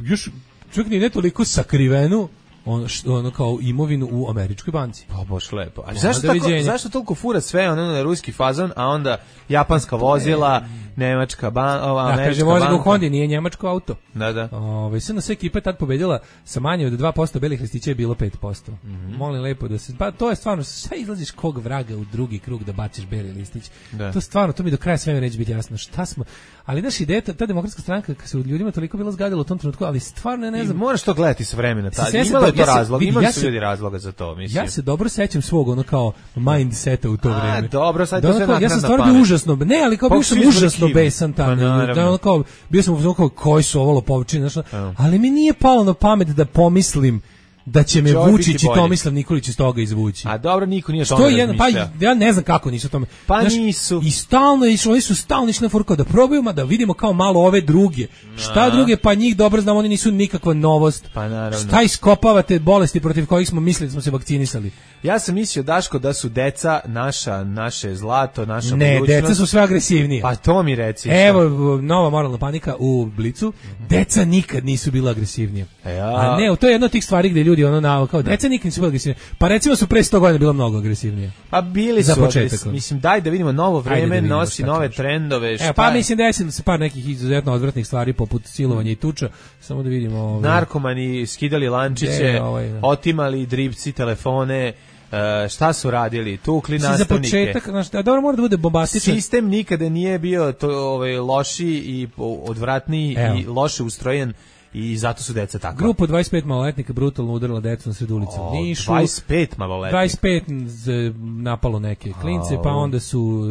još čak ni ne toliko sakrivenu ono, što, ono kao imovinu u američkoj banci. Pa baš lepo. A Ono, zašto, tako, doviđenja. zašto toliko fura sve ono na ruski fazon, a onda japanska vozila, nemačka ban, ova, Da, američka kaže, vozi ga u banka? Hondi, nije njemačko auto. Da, da. Ove, sve na sve ekipa je tad pobedila sa manje od dva posto, belih listića je bilo pet posto. Mhm. Molim lepo da se, pa to je stvarno, šta izlaziš kog vraga u drugi krug da baciš beli listić? Da. To stvarno, to mi do kraja sve neće biti jasno. Šta smo, ali naš ideja, ta, ta demokratska stranka, kad se u ljudima toliko bilo zgadilo u tom trenutku, ali stvarno ja ne I znam, moraš to gledati sa vremena. Se Tad. sjećate Imala je to ja se- razlog, vidi, imali ja su se- ljudi razloga za to, mislim. Ja se dobro sećam svog ono kao mindseta u to A, vreme. dobro, sad Da to ono sve kao, ja sam naknadna stvarno bio pamet. užasno, ne, ali kao Pa bio svi sam smo užasno bili besan Pa tamo. naravno. Da ono kao bio sam ono kao koji su ovo lopovčine, znaš, Evo. ali mi nije palo na pamet da pomislim da će me Će ovo Vučić biti i bolje. Tomislav Nikolić iz toga izvući. A dobro, niko nije o Što tome je jedan, pa razmišljao. ja ne znam kako nisu o tome. Pa Znaš, nisu. I stalno je išlo, oni su stalno išli na foru kao da probujemo da vidimo kao malo ove druge. Šta Aha. druge, pa njih dobro znamo, oni nisu nikakva novost. Pa naravno. Šta iskopavate bolesti protiv kojih smo mislili da smo se vakcinisali? Ja sam mislio, Daško, da su deca naša, naše zlato, naša Ne, budućnost. deca su sve agresivnije. Pa to mi reci. Evo, nova moralna panika u Blicu. Deca nikad nisu bila agresivnije. Ja. A ne, to je jedna od tih stvari gde ljudi ono na kao deca nikad nisu bila agresivnije. Pa recimo su pre sto godina bila mnogo agresivnije. Pa bili Za su, početak. agres- mislim, daj da vidimo novo Ajde da vreme, vidimo nosi šta nove kažeš. trendove, šta Evo, pa je? mislim desilo se par nekih izuzetno odvratnih stvari poput silovanja i tuča. Samo da vidimo ovaj. Narkomani skidali lančiće, Gde, ovaj, da. otimali dripci, telefone, e, šta su radili, tukli Mislim, za nastavnike. početak, znaš, a dobro mora da bude bombastičan. Sistem nikada nije bio to, ovaj, loši i odvratniji Evo. i loše ustrojen i zato su deca takva. Grupa dvadeset pet maloletnika brutalno udarila decu na sred ulice u O, Nišu. dvadeset pet maloletnika. dvadeset pet z- napalo neke klince, pa onda su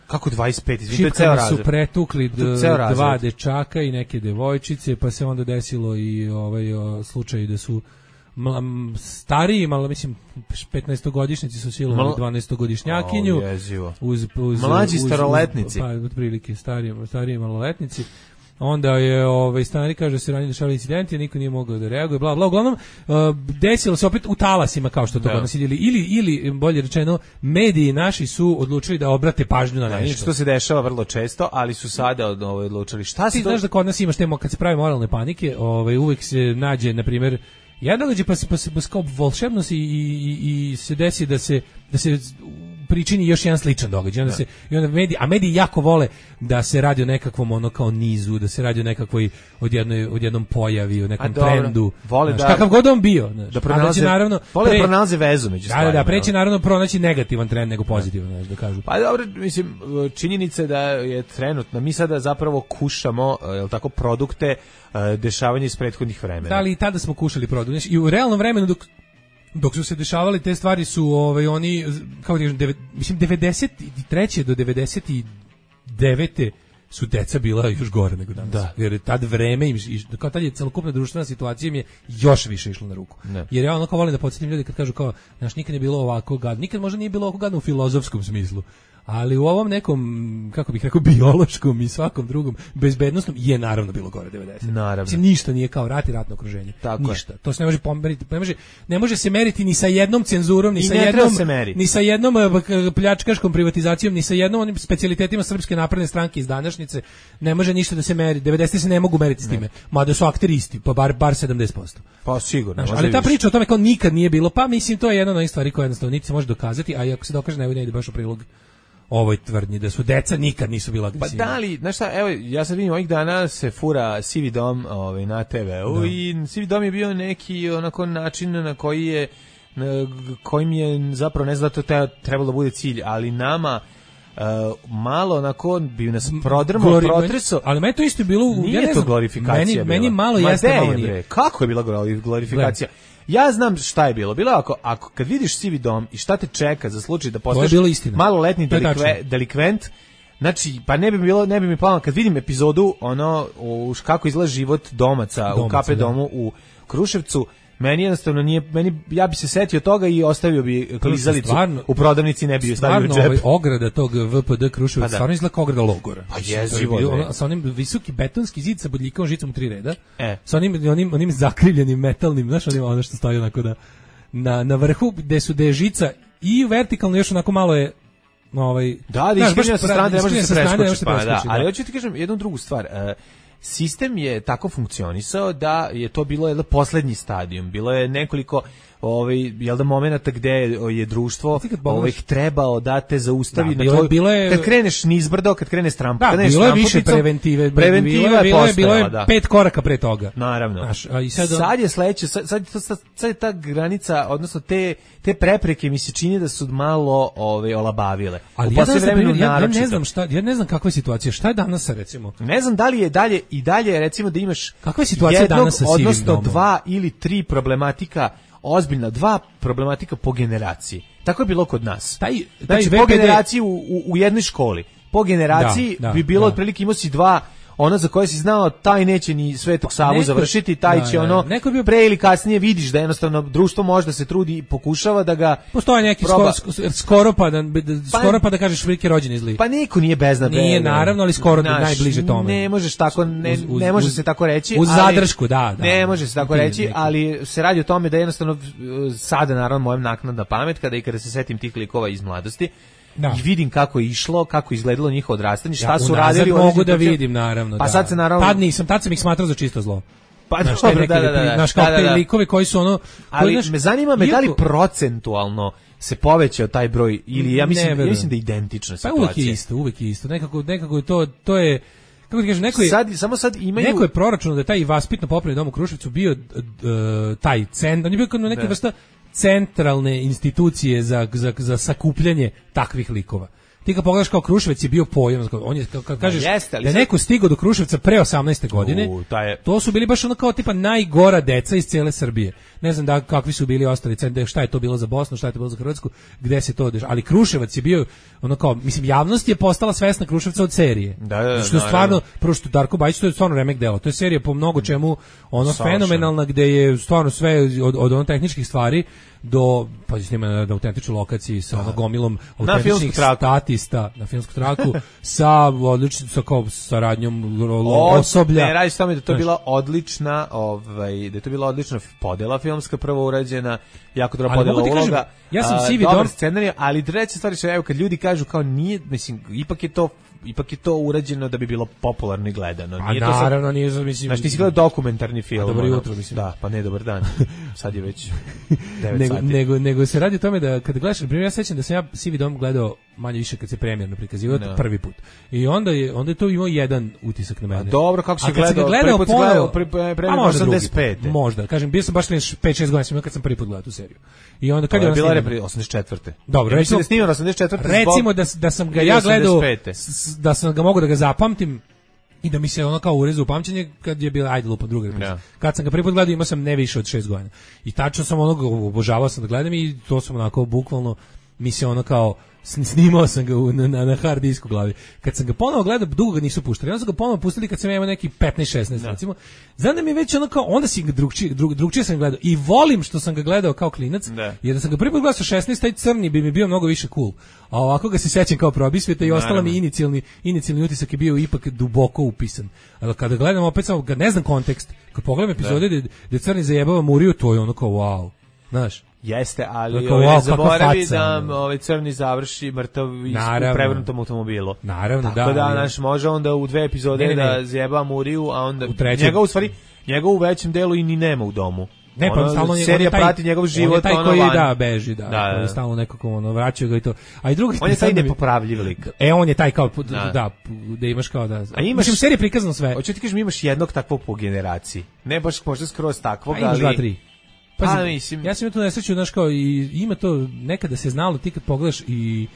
Kako dvadeset pet? Izvini, to je ceo šipkama su razred. pretukli To je d- ceo razred. dva dečaka i neke devojčice, pa se onda desilo i ovaj o, slučaj da su mla- m, stariji, malo mislim petnaestogodišnjaci su silovali Mal- dvanaestogodišnjakinju. O, jezivo. Uz, uz, Mlađi uz- uz- staroletnici. Pa, otprilike, stariji, stariji maloletnici. Onda je ovaj stanari kaže da se ranije dešavali incidenti, a niko nije mogao da reaguje, bla bla. Uglavnom uh, desilo se opet u talasima kao što to Da. kod nas ili ili ili bolje rečeno mediji naši su odlučili da obrate pažnju na Da, nešto. inače to se dešava vrlo često, ali su sada od ovaj odlučili. Šta se Ti to... znaš da kod nas imaš temo kad se pravi moralne panike, ovaj uvek se nađe na primjer jedan događaj pa se pa se pa se kao volšebno se i, i, i se desi da se da se pričini još jedan sličan događaj. Onda se i onda mediji, a mediji jako vole da se radi o nekakvom ono kao nizu, da se radi o nekakvoj odjednoj odjednom pojavi, o nekom A dobro, trendu. vole Znaš, da- kakav god on bio, znaš. da A pronalaze, će naravno vole da pre- pronalaze vezu među Da, da, stvarima. da, preći jel? naravno pronaći negativan trend nego pozitivan, znaš, da kažu. Pa dobro, mislim, činjenica je da je trenutno, mi sada zapravo kušamo, jel tako, produkte e, dešavanja iz prethodnih vremena. Da li i tada smo kušali produkt. Znači, i u realnom vremenu dok dok su se dešavale te stvari su ovaj oni kako ti kažem deve- mislim devedeset treće do devedeset devete su deca bila još gore nego danas. Da. Jer tad vreme im iš- kao tad je celokupna društvena situacija im je još više išlo na ruku. Ne. Jer ja ono kao volim da podsjetim ljudi kad kažu kao znaš nikad nije bilo ovako gadno, nikad možda nije bilo ovako gadno u filozofskom smislu. Ali u ovom nekom, kako bih rekao, biološkom i svakom drugom bezbednosnom je naravno bilo gore devedeset. Naravno. Mislim, ništa nije kao rat i ratno okruženje. Tako je. ništa. To se ne može pomeriti, ne može, ne može se meriti ni sa jednom cenzurom, ni I sa ne treba jednom se meriti. ni sa jednom eh, k- pljačkaškom privatizacijom, ni sa jednom onim specijalitetima Srpske napredne stranke iz današnjice. Ne može ništa da se meri. devedesete se ne mogu meriti s time. Mada su akteri isti, pa bar bar sedamdeset posto. Pa sigurno. Znaš, možda ali i ta više. priča o tome kao nikad nije bilo, pa mislim to je jedna od onih stvari koje jednostavno niti se može dokazati, a i ako se dokaže ne ide baš u prilog ovoj tvrdnji da su deca nikad nisu bila Pa agresivna. da li, znaš šta, evo, ja sad vidim ovih dana se fura Sivi dom ovaj, na te veu Da. i Sivi dom je bio neki onako način na koji je, na kojim je zapravo, ne znam da to te- trebalo da bude cilj, ali nama uh, malo onako bi nas prodrmao, Glori- protreso. ali meni to isto bilo u- Nije ja ne to znam, glorifikacija meni, bila. meni malo Ma jeste, de malo je, nije. bre, kako je bila glori- glorifikacija? Ja znam šta je bilo. Bilo je ako, ako kad vidiš Sivi dom i šta te čeka za slučaj da postaneš bilo istina. maloletni To je delikve, tačno. delikvent, znači, pa ne bi bilo, ne bi mi palo, kad vidim epizodu, ono, u, š- kako izgleda život domaca, u Domaca, K P da. domu u Kruševcu, meni jednostavno nije, meni, ja bi se setio toga i ostavio bi klizalicu stvarno- u prodavnici, ne bi ju stavio u Stvarno, džep. ovaj ograda tog V P D Kruševac Pa da. stvarno izgleda kao ograda logora. Pa Mislim, jezivo, to je bilo bre. ono, sa onim visoki betonski zid sa bodljikavom žicom u tri reda, E. sa onim, onim, onim zakrivljenim metalnim, znaš, onim, ono što stoji onako da, na, na vrhu gde su gde je žica i vertikalno još onako malo je ovaj, Da, da, znaš, iskrivljena baš sa strane, ne može iskrivljena se sa strane, ne može preskočiti, se pa da, preskočiti, ali da. hoću ti kažem jednu drugu stvar, e, sistem je tako funkcionisao da je to bilo jedan poslednji stadijum, bilo je nekoliko ovaj jel da momenata gde je društvo Ti kad pogledaš- ovaj trebao da te zaustavi Da, na bilo je- tvoj, bilo je- kad kreneš nizbrdo, kad kreneš strampu, Da, kad kreneš bilo je više stramputicom, preventive. preventiva bilo je, je bilo je, bilo je postojala, da. pet koraka pre toga. Naravno. Znaš, a i sad, sad je sledeće, sad, sad, je to- sad, sad je ta granica, odnosno te, te prepreke mi se čini da su malo ove, olabavile. ali U ja, danas, poslednje na vreme primjer, ja, ja ne naročito. znam šta, ja ne znam kakva je situacija. Šta je danas sa, recimo? Ne znam da li je dalje i dalje recimo da imaš Kakva je situacija jednog, danas sa sivim odnosno domom? dva ili tri problematika ozbiljna dva problematika po generaciji. Tako je bilo kod nas. Taj, taj znači, V P D... po generaciji u, u, u jednoj školi. Po generaciji da, da, bi bilo da. otprilike imao si dva, ona za koje si znao taj neće ni Svetog Savu neko, završiti, taj da, će da, ono neko bio... pre ili kasnije vidiš da jednostavno društvo može da se trudi i pokušava da ga postoje neki proba... skoro, skoro pa da, pa, skoro pa da kažeš veliki rođeni zli. Pa niko nije beznad. Nije naravno, ali skoro naš, najbliže tome. Ne možeš tako ne, uz, uz, ne može uz, se tako reći. Uz ali, zadršku, da, da. Ne može se tako reći, neki. ali se radi o tome da jednostavno sada naravno mojem naknadna pamet kada i kada se setim tih likova iz mladosti. Da. I vidim kako je išlo, kako je izgledalo njihovo odrastanje, šta ja, su radili. Mogu da vidim, naravno. Pa da. sad se naravno... Tad nisam, tad sam ih smatrao za čisto zlo. Pa naš, dobro, da, da, da. Naš kao da, da, da. te likovi koji su ono... Ali koji, naš, me zanima me iako, da li procentualno se povećao taj broj, ili ja mislim, ne, ja mislim da je identična situacija. Pa uvek je isto, uvek je isto. Nekako, nekako to, to je... Kako ti kažem, neko je, sad, samo sad imaju... neko je proračunao da je taj vaspitno popravni dom u Kruševcu bio uh, taj cent, on je bio kao neka vrsta centralne institucije za, za, za sakupljanje takvih likova. Ti kad pogledaš kao Kruševac je bio pojam, on je, kad kažeš da, jeste, da je neko stigao do Kruševca pre osamnaeste godine, U, je... to su bili baš ono kao tipa najgora deca iz cijele Srbije. Ne znam da kakvi su bili ostali centri, šta je to bilo za Bosnu, šta je to bilo za Hrvatsku, gde se to dešava. Ali Kruševac je bio ono kao, mislim, javnost je postala svesna Kruševca od serije. Da, da, što je stvarno, prvo što Darko Bajić, to je stvarno remek delo. To je serija po mnogo čemu ono Savršen. Fenomenalna, gde je stvarno sve od, od ono tehničkih stvari do, pa snima na, na autentičnoj lokaciji sa ono gomilom autentičnih statista na filmsku traku sa odličnom sa kao saradnjom osoblja. Ne, radi se tome da to je bila odlična, ovaj, da je to bila odlična podela filmska prvo urađena, jako dobra podela uloga. Kažem, ja sam sivi dobar dom scenarij, ali treća stvar je, evo, kad ljudi kažu kao nije, mislim, ipak je to ipak je to urađeno da bi bilo popularno i gledano. Nije a to naravno, sad, nije, mislim... Znači, ti si gledao dokumentarni film. A dobro jutro, mislim. Da, pa ne, dobar dan. Sad je već devet nego, sati. Nego, nego se radi o tome da, kada gledaš, na primjer, ja sećam da sam ja Sivi dom gledao manje više kad se premijerno prikazivao, no. prvi put. I onda je, onda je to imao jedan utisak na mene. A dobro, kako si gledao? Ga gledao prvi put si gledao, pre, pre, pre, osamdeset pete. Možda, kažem, bio sam baš pet šest godina sam kad sam prvi put gledao tu seriju. I onda kad je ona bila repri osamdeset četvrte. Dobro, ja recimo da snimao osamdeset četvrte. Recimo da da sam ga ja gledao, da sam ga mogao da ga zapamtim i da mi se ono kao urezao u pamćenje kad je bila ajde lupa druga repriza. Kad sam ga prvi put gledao imao sam ne više od šest godina. I tačno sam onog obožavao sam da gledam i to sam onako bukvalno mi se ono kao snimao sam ga na, na, na hard disku glavi. Kad sam ga ponovo gledao, dugo ga nisu puštali. Onda sam ga ponovo pustili kad sam imao neki petnaest šesnaest recimo. Znam da mi je već ono kao, onda si ga drugčije, drug, drugčije sam gledao. I volim što sam ga gledao kao klinac, da. Jer da sam ga prvi put gledao sa šesnaest, taj crni bi mi bio mnogo više cool. A ovako ga se sećam kao probisvijeta i ostala mi inicijalni, inicijalni utisak je bio ipak duboko upisan. Ali kada gledam opet samo, kad ne znam kontekst, kad pogledam epizode gde, gde crni zajebava Muriju, to je ono kao wow. Znaš? Jeste, ali Tako, ovaj, wow, ne zaboravi faca, da ovaj crni završi mrtav u prevrnutom automobilu. Naravno, tako da. da, naš može onda u dve epizode ne, ne, ne. da zjeba Muriju, a onda u trećem. njega u stvari, njega u većem delu i ni nema u domu. Ne, pa ono, stalno serija taj, prati njegov život, on je taj ono koji van. da beži, da, da, koji da. stalno nekako ono vraćaju ga i to. A i drugi on je taj nepopravljiv lik. E on je taj kao da, da, da imaš kao da. A imaš mislim serija prikazano sve. Hoćeš ti kažeš imaš jednog takvog po generaciji. Ne baš možda skroz takvog, ali dva tri. Pa Pazi, mislim, ja sam tu nesreću, znaš kao, i ima to, nekada se znalo, ti kad pogledaš i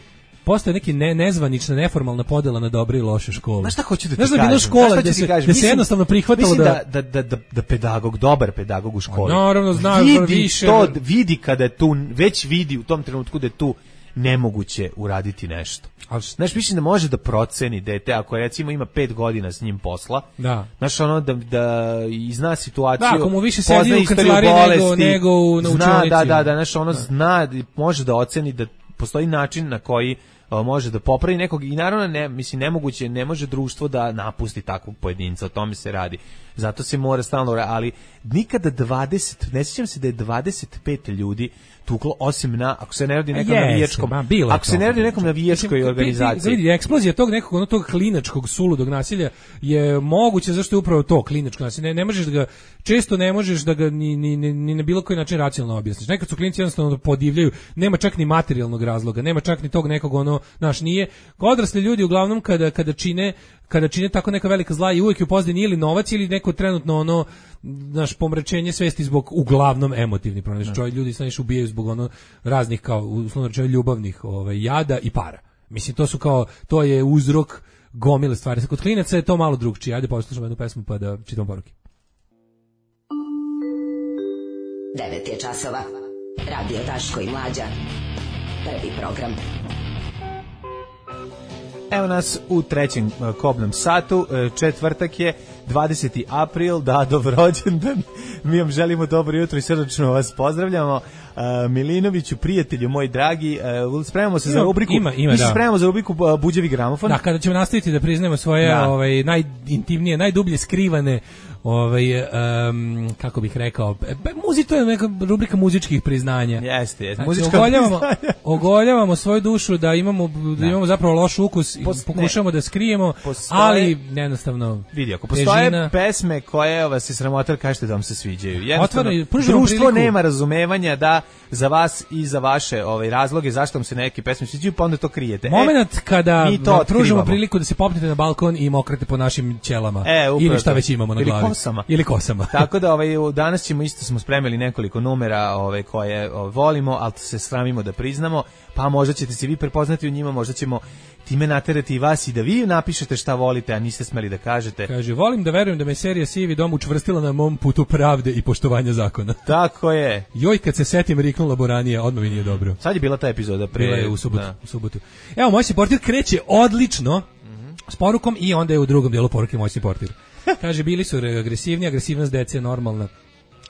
postoje neki ne, nezvanična, neformalna podela na dobre i loše škole. Znaš šta hoću da ti znaš kažem? Znaš da je bilo škola gde se, kažem? se jednostavno prihvatilo mislim da... da, da, da, da pedagog, dobar pedagog u školi, naravno, zna, vidi više, to, vidi kada je tu, već vidi u tom trenutku da je tu nemoguće uraditi nešto. Ali znaš, mislim da može da proceni dete, ako recimo ima pet godina s njim posla, da. Znaš, ono, da, da i zna situaciju, da, ako mu više sedi u kancelariji nego, nego u zna, učionici. Da, da, da, znaš, ono da. zna, može da oceni da postoji način na koji o, može da popravi nekog i naravno, ne, mislim, nemoguće, ne može društvo da napusti takvog pojedinca, o tome se radi. Zato se mora stalno, ali nikada dvadeset, ne sjećam se da je dvadeset pet ljudi tuklo, osim na, ako se ne radi nekom yes, navijačkom, ako se ne radi nekom navijačkoj organizaciji. Vidi, eksplozija tog nekog, ono tog klinačkog suludog nasilja je moguće, zašto je upravo to klinačko nasilje. Ne, ne možeš da ga, često ne možeš da ga ni, ni, ni, ni na bilo koji način racionalno objasniš. Nekad su klinci jednostavno podivljaju, nema čak ni materijalnog razloga, nema čak ni tog nekog ono, znaš, nije. Odrasli ljudi uglavnom kada, kada čine kada čine tako neka velika zla i uvijek je u pozadini ili novac ili neko trenutno ono naš pomračenje svesti zbog uglavnom emotivni problem. Znači čovjek ljudi znači ubijaju zbog ono raznih kao uslovno rečeno ljubavnih ovaj jada i para. Mislim to su kao to je uzrok gomile stvari. Kod klinaca je to malo drugčije. Ajde poslušamo jednu pesmu pa da čitamo poruke. devet je časova. Radio Daško i Mlađa. Prvi program. Evo nas u trećem uh, kobnom satu, uh, četvrtak je dvadeseti april, Dadov rođendan. Mi vam želimo dobro jutro i srdačno vas pozdravljamo. Uh, Milinoviću, prijatelju moj dragi, uh, spremamo se za rubriku. Ima, ima, mi se da. spremamo za rubriku uh, Buđevi gramofon. Da, kada ćemo nastaviti da priznajemo svoje Da. ovaj najintimnije, najdublje skrivane ovaj um, kako bih rekao, e, muzi to je neka rubrika muzičkih priznanja. Jeste, jeste. Znači, Muzička ogoljavamo, priznanja. ogoljavamo svoju dušu da imamo da imamo zapravo loš ukus i Pos- pokušamo da skrijemo, Postoje- ali jednostavno Vidi, ako postoje težina- pesme koje vas se sramotar, kažete da vam se sviđaju. Jednostavno, Otvaraju, pružamo društvo priliku. nema razumevanja da za vas i za vaše ovaj, razloge zašto vam se neke pesme sviđaju, pa onda to krijete. Moment kada mi to vam pružimo otkrivamo. priliku da se popnete na balkon i mokrate po našim ćelama. E, upravo ili šta to. već imamo na Ili glavi. kosama. Ili kosama. Tako da ovaj, u- danas ćemo isto smo spremili nekoliko numera ovaj, koje ovaj, volimo, ali se sramimo da priznamo, pa možda ćete se vi prepoznati u njima, možda ćemo time naterati i vas i da vi napišete šta volite, a niste smeli da kažete. Kaže, volim da verujem da me serija Sivi dom učvrstila na mom putu pravde i poštovanja zakona. Tako je. Joj, kad se setim riknula Boranija, odmah mi nije dobro. Sad je bila ta epizoda pre... Bila je u subotu. Da. U subotu. Evo, moćni portir kreće odlično s porukom i onda je u drugom dijelu poruke moćni portir. Kaže, bili su agresivni, agresivnost dece je normalna.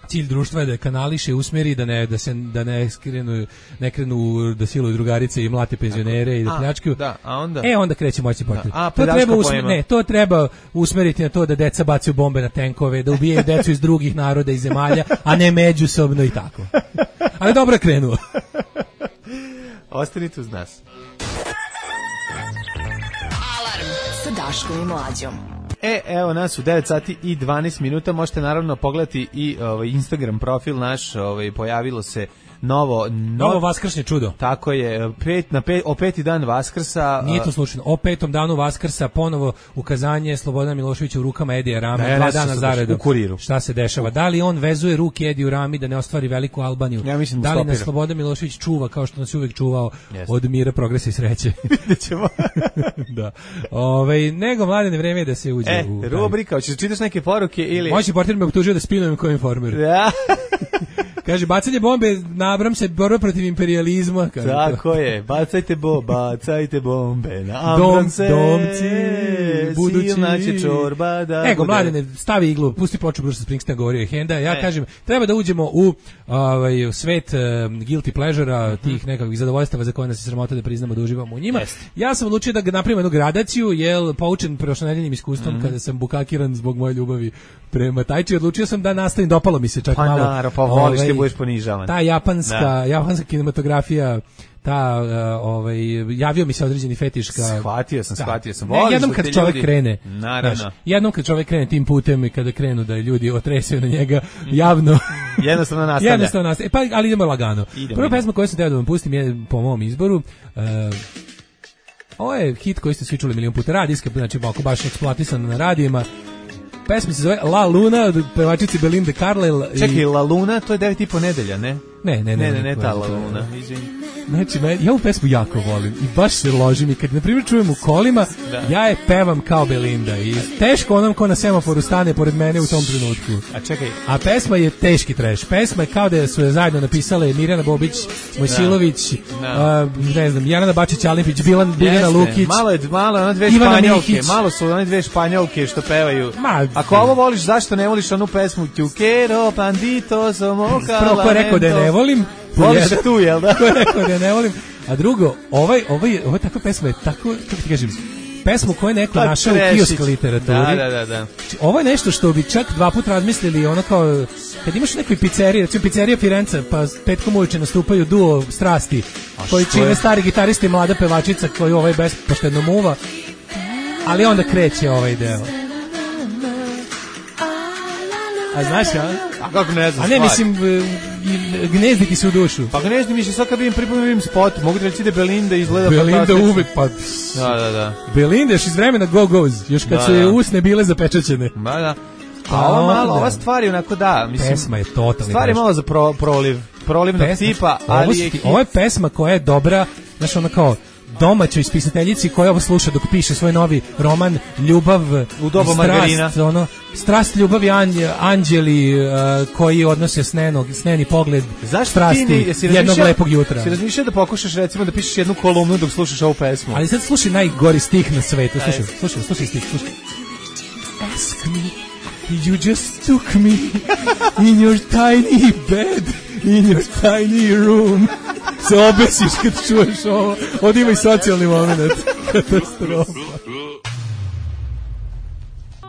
Cilj društva je da kanališe, usmeri, da ne da se da ne skrenu, ne krenu da siluju drugarice i mlate penzionere i da A, pljačkaju. da, a onda? E onda kreće moćni portir. Da, a, To pedaška treba usmer, poema. ne, to treba usmeriti na to da deca bacaju bombe na tenkove, da ubijaju decu iz drugih naroda i zemalja, a ne međusobno i tako. Ali dobro je krenuo. Ostanite uz nas. Alarm sa Daškom i Mlađom. E, evo nas u devet sati i dvanaest minuta, možete naravno pogledati i ovaj, Instagram profil naš, ovaj, pojavilo se novo... Novo vaskršnje čudo. Tako je, pet, na pet, o peti dan Vaskrsa... Nije to slučajno. O petom danu Vaskrsa ponovo ukazanje Slobodana Miloševića u rukama Edija Rame, Da, ja dva ne znam dana šta se dešava. zaredom. U Kuriru. Šta se dešava? Da li on vezuje ruke Ediju Rami da ne ostvari veliku Albaniju? Ja mislim da da li nas stopira. Slobodan Milošević čuva kao što nas je uvek čuvao Jeste. od mira, progresa i sreće? Vidjet ćemo. Da. Ovaj nego mladene vreme je da se uđe E, u taj- rubrika, hoćeš da čitaš neke poruke ili... Moćni portir me optužio da spinujem kao informer. Da, Kaže, bacanje bombe, nabram se, borba protiv imperijalizma. Kaže to. tako je, bacajte bo, bacajte bombe na Dom, Ambronse, domci, budući. silna će čorba da Ego, bude. mladene, stavi iglu, pusti ploču Bruce Springsteen, govorio je Henda. Ja E. kažem, treba da uđemo u ovaj, u svet um, guilty pleasure-a, tih nekakvih zadovoljstava za koje nas je sramota da priznamo da uživamo u njima. Jeste. Ja sam odlučio da ga napravim jednu gradaciju, jel, poučen prošlonedeljnim iskustvom, kada sam bukakiran zbog moje ljubavi prema Tajči, odlučio sam da nastavim, dopalo mi se čak Pa malo. naravno, pa voliš, ovaj, ti budeš ponižavan. Ta japanska, Da. japanska kinematografija, ta uh, ovaj javio mi se određeni fetiš ka Shvatio sam, shvatio sam. Ne, Voliš jednom da kad te čovjek ljudi- krene, Naravno. znaš, jednom kad čovjek krene tim putem i kada krenu da ljudi otresaju na njega javno, Jednostavno nastavlja. jednostavno nastaje. Pa ali idemo lagano. Idemo, Prva idemo. pesma koju sam teo da vam pustim je po mom izboru. Uh, ovo je hit koji ste svi čuli milion puta, radijska, znači ako baš eksploatisan na radijima. Pesma se zove La Luna od pevačice Belinda Carlisle. i- Čekaj, La Luna, to je devet i po nedelja, ne? Ne, ne, ne, Ne, ne, ne, to ta je- La to je- Luna, izvini. Znači, me, ja ovu pesmu jako volim i baš se ložim i kad, na primjer, čujem u kolima, Da. ja je pevam kao Belinda i teško onom ko na semaforu stane pored mene u tom trenutku. A čekaj, A pesma je teški trash. Pesma je kao da su je zajedno napisale Mirjana Bobić, Mojsilović, Da. a, ne znam, Jelena Bačić-Alipić, Bilan, Biljana jeste, Lukić. malo je, malo one dve Ivana španjolke, Mihić. malo su one dve španjolke što pevaju. Ma, Ako ovo voliš, zašto ne voliš onu pesmu Tukero, bandito, somo, Prvo ko je rekao da je ne volim, Voliš jedan. tu, jel da? Ko je rekao da je ne volim. A drugo, ovaj, ovaj, ovaj takva pesma je tako, kako ti kažem, pesmu koju je neko Pa, našao u trešić. kiosk literaturi. Da, da, da, da. Znači, ovo je nešto što bi čak dva puta razmislili, ono kao, kad imaš u nekoj pizzeriji, recimo pizzerija Firenca, pa petkom uveče nastupaju duo strasti, koji što čine je? stari gitarista i mlada pevačica koju ovaj bespoštedno muva, ali onda kreće ovaj deo. A znaš, a? A kako ne znam A ne, stvari? mislim, e, i- gnezditi se u dušu. Pa ga ne znam više, sad kad vidim pripuno vidim spot, mogu da reći da Belinda izgleda Belinda fantastično. uvek, pa... Da, da, da. Belinda još iz vremena Go-Go's, još kad Da, su je da. usne bile zapečaćene. Da, da. A A ova malo, onda- ova stvar je onako da, mislim. Pesma je totalni Stvar je trash. malo za pro, proliv, prolivnog Pesma- tipa, ovo, ali su je ti- hit. ovo je pesma koja je dobra, znaš, ona kao domaćoj spisateljici koja ovo sluša dok piše svoj novi roman Ljubav u doba strast, margarina. Ono, strast, ljubav i anđ, anđeli uh, koji odnose snenog, sneni pogled strasti jednog lepog jutra. Si razmišljao da pokušaš recimo da pišeš jednu kolumnu dok slušaš ovu pesmu? Ali sad slušaj najgori stih na svetu. Slušaj, slušaj, slušaj stih, slušaj. Ask me, you just took me in your tiny bed, in your tiny room. Se obesiš kad čuješ ovo. Ovdje ima i socijalni moment. Katastrofa.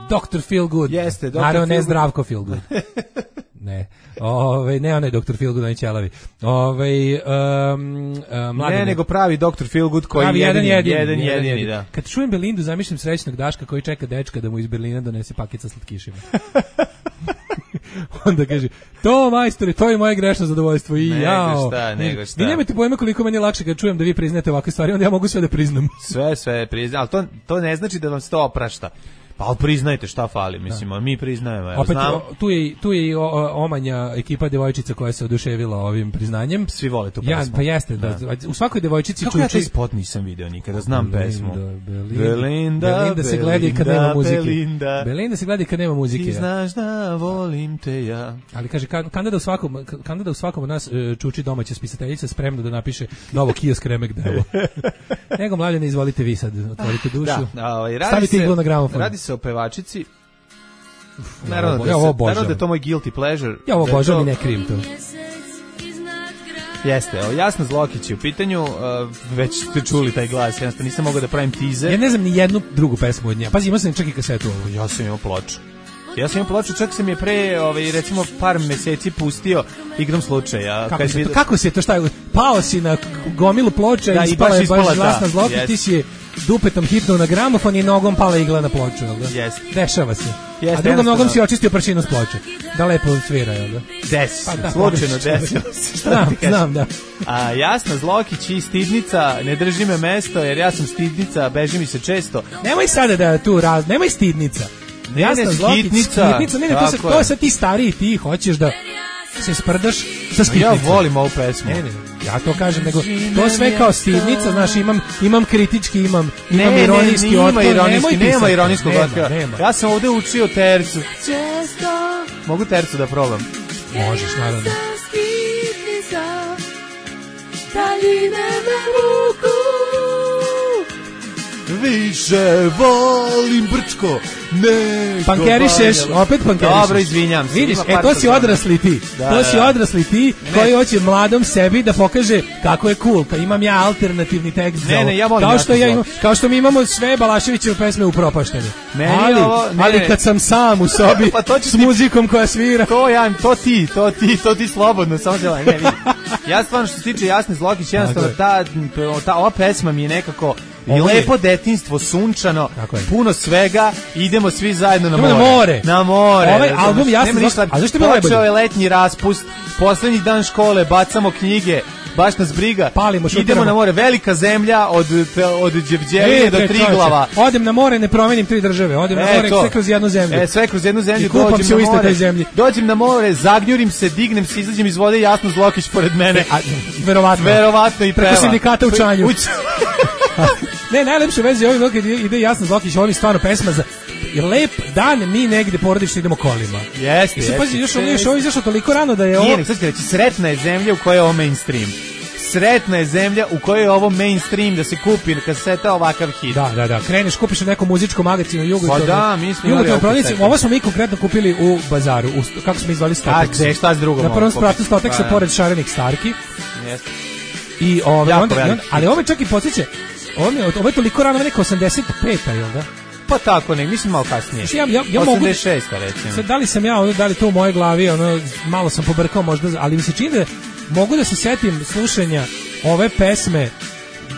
doktor Feelgood. Jeste, doktor Naravno, ne Feelgood. Zdravko Feelgood. Ne. Ove, ne onaj doktor Feelgood, onaj ćelavi. Ove, um, uh, ne, nego pravi doktor Feelgood koji pravi je jedan jedini, jedan, jedan, jedini, jedini, da. Kad čujem Belindu, zamišljam srećnog Daška koji čeka dečka da mu iz Berlina donese paket sa slatkišima. Onda kaže, to majstore, to je moje grešno zadovoljstvo i nego jao. šta, nego šta. Vi nemate pojma koliko meni je lakše kad čujem da vi priznate ovakve stvari, onda ja mogu sve da priznam. Sve, sve priznam, ali to, to ne znači da vam se to oprašta. Pa ali priznajte šta fali, mislim, a mi priznajemo. Evo, opet, znam. o, tu je, tu je i o, o, omanja ekipa devojčica koja se oduševila ovim priznanjem. Svi vole tu Ja, pesmu. pa jeste, da. Da. U svakoj devojčici Kako ja taj čuči... spot nisam video nikada, znam Belinda, pesmu. Belinda, Belinda, Belinda se gleda i kad nema muzike. Belinda. Belinda se gleda i kad nema muzike. Ti znaš da volim te ja. Ali kaže, Kandida u svakom, Kandida u svakom od nas uh, čuči domaća spisateljica spremna da napiše novo kiosk remek devo. Nego mlađe ne izvolite vi sad, otvorite dušu. Da, ovaj, radi stavite se, iglu na gramofon. Radi se o pevačici. Ja Naravno, ovo, da, ja se, ovo naravno da obožavam. je to moj guilty pleasure. Ja ovo Da je obožavam to- i ne krijem to. Jeste, evo, Jasna Zlokić je u pitanju, uh, već ste čuli taj glas, jednostavno nisam mogao da pravim teaser. Ja ne znam ni jednu drugu pesmu od nje. Pazi, imao sam čak i kasetu ovu. Ja sam imao ploču. Ja sam imao ploču, čak sam je pre, ovaj, recimo, par meseci pustio igrom slučaja. Kako, Kad se bi- to, kako se to šta je? Pao si na gomilu ploča Da, i i ispala baš je ispala baš ta, glasna Zlokić, jest. ti si je dupetom hitnuo na gramofon i nogom pala igla na ploču, jel da? Jeste. Dešava se. Jeste, A drugom jednostavno. nogom si očistio prašinu s ploče. Da lepo svira, jel da? Desi Pa se, da, slučajno pogrešno. desilo se. Šta Znam, ti kažem? znam, da. A Jasna Zlokić i Stidnica, ne drži me mesto, jer ja sam Stidnica, beži mi se često. Nemoj sada da tu raz, nemoj stidnica. Ne, Jasna ne, Zlokić, skitnica. skitnica, ne, ne, to, se, Tako to je. je sad ti stariji, ti hoćeš da se sprdaš sa skitnicom. Ja volim ovu pesmu. Ne, ne, ja to kažem, nego to sve kao stidnica, znaš, imam, imam kritički, imam, imam Ne, ne, ironijski nema otpor, ironijski, nemoj nema pisati. ironijskog Nema, otpora. nema. Ja sam ovde učio tercu. Mogu tercu da probam? Možeš, naravno. Više volim Brčko, nego Pankerišeš, Banjaluku. opet pankerišeš. Dobro, izvinjam se. Vidiš, ima e par to si toga. odrasli ti. Da, to da, si da. odrasli ti koji hoće mladom sebi da pokaže kako je cool. Kad imam ja alternativni tekst za Ne, ovo. ne, ja volim kao što Jasnu ja imam, Zlokić. kao što mi imamo sve Balaševićeve pesme upropaštene. Meni ali, ovo- ne, ali ne. kad sam sam u sobi Pa to ću s ti- muzikom koja svira. To ja, to ti, to ti, to ti slobodno, samo se ne vidi. Ja stvarno što se tiče Jasne Zlokić, jednostavno ta, ta ova pesma mi je nekako i Ovo je- lepo detinjstvo, sunčano, Tako je. puno svega, idemo svi zajedno na Idemo more. na more. Na more. Ovaj razumeš? album Jasna Nema ništa. Zlokić- a zašto je bilo Počeo najbolje? je letnji raspust, poslednji dan škole, bacamo knjige, baš nas briga. Palimo, idemo šutiramo. na more, velika zemlja od, od Đevđevine do bre, Triglava. čoveče, odem na more, ne promenim tri države. Odem na E, more to. sve kroz jednu zemlju. E, sve kroz jednu zemlju, I kupam dođem se na u istoj more, toj zemlji. dođem na more, zagnjurim se, dignem se, izađem iz vode, Jasno Zlokić pored mene. A, verovatno. Verovatno i Preko peva. sindikata u Čanju. U Č- Ne, najlepše veze je ovim kad ide Jasna Zlokić, ovim stvarno pesma za i lep dan mi negde porodično idemo kolima. Jeste, I sad jeste. pazi, još ovo još ovo izašlo toliko rano da je ovo Nije, nek sad ću reći, sretna je zemlja u kojoj je ovo mainstream. Sretna je zemlja u kojoj je ovo mainstream da se kupi kaseta ovakav hit. Da, da, da, kreneš, kupiš u nekom muzičkom magazinu Jugo. Pa da, mi smo imali ovu prodavnici. kasetu. Ovo smo mi konkretno kupili u bazaru, u, st- kako smo izvali A Stotex. gde, šta s drugom? Na prvom mogu spratu kupiti? Stotexa Pa, da. pored šarenih Starki. Jeste. I ove, Jako onda, i veliki. onda, ali ovo čak i podsjeća, ovo, mi je, ovo je toliko rano, neka osamdeset peta, jel da? Pa tako, ne, mislim malo kasnije. Znači, ja, ja, ja mogu... osamdeset šesta recimo. Sad, da li sam ja, ono, da li to u mojoj glavi, ono, malo sam pobrkao možda, ali mi se čini da mogu da se setim slušanja ove pesme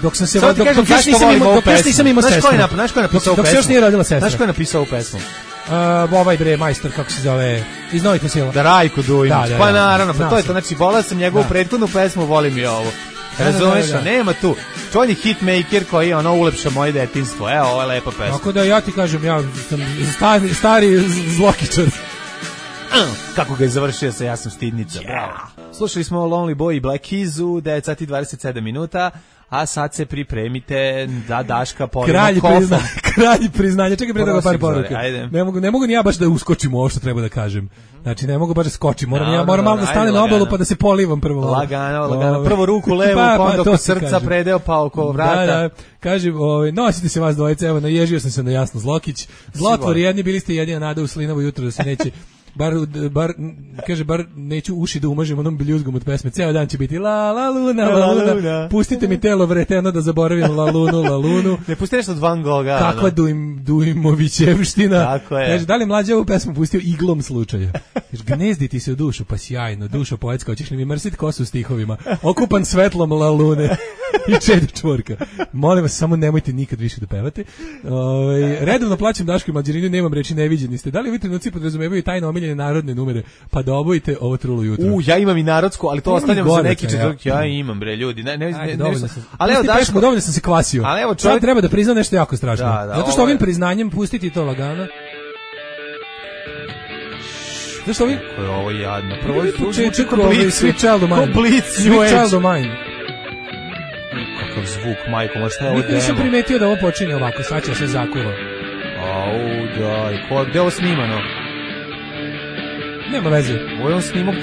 dok sam se Samo ti dok, kažem dok još zašto nisam volim imao ovu dok još pesmu. nisam imao Znaš sestru. ko je nap- znaš ko je napisao ovu Dok se pesmu? još nije rodila sestra. Znaš ko je napisao ovu pesmu? Uh, ovaj bre majstor kako se zove iz Novih Vesela. Da, Rajko Dujmić. Da, da, Pa da. naravno, pa Znam to je sam. to. Znači, volao sam njegovu Da. prethodnu pesmu, volim i ovo. Da, da, Razumeš, da, da. nema tu. On je hitmaker koji ono ulepša moje detinjstvo. Evo, ovo je lepa pesma. Tako da ja ti kažem, ja sam stari, stari zlokičar. Kako ga je završio sa Ja sam stidnica. Bravo. Slušali smo Lonely Boy i Black Keys u devet sati i dvadeset sedam minuta, a sad se pripremite da Daška polimo Kralj kofom. prizna, kralj priznanja. Čekaj pre toga par Prosim, poruka. Zore, ajde. Ne mogu ne mogu ni ja baš da uskočim u ovo što treba da kažem. Znači ne mogu baš da skočim. Moram No, ja moram no, malo da ajde, stanem na obalu lagano. pa da se polivam prvo. Lagano, lagano. Ove. Prvo ruku levu, Pa, pa pa, onda to oko ti srca, kažem. predeo, pa oko vrata. Da, da. Kažem, ovaj, nosite se vas dvojice, evo, naježio sam se na Jasno Zlokić. Zlotvori jedni, bili ste jedina nada u Slinovo jutro da se neće, bar, bar, kaže, bar neću uši da umažem onom biljuzgom od pesme. Ceo dan će biti la, la, luna, la, La, luna. luna. Pustite mi telo vreteno da zaboravim la, lunu, la, lunu. Ne pusti nešto od Van Gogha. Kakva Dujm, Dujmovićevština. Tako je. Kaže, da li mlađa ovu pesmu pustio iglom slučaja? Kaže, gnezdi ti se u dušu, pa sjajno, duša poetska, hoćeš li mi mrsit kosu stihovima? Okupan svetlom la lune. I čedo čvorka. Molim vas, samo nemojte nikad više da pevate. Ove, redovno plaćam Daško i Mlađarinu, nemam reči, neviđeni ste. Da li ovi trenuci podrazumevaju tajno omiljene narodne numere? Pa da obojite ovo trulo jutro. U, ja imam i narodsku, ali to Imam ostavljam i za gore, neki ja. četvrtak. Ja imam, bre, ljudi. Ne, ne, ne, Ajde, ne, dovoljno ne, sam. ali evo Pusti pesmu, Daško, dovoljno sam se kvasio. Ali evo, Sad čovjek- treba da priznam nešto jako strašno. Da, da, Zato što ovo je- ovim priznanjem pustiti to lagano. Zato što ovim... Kako je ovo jadno. Prvo Prvi je početak ovaj Sweet Child of Mine. Ko Blitz, New Sweet Child Age. of Mine. Kakav zvuk, majko, ma šta je ovo Nikad nisam demo? primetio da ovo počinje ovako, sad će se zakuva. Au, daj, ko, gde je ovo snimano? Nema veze. Ovo je on snimao,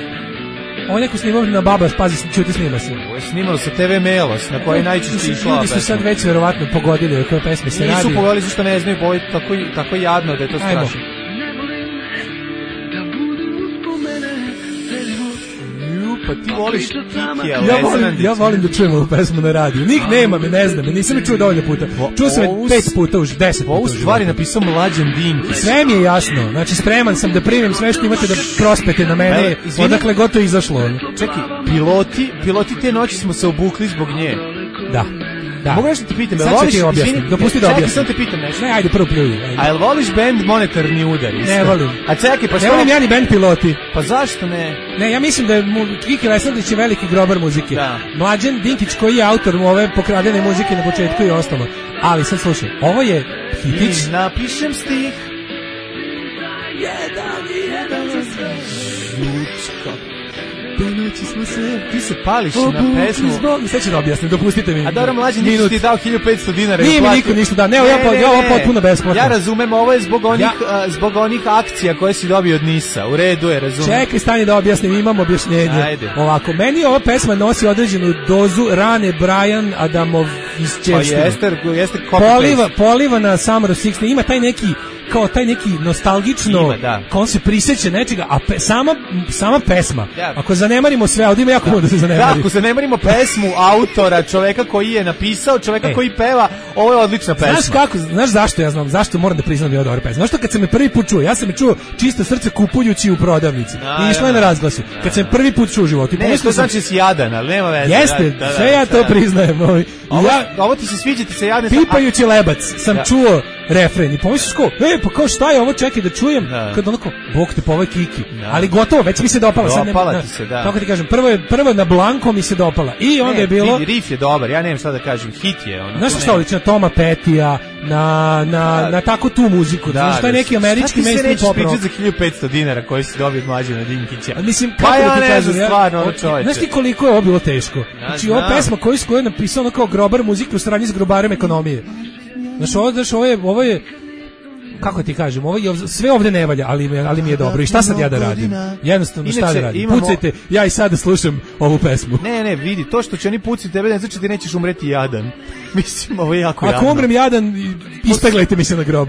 Ovo je neko snimao na Babas, pazi, čuti snima se. ovo je snimano sa te ve Melos, na kojoj najčešće išla Ljudi su sad već verovatno pogodili o kojoj pesmi se radi. Nisu pogodili zašto ne znaju, bo je tako, tako jadno da je to Ajmo. strašno. Ju, pa ti voliš Kikija, Ja volim, ja volim da čujem ovu pesmu na radiju. Nik nema me, ne znam me, nisam me čuo dovoljno puta. Čuo sam Ovu je s- pet puta, už deset puta. Ovu u stvari životu. napisao Mlađan Dinkić. Sve mi je jasno, znači spreman sam da primim sve što imate da prospete na mene, Evo, izvini. odakle gotovo izašlo. Čekaj, piloti, piloti te noći smo se obukli zbog nje. Da, da. Mogu nešto ti pitam, jel Sad ću voliš, ti objasnim, izvini, dopusti da čekaj, objasnim. samo te pitam nešto. Ne, ajde prvo pljuju. ajde. A jel voliš band Monetarni udar? Isto? Ne volim. A čekaj, pa Ne što? volim ja ni band piloti. Pa zašto ne? Ne, ja mislim da je mu, Kiki Lesandrić je veliki grobar muzike. Da. Mlađan Dinkić koji je autor ove pokradene muzike na početku i ostalo. Ali sad slušaj, ovo je hitić. I napišem stih. Ponoći smo se Ti se pališ na obukli pesmu. zbog... Sve ću da objasnim, dopustite mi. A dobro, Mlađan Dinkić minut. ti je dao hiljadu petsto dinara. i Nije mi uplatio. niko ništa dao. Ne, ja po- ja ovo potpuno besplatno. Ja razumem, ovo je zbog onih, Ja- a, zbog onih akcija koje si dobio od Nisa. U redu je, razumem. Čekaj, stani da objasnim, imam objašnjenje. Ajde. Ovako, meni ova pesma nosi određenu dozu rane Brian Adamov Pa isčevštine. jeste, jeste copy-paste. Poliva, poliva na Summer of sixteen, ima taj neki kao taj neki nostalgično, Ima, da. kao on se priseća nečega, a pe, sama, sama pesma, Da. ako zanemarimo sve, ovdje ima jako puno da se Da, zanemari. ako se ne marimo pesmu autora, čoveka koji je napisao, čoveka E. koji peva, ovo je odlična pesma. Znaš kako, znaš zašto ja znam, zašto moram da priznam da je ovo dobra pesma? Znaš što kad sam je prvi put čuo, ja sam je čuo čisto srce kupujući u prodavnici i išla je na razglasu. Kad sam je prvi put čuo u životu, i Ne, pomislio to sam, znači da si jadan, ali nema veze. jeste, Da, da, da, sve ja to da. priznajem. Ovaj. I Ovo, ja, ovo ti se sviđa, ti se jadan. sam- pipajući lebac sam Da. čuo refren i pomisliš ko, e, pa kao šta je ovo, čekaj da čujem, Da. kad onako, bog te po ovoj Kiki, Da. ali gotovo, već mi se dopala. Sad ne- Dopala na- ti se, da. Kako ti kažem, prvo je, prvo na Blanko mi se dopala i onda Ne, je bilo, vidi, riff je dobar, ja nemam šta da kažem, hit je ono. znaš tu šta nema- liči na Toma Petija, na, na, Da. na tako tu muziku, Da, znaš, taj da, neki američki šta ti se mainstream nećeš pop rock. pričati za hiljadu petsto dinara koji si dobio od Mlađana Dinkića? A mislim, Pa kako ja da ti ne kažem, znam ja- stvarno, ono o- čoveče. Znaš ti koliko je ovo bilo teško? Znači, ova znam. pesma koju, koju je napisao ono kao grobar muziku u saradnji s grobarem ekonomije. Znaš, ovo, znaš, ovo je, ovo je, kako ti kažem, ovo je, sve ovde ne valja, ali, mi je- ali mi je dobro. I šta sad ja da radim? Jednostavno, šta Inače, da radim? imamo- Pucajte, ja i sada slušam ovu pesmu. Ne, ne, vidi, to što će oni pucati tebe, ne znači da ti nećeš umreti jadan. Mislim, ovo je jako Ako jadno. umrem jadan, ispeglajte mi se na grob.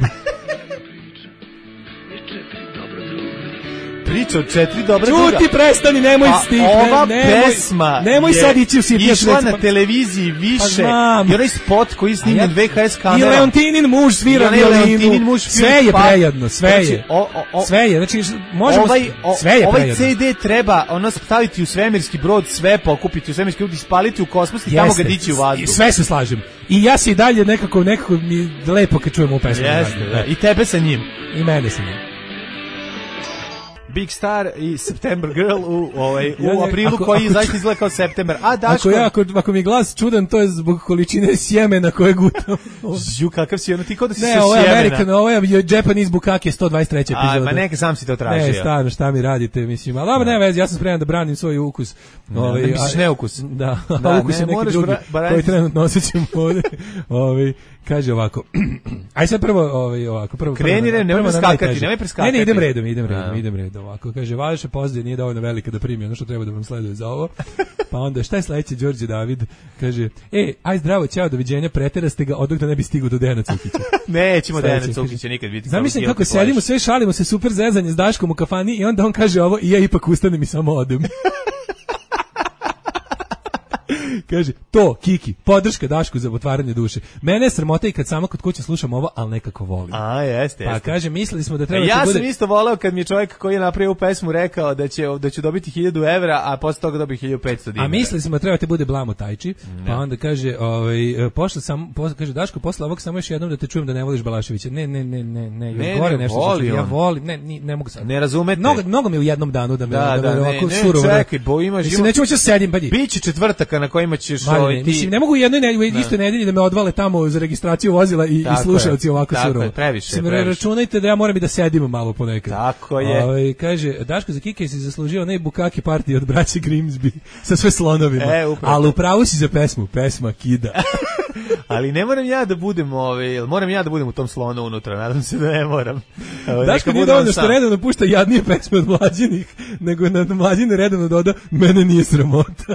Priča o četiri dobra druga. Čuti, prestani, nemoj Pa stih, ova ne, nemoj, pesma nemoj je sad ići u sitnije išla svece, na pa- televiziji Pa više znam. i onaj spot koji je A snimljen ja- V H S I kamerom. Leontinin muž svira I onaj violinu. Leontinin muž Sve svira je pa- prejedno, sve Znači, je. o- o- o- Sve je, znači možemo ovaj, o, sve je ovaj prejedno. C D treba ono staviti u svemirski brod, sve pokupiti u svemirski brod, ispaliti u kosmos i tamo Jeste. ga dići u vazduh. Sve se slažem. I ja se i dalje nekako nekako mi lepo kad čujemo ovu pesmu. na Jeste, radiju. da. I tebe sa njim. I mene sa njim. Big Star i September Girl u, ovaj, u Ja ne- aprilu ako- koji ako- zaista izgleda kao September. A Daško... Ako, ja, ako, ako mi je glas čudan, to je zbog količine sjemena koje gutam. Žu, kakav si ono, ti kao da si Ne, sa ovo je sjemena. American, ovo je Japanese Bukake sto dvadeset treća A, epizoda. ma neka sam si to tražio. Ne, stvarno, šta mi radite, mislim. Ali dobro, ne vezi, ja sam spreman da branim svoj ukus. Ne, misliš a- neukus? Da, Da, a ukus ne, je neki moraš drugi, bra- braniti- koji trenutno osjećam ovde. Ovaj, kaže ovako. Aj sad prvo, ovaj, ovako. Prvo, Kreni, prvo, ne, nemoj prvo na preskakati, najteže. nemoj preskakati. Ne, ne, idem redom, idem redom, Da. idem redom. Ovako, kaže, vaša pozicija nije dovoljno velika da primi ono što treba da vam sleduje za ovo. Pa onda, šta je sledeće, Đorđe David? Kaže, e, aj zdravo, ćao, doviđenja, preteraste ga, odok da ne bi stigu do Dejana Cukića. Nećemo Dejana Sledeće, Cukića kaže, nikad biti. Zamislim kao kako guilty pleasure. sedimo, sve šalimo se, super zezanje s Daškom u kafani i onda on kaže ovo i ja ipak ustanem i samo odem. Kaže, to, Kiki, podrška Dašku za otvaranje duše. Mene je sramota i kad sama kod kuće slušam ovo, ali nekako volim. A, jeste, Pa jeste. kaže, mislili smo da E, treba ja da bude... sam isto voleo kad mi je čovjek koji je napravio ovu pesmu rekao da će da ću dobiti hiljadu evra, a posle toga dobiti hiljadu petsto dinara. A mislili smo da treba te bude blamo tajči, pa onda kaže, ovaj pošla sam, posle, kaže Daško, posle ovog samo još jednom da te čujem da ne voliš Balaševića. Ne, ne, ne, ne, ne, još Ne, gore ne, nešto. voli što- ja on. volim, ne, ni, ne mogu sad. Ne razumete. Mnogo, mnogo mi u jednom danu da me Da, da, da, me ne, ovako ne, surovo. čekaj, bo imaš- Mislim, ima- neću moći da sedim, pa di. Biće četvrtaka na kojima ćeš Maline, ovaj, ti... mislim, ne mogu u jednoj nedelji, u istoj nedelji da me odvale tamo za registraciju vozila i, i Tako slušaoci je, ovako tako surovo. je, previše, Mislim, previše. računajte da ja moram i da sedim malo ponekad. Tako je. Ovaj, kaže, Daško za Kike si zaslužio onaj bukaki partij od braće Grimsby sa sve slonovima. E, upravo. Ali upravo si za pesmu, pesma kida. Ali ne moram ja da budem, ovaj, moram ja da budem u tom slonu unutra, nadam se da ne moram. Ovaj, Daško neka nije bude on dovoljno što sam. redovno pušta jadnije pesme od mlađinih, nego na mlađine redovno doda, mene nije sramota.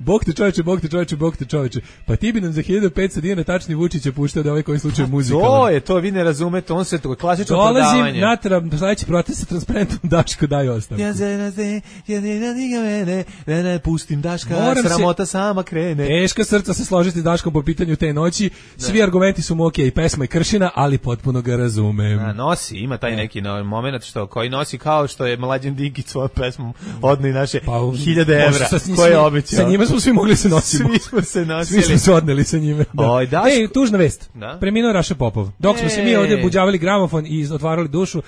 Bog te čoveče, Bog te čoveče, Bog te čoveče. Pa ti bi nam za hiljadu petsto dinara tačni Vučića puštao da ovaj koji slučaj muzika. To je, to vi ne razumete, on se to klasično Dolazim prodavanje. na tra- sledeći protest sa transparentom Daško daj ostavku. Ja se razde, ja ne radiga mene, ne, ne, pustim Daška, Moram se- sramota sama krene. Teška srca se složiti s Daškom po pitanju te noći. Svi argumenti su mu okej, pesma je kršina, ali potpuno ga razumem. A, nosi, ima taj neki no, moment što koji nosi kao što je Mlađan Dinkić svojom pesmom odno i naše hiljade može evra sa njim- koje je obećao. Sa njima smo svi mogli se nositi. Svi smo se nosili. Svi smo se odneli sa njime. Da. Oj, Daško- Ej, tužna vest. Da? Preminuo je Raša Popov. Dok smo se mi E. ovdje buđavali gramofon i otvarali dušu, uh,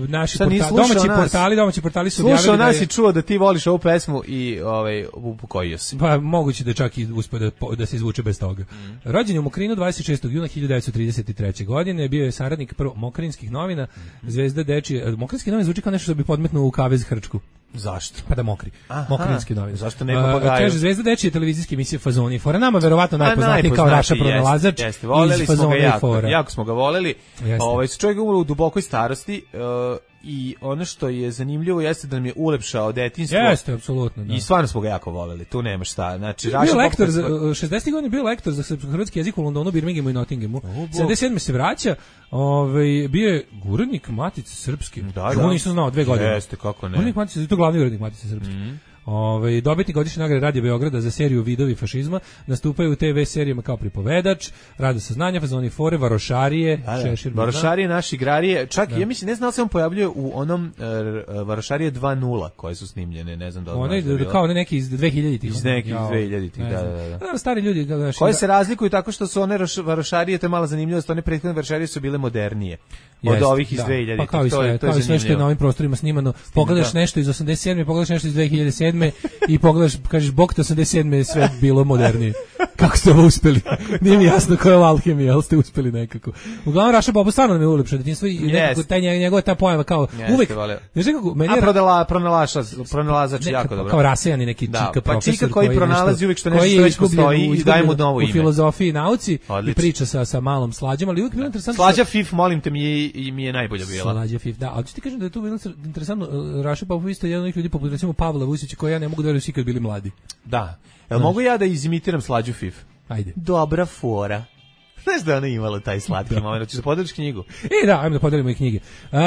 naši Šta, nisi portali, slušao domaći nas? portali, domaći portali su objavili Slušao da nas je- i čuo da ti voliš ovu pesmu i ovaj upokojio se. Pa moguće da čak i uspe da, po- da se izvuče bez toga. Mm. Rođen je u Mokrinu dvadeset šestog juna hiljadu devetsto trideset treće. godine, bio je saradnik prvo Mokrinskih novina, Mm-hmm. Zvezda dečije. Mokrinski novine zvuči kao nešto što bi podmetnuo u kavez Hrčku. Zašto? Pa da mokri. Aha. Mokrinski novine. Zašto ne A, papagaju? kaže Zvezda dečije televizijske emisije Fazoni i Fora. Nama verovatno A, najpoznatiji kao Raša najpoznatiji, pronalazač Jeste, jeste. Voleli iz smo ga Fazona i jako, Fora. jako smo ga voleli. Jeste. Ovaj, čovjek je umro u dubokoj starosti uh, i ono što je zanimljivo jeste da nam je ulepšao detinjstvo. Jeste, apsolutno. Da. I stvarno smo ga jako voleli, tu nema šta. Znači, Bio Raša je lektor Popov- za šezdesetih godina, bio je lektor za srpsko-hrvatski jezik u Londonu, Birminghamu i Nottinghamu. sedamdeset sedme se vraća, ovaj bio je urednik Matice Srpske. Da, Ovo da. nisam znao, dve godine. Jeste, kako ne. Urednik Matice, to je glavni urednik Matice Srpske. Ovaj dobitnik godišnje nagrade Radio Beograda za seriju Vidovi fašizma, nastupaju u te ve serijama kao pripovedač, rade saznanja, Fazoni Fore, Varošarije, Da, da. Šešir. Varošarije, naši igrarije, čak Da. ja mislim, ne znam da li se on pojavljuje u onom uh, Varošarije dva nula koje su snimljene, ne znam da li Onaj znaš da je bilo. kao one neki iz dve hiljaditih. Iz nekih Jao, dve hiljaditih, ne da, znam. da, da. Da, stari ljudi, kako znaš, Koje da- se razlikuju tako što su one roš- Varošarije, to je mala zanimljivost, one prethodne Varošarije su bile modernije od Jeste, ovih iz da. dve hiljaditih. Pa kao i To sve, je- to je kao i sve što je zanimljivo. na ovim prostorima snimano. Pogledaš Da. nešto iz osamdeset sedme, pogledaš nešto iz dve hiljade sedme i pogledaš, kažeš, bog te osamdeset sedme je sve bilo modernije. Kako ste ovo uspeli? Nije mi jasno koja je ovo alhemija, ali ste uspeli nekako. Uglavnom, Raša Popov stvarno nam je ulepšao detinjstvo i nekako Jeste. taj nje- njegova ta pojava kao Jeste, uvek. voleo. Znaš kako, meni A je prodala, pronalaša, pronalazač ne, jako kao- dobro. Kao rasejani neki Da, čika pa profesor čika koji pronalazi nešto- uvijek što nešto koji što je već izgubljen postoji u- i daje mu izgubljen novo u ime. filozofiji i nauci i Odlično. priča sa, sa malom slađom, ali uvijek bilo interesantno. Slađa Fif, molim te, mi je, i mi je najbolja bila. Slađa Fif, da, ali ću ti kažem da je tu bilo interesantno, Raša Popov isto je jedan od onih ljudi poput recimo Pavla Vusića koji ja ne mogu da verujem svi kad bili mladi. Da. Jel mogu ja da izimitiram Slađu Fif? Ajde. Dobra fora. Znaš da je ona imala taj slatki moment, hoćeš da podeliš knjigu? E, da, ajmo da podelimo i knjige. Uh, Kad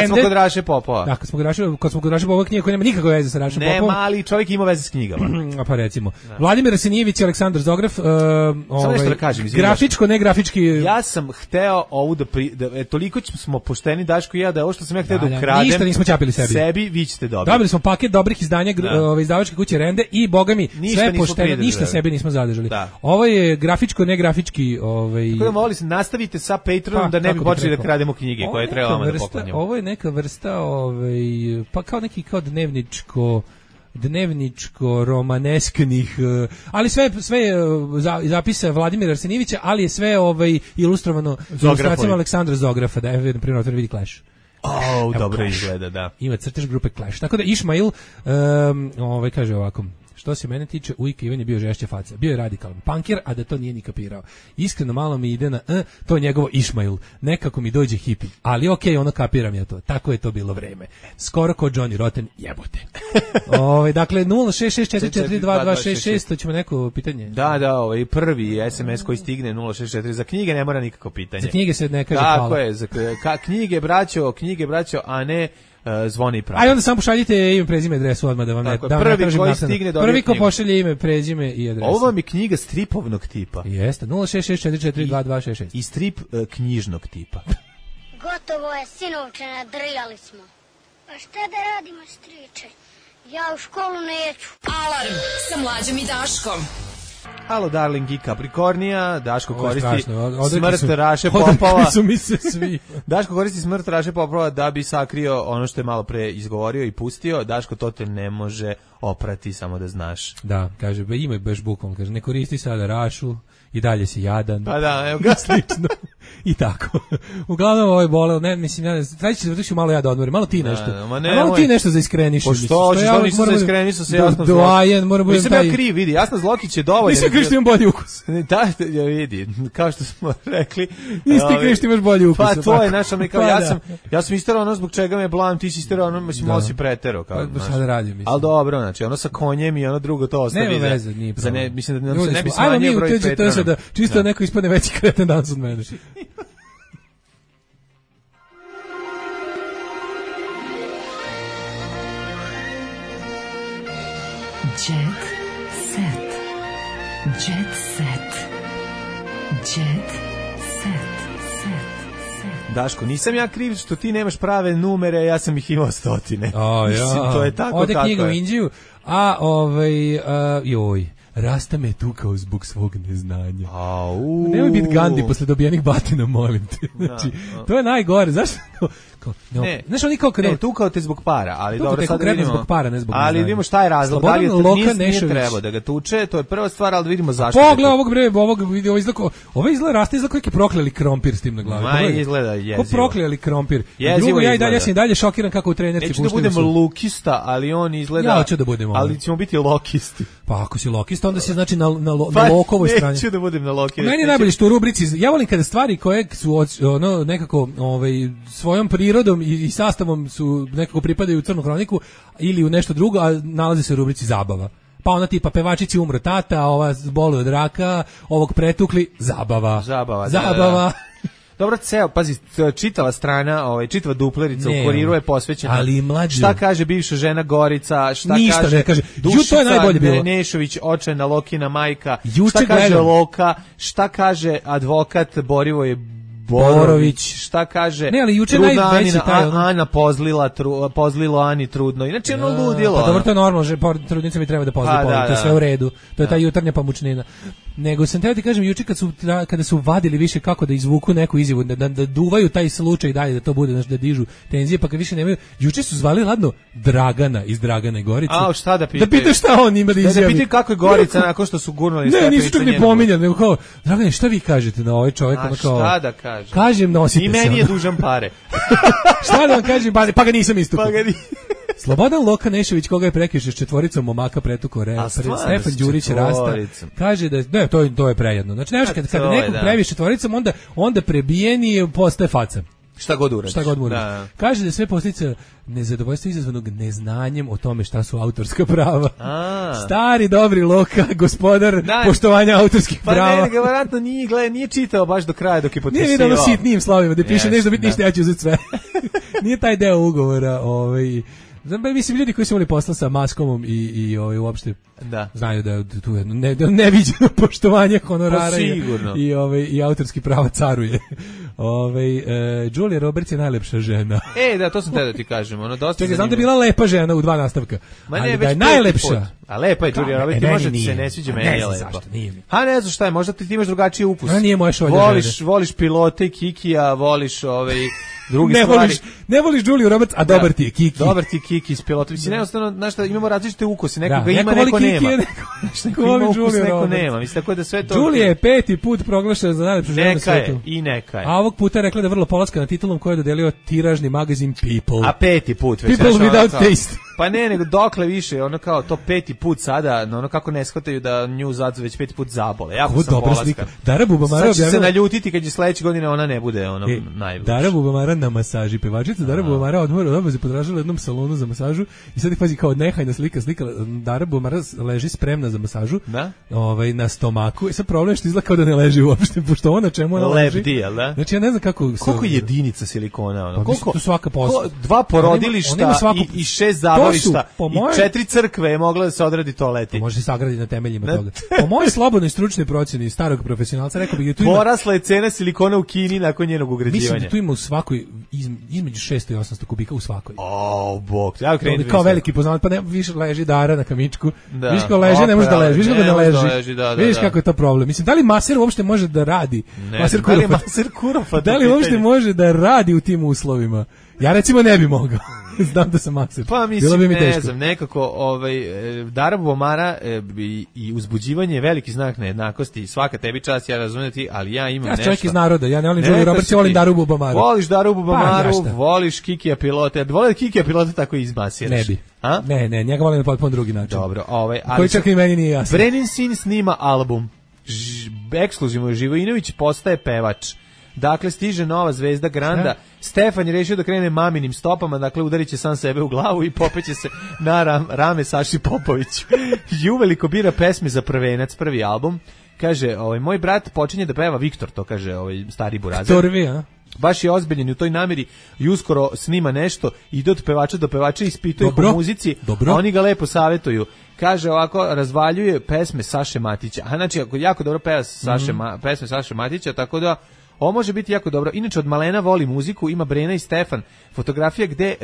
smo Rende, kod Raše Popova. da, kad smo kod Raša, kad smo kod Raša Popova knjige koja nema nikakve veze sa Rašom Ne, Popovom. mali čovjek ima veze s knjigama. A pa recimo. Vladimir Arsenijević i Aleksandar Zograf, uh, nešto ovaj, da kažem, izvini, grafičko, ne grafički. Ja sam hteo ovu da, pri, da e, toliko smo pošteni Daško i ja da ovo što sam ja hteo Da, da, da, ukradem. ništa nismo ćapili sebi. Sebi vi ćete dobiti. Dobili smo paket dobrih izdanja gr- Da. ove izdavačke kuće Rende i boga mi Ništa sve nismo pošteno, pridržali. ništa sebi nismo zadržali. Da. Ovo je grafičko, ne grafički, ovaj ovaj Tako da molim se, nastavite sa Patreonom pa, da ne bi počeli rekao, da krademo knjige ovo koje je trebamo neka da vrsta- poklanjamo. Ovo je neka vrsta, ovaj, pa kao neki kao dnevničko dnevničko romanesknih, eh, ali sve sve eh, za- zapisa Vladimira Arsenijevića, ali je sve ovaj ilustrovano ilustracijama Aleksandra Zografa, da je na primjer otvar vidi Clash. Oh, dobro izgleda, da. Ima crtež grupe Clash. Tako da Išmail um, ovaj kaže ovako: što se mene tiče, ujka Ivan je bio žešća faca. Bio je radikalan punkir, a da to nije ni kapirao. Iskreno malo mi ide na e, to je njegovo Išmail. Nekako mi dođe hipi. Ali okej, okay, ono kapiram ja to. Tako je to bilo vreme. Skoro ko Johnny Rotten, jebote. Ovaj dakle nula šest šest četiri četiri dva dva šest šest, to ćemo neko pitanje. Da, da, ovaj prvi es em es koji stigne nula šest četiri za knjige ne mora nikako pitanje. Za knjige se ne kaže Tako hvala. je, za ka, knjige braćo, knjige braćo, a ne uh, zvoni pravi. Ajde onda samo pošaljite ime, prezime, adresu odmah da vam ne, Tako je, da vam prvi ne tražim koji naknadno. stigne dobije Prvi ko knjigu. pošalje ime, prezime i adresu. Ovo vam je knjiga stripovnog tipa. Jeste, nula šest šest četiri četiri dva dva šest šest. I strip uh, knjižnog tipa. Gotovo je, sinovče, nadrijali smo. Pa šta da radimo, striče? Ja u školu neću. Alarm sa Mlađom i Daškom. Halo, darling i Capricornija, Daško Ovo je koristi strašno, od- odrekli smrt su- Raše odrekli Popova. su mi se svi. Daško koristi smrt Raše Popova da bi sakrio ono što je malo pre izgovorio i pustio. Daško, to te ne može oprati, samo da znaš. Da, kaže, be, ima baš bukvalno, kaže, ne koristi sada Rašu, i dalje si jadan. Pa da, evo ga. Slično. I tako. Uglavnom ovo je bolelo, ne, mislim, ja ne znam, traći će da malo ja da odmorim, malo ti Da, nešto. da, ma A ne, malo moj- ti nešto za iskreniš. Po što hoćeš, to nisam za iskrenišao se jasno zlo. Doajen, mora budem Nisam taj... ja kriv, vidi, jasno Zlokić je dovoljan. Nisam kriv što imam bolji ukus. Da, ja vidi, kao što smo rekli. Nisi ti ovaj, kriv što imaš bolji ukus. Pa to ovako. je naša, mi kao, Pa ja da. sam, ja sam isterao ono zbog čega me blam, ti si isterao ono, mislim, Da. malo si pretero. Kao, Pa, znaš. šta da radim, mislim. Ali dobro, znači, ono sa konjem i ono drugo to ostavi. Nema za- veze, nije za problem. ne, mislim da nam se Ljudi ne bi smo- ajmo smanjio mi u broj T G T Patreona. da čisto neko ispadne veći kreten danas od mene. Jet set. Jet set. Jet set. Set. Set. Daško, nisam ja kriv što ti nemaš prave numere, ja sam ih imao stotine. O, Mislim, ja. to je tako Ode kako knjiga u je. Indiju, a ovaj, a, joj, Rasta me tukao zbog svog neznanja. Au. Nemoj biti Gandhi posle dobijenih batina, molim te. Znači, da. to je najgore. Zašto? Kao, kao, no, Ne, znaš oni kao kad ne, tukao te zbog para, ali Tukao dobro, te sad konkretno vidimo. zbog para, ne zbog Ali neznanja. vidimo šta je razlog, da li je Slobodan Loka nis, nije Nešović. trebao da ga tuče, to je prva stvar, ali da vidimo zašto. Pogledaj ovog bre, ovog vidi, ovo izgleda, ovo izgleda Rasta izgleda kao neki prokleli krompir s tim na glavi. Ma, Pogledaj. izgleda jezivo. Ko prokleli krompir. Jezivo Drugo, ja i dalje izgleda. ja sam i dalje šokiran kako u trenerci Neću da pušteni budem su. lukista, ali on izgleda... Ja hoću da budem ovaj. Ali ćemo biti lokisti. Pa ako si lokista, onda si znači na, na, lo- Pa, na lokovoj strani. neću da budem na loki. Meni je Neću- najbolje što u rubrici, ja volim kada stvari koje su od- ono nekako ovaj svojom prirodom i, i sastavom su nekako pripadaju u crnu hroniku ili u nešto drugo, a nalaze se u rubrici zabava. Pa ona tipa pevačici umro tata, ova boluje od raka, ovog pretukli, zabava. Zabava, da, Zabava. da. Dobro, ceo, pazi, c- čitava strana, ovaj, čitava duplerica Ne, u kuriru je posvećena. ali mlađe. Šta kaže bivša žena Gorica, šta Ništa kaže, ne kaže. Ju, to je Dušica najbolje bilo. Nešović, očajna Lokina majka, Juče šta kaže gledam. Loka, šta kaže advokat Borivoje Borović. Borović, šta kaže Ne, ali juče trudna najveći Anina- taj, A- ono- Ana pozlila, tru, pozlilo Ani trudno. Inače ono ludilo. Pa dobro, ono. to je normalno, že por- trudnica mi treba da pozna Pa, pola, da, to je da. sve u redu. To je ta jutarnja pamučnina. Nego sam teo ti kažem, juče kad su, tra- kada su vadili više kako da izvuku neku izjavu, da, da, da duvaju taj slučaj dalje, da to bude, znaš, da dižu tenzije, pa kad više nemaju, juče su zvali ladno Dragana iz Dragane Gorice. A, šta da pitaju? Da pitaju šta on ima da Da, izjavi. da pitaju kako je Gorica nakon što su gurnuli sve Ne, nisu priče čak ni njenu. pominjali, nego kao, Dragane, šta vi kažete na ovaj čovjek? A Ono kao, šta da kažem? Kažem, nosite I se. meni je ono. dužan pare. Šta da vam kažem, pa, pa ga nisam istupio. Pa ga ni... Slobodan Loka Nešović, koga je prekrišao s četvoricom momaka pretuko re, A pre, stvarno Stefan s Đurić Rasta, četvoricom? kaže da, ne, to, je- to je prejedno. Znači, ne, A kad, kada to je, nekog da. previš četvoricom, onda, onda prebijeni postaje faca. Šta god uradiš. Šta god mu Da, uradiš. da. Kaže da je sve posljedica nezadovoljstva izazvanog neznanjem o tome šta su autorska prava. A. Stari, dobri Loka, gospodar Da. poštovanja autorskih Pa prava. ne, verovatno nije, gleda, nije čitao baš do kraja dok je Nije potpisivao. vidio ono sitnijim slovima da piše Jeste, nešto biti ništa, da. ja ću uzeti sve. Nije taj deo ugovora, ovaj. Znam, ba, mislim, ljudi koji su imali posla sa Maskomom i, i ovaj, uopšte Da. znaju da je tu jedno ne, da neviđeno poštovanje honorara Pa i, sigurno. i, ovaj, i autorski prava caruje. Ovaj e, Julia Roberts je najlepša žena. E, da, to sam te da ti kažem, ono dosta. Čekaj, znam da je bila lepa žena u dva nastavka. Ma ne, ali već da je najlepša. A lepa je Julia Roberts, e, može nije. se ne sviđa, A meni ne je znam lepa. zašto, nije mi. Ha, ne znam šta je, možda ti imaš drugačiji ukus. A nije moja šolja Voliš, žene. voliš pilote i Kikija, voliš ovaj drugi ne stvari. Voliš, ne voliš Julia Roberts, a dobar ti je Kiki. Dobar ti je Kiki iz pilota. Mislim, jednostavno, znaš šta, imamo različite ukuse. Neko Da, ga ima, neko neko voli nema. Kiki, neko, Neko voli ima ukus, Julia neko Roberts. nema. Mislim, tako da sve to... Julia je peti put proglašena za najlepšu ženu na Neka je, svetu. i neka je. A ovog puta je rekla da je vrlo polaska na titulom koju je dodelio tiražni magazin People. A peti put već. People znaš, ono without kao- taste. Pa ne, nego dokle više, ono kao to peti put sada, no ono kako ne shvataju da nju zadzu već peti put zabole. Jako Ovo sam dobra polaska. slika. Dara Bubamara Sad će se objavila- naljutiti kad je sledeće godine ona ne bude ono E, najbolje. Dara Bubamara na masaži. Pevačica Dara Bubamara odmora od obaze potražila u jednom salonu za masažu i sad ih pazi kao nehajna slika, slika Dara Bubamara leži spremna za masažu. Da? Ovaj na stomaku. I sad problem je što izgleda kao da ne leži uopšte, pošto ona čemu ona leži. Lep deal, da? Znači ja ne znam kako se- Koliko je jedinica silikona? Ono? Pa Koliko, mislim, to svaka posla. ko- dva porodilišta On ima- on ima svaku- i, i šest To zabavišta su, po i mojem- četiri crkve je mogla da se odradi toaleti. može se sagraditi na temeljima Ne. toga. Po mojoj slobodnoj stručnoj procjeni starog profesionalca rekao bih da tu ima Porasla je cena silikona u Kini nakon njenog mislim ugrađivanja. da tu ima u svakoj izm- između šesto i osamsto kubika u svakoj. O, bog. Ja To krenuti bi kao veliki poznavač, pa ne, više leži Dara na kamičku. Da. Viš kako leži, ne može da leži, viš kako Ne ne može da leži. leži, da, da, Viš da. kako je to problem. Mislim, da li maser uopšte može da radi? Ne, Maser da li je Kurofat. maser Kurofat Da u li uopšte pitanju? može da radi u tim uslovima? Ja recimo ne bi mogao. Znam da sam maser. Pa Bilo mislim, bi mi ne teško. znam, nekako ovaj, e, Dara Bubamara e, i, i uzbuđivanje je veliki znak nejednakosti i svaka tebi čast, ja razumijem ti, ali ja imam Ja nešto. sam čovjek iz naroda, ja ne volim Neka Julia Roberts, si ja volim ti. Daru Bubamaru. Voliš Daru Bubamaru, Pa, ja šta? voliš Kikija pilota. Voliš Kikija pilota tako i izmasiraš. Ne bi. A? Ne, ne, njega volim na potpuno drugi način. Dobro, ovaj, ali Koji čak ni meni nije jasno. Brenin Sin snima album. Ž, ekskluzivno Živojinović postaje pevač. Dakle, stiže nova zvezda Granda. Stefan je rešio da krene maminim stopama, dakle udarit će sam sebe u glavu i popeće se na ram, rame Saši Popoviću. I uveliko bira pesme za prvenac, prvi album. Kaže, ovaj, moj brat počinje da peva, Viktor, to kaže ovaj stari burazer. Torvi, a? Baš je ozbiljen u toj nameri i uskoro snima nešto, ide od pevača do pevača, ispituje ih Dobro. o muzici, Dobro. a oni ga lepo savjetuju. Kaže ovako, razvaljuje pesme Saše Matića. A znači, ako jako dobro peva Saše, Mhm. Ma, pesme Saše Matića, tako da ovo može biti jako dobro. Inače, od malena voli muziku, ima Brena i Stefan. Fotografija gde e,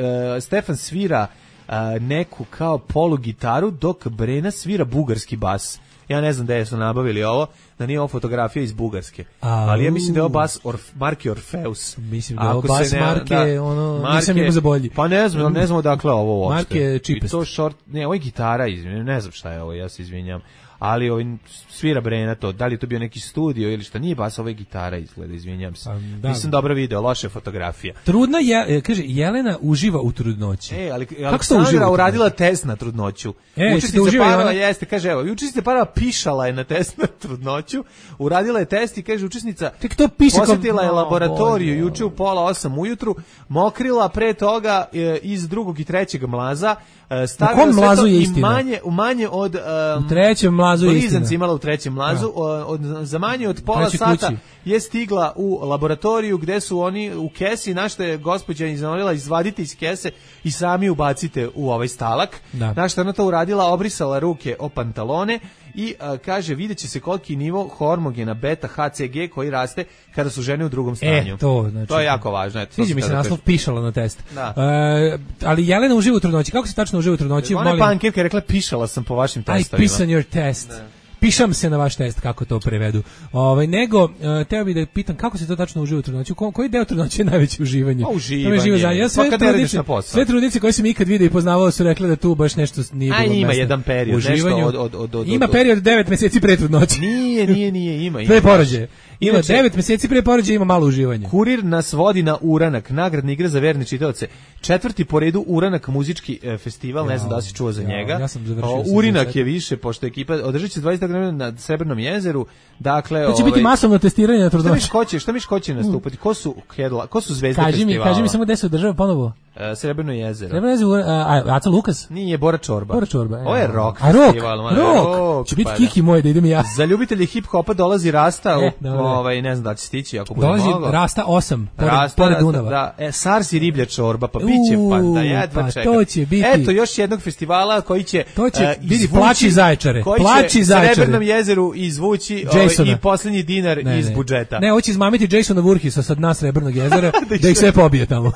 Stefan svira e, neku kao polu gitaru, dok Brena svira bugarski bas. Ja ne znam da su nabavili ovo, da nije ovo fotografija iz Bugarske. Au. Ali ja mislim da je ovo bas Orf, marke Orfeus. Mislim da je ovo Ako bas se ne- marke, ono, nisam imao za bolji. Pa ne znam, ne znam odakle je ovo uopšte. Marke je I cheapest. to short, ne, ovo je gitara, izvinjam, ne znam šta je ovo, ja se izvinjam. Ali ovaj svira Brena to, da li je to bio neki studio ili šta, nije bas, ovo je gitara izgleda, izvinjam se. da. Nisam dobro video, loše fotografija. Trudna je, e, kaže, Jelena uživa u trudnoći. E, ali Kako se Aleksandra uživa u uradila test na trudnoću. E, ste Učesnica uživali parova ona? jeste, kaže, evo, učesnica parova pišala je na test na trudnoću, uradila je test i kaže učesnica Tek to piše kao- posjetila je O, laboratoriju Bože. juče u pola osam ujutru, mokrila pre toga e, iz drugog i trećeg mlaza, e, stavila kom sve mlazu to je i istina? manje, u manje od... Um, U trećem mlazu je blizanci istina. imala u trećem mlazu, o, od, za manje od pola Trećoj sata kući. je stigla u laboratoriju gde su oni u kesi, na što je gospođa iznorila, izvadite iz kese i sami ubacite u ovaj stalak. Da. Na što je ona to uradila, obrisala ruke o pantalone i a, kaže, vidjet će se koliki nivo hormogena beta H C G koji raste kada su žene u drugom stanju. E, to, znači, to je jako važno. Eto, to Sviđa sam mi se tada naslov kažem. pišala na test. Da. E, ali Jelena uživa u trudnoći. Kako se tačno uživa u trudnoći? Ona je Molim- pankirka je rekla, pišala sam po vašim I testovima. piss on your test. Pišam se na vaš test, kako to prevedu. Ovaj nego, uh, teo bih da pitam kako se to tačno uživa u trudnoći. Ko, koji deo trudnoće je najveće uživanje? Pa uživanje. To me živo zanima. Ja sve Pa kad ne radiš trudnice, na posao. sve trudnice koje sam ikad vidio i poznavao su rekle da tu baš nešto nije A, bilo ima mesta. jedan period, nešto Uživanju. od- od- od- od- Ima od- period devet meseci pre trudnoće. Nije, nije, nije, ima. ima Pre baš. porođaja. Ima Inače, devet meseci pre porođaja, ima malo uživanja. Kurir nas vodi na Uranak, nagradna igra za verne čitaoce. Četvrti po redu Uranak muzički e, festival, ne znam da li si čuo za Ja, njega. ja sam završio O, sam Urinak završio. je više, pošto ekipa održat će se dvadeset godina na Srebrnom jezeru. Dakle, To će ovaj, biti masovno testiranje na Šta trudnoći. miš ko će, šta miš ko će nastupati? Ko su hedla, ko su zvezde Kaži mi, festivala? kaži mi samo gde se održava ponovo. Uh, Srebrno jezero. Srebrno jezero, a, Aca Lukas? Nije, Bora Čorba. Bora Čorba. Ovo je rock a, festival. Rock, rock. rock. Će biti pa, Kiki moj da idem ja. Za ljubitelji hip-hopa dolazi Rasta, e, u, ovaj, ne znam da će stići, ako bude dolazi moglo. Dolazi Rasta osam, pored, Rasta, pored Rasta, Dunava. Da, e, Sars i riblja čorba, pa bit će, pa da jedva pa čekam. To će biti. Eto, još jednog festivala koji će to će uh, biti Plači Zaječare. Koji Plači će Zaječare. Srebrnom jezeru izvući ovaj, i posljednji dinar ne, iz ne. budžeta. Ne, hoće izmamiti Jasona Voorheesa sad na Srebrnog jezera, da ih sve pobije tamo.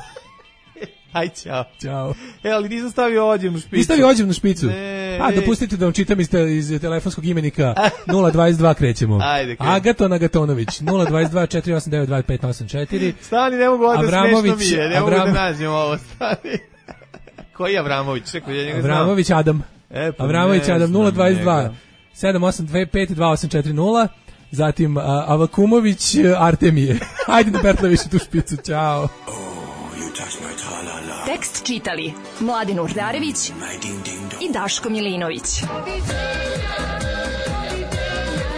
Aj, čao. Ćao. E, ali nisam stavio ođevnu špicu. Nisam stavio ođevnu špicu? Ne. A, dopustite da vam čitam iz, te, iz telefonskog imenika nula dvadeset dva krećemo. Ajde, krećemo. Agaton Agatonović, nula dvadeset dva četiri osam devet dva pet osam četiri. Stani, ne mogu ovdje smešno mi je, ne Avram... mogu da nađem ovo, stani. Koji je Avramović? Čekaj, ja njega znam. Avramović Adam. E, pa Avramović Adam, nula dvadeset dva sedam osam dve pet dva osam četiri nula. Zatim uh, Avakumović Artemije. Ajde da Bertla više tu špicu, čao. Tekst čitali Mladin Urdarević i Daško Milinović.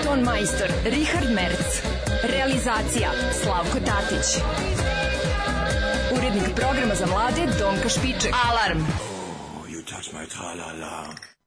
Ton majstor Richard Merc. Realizacija Slavko Tatić. Urednik programa za mlade Donka Špiček. Alarm! Oh, you touch my tra-la-la.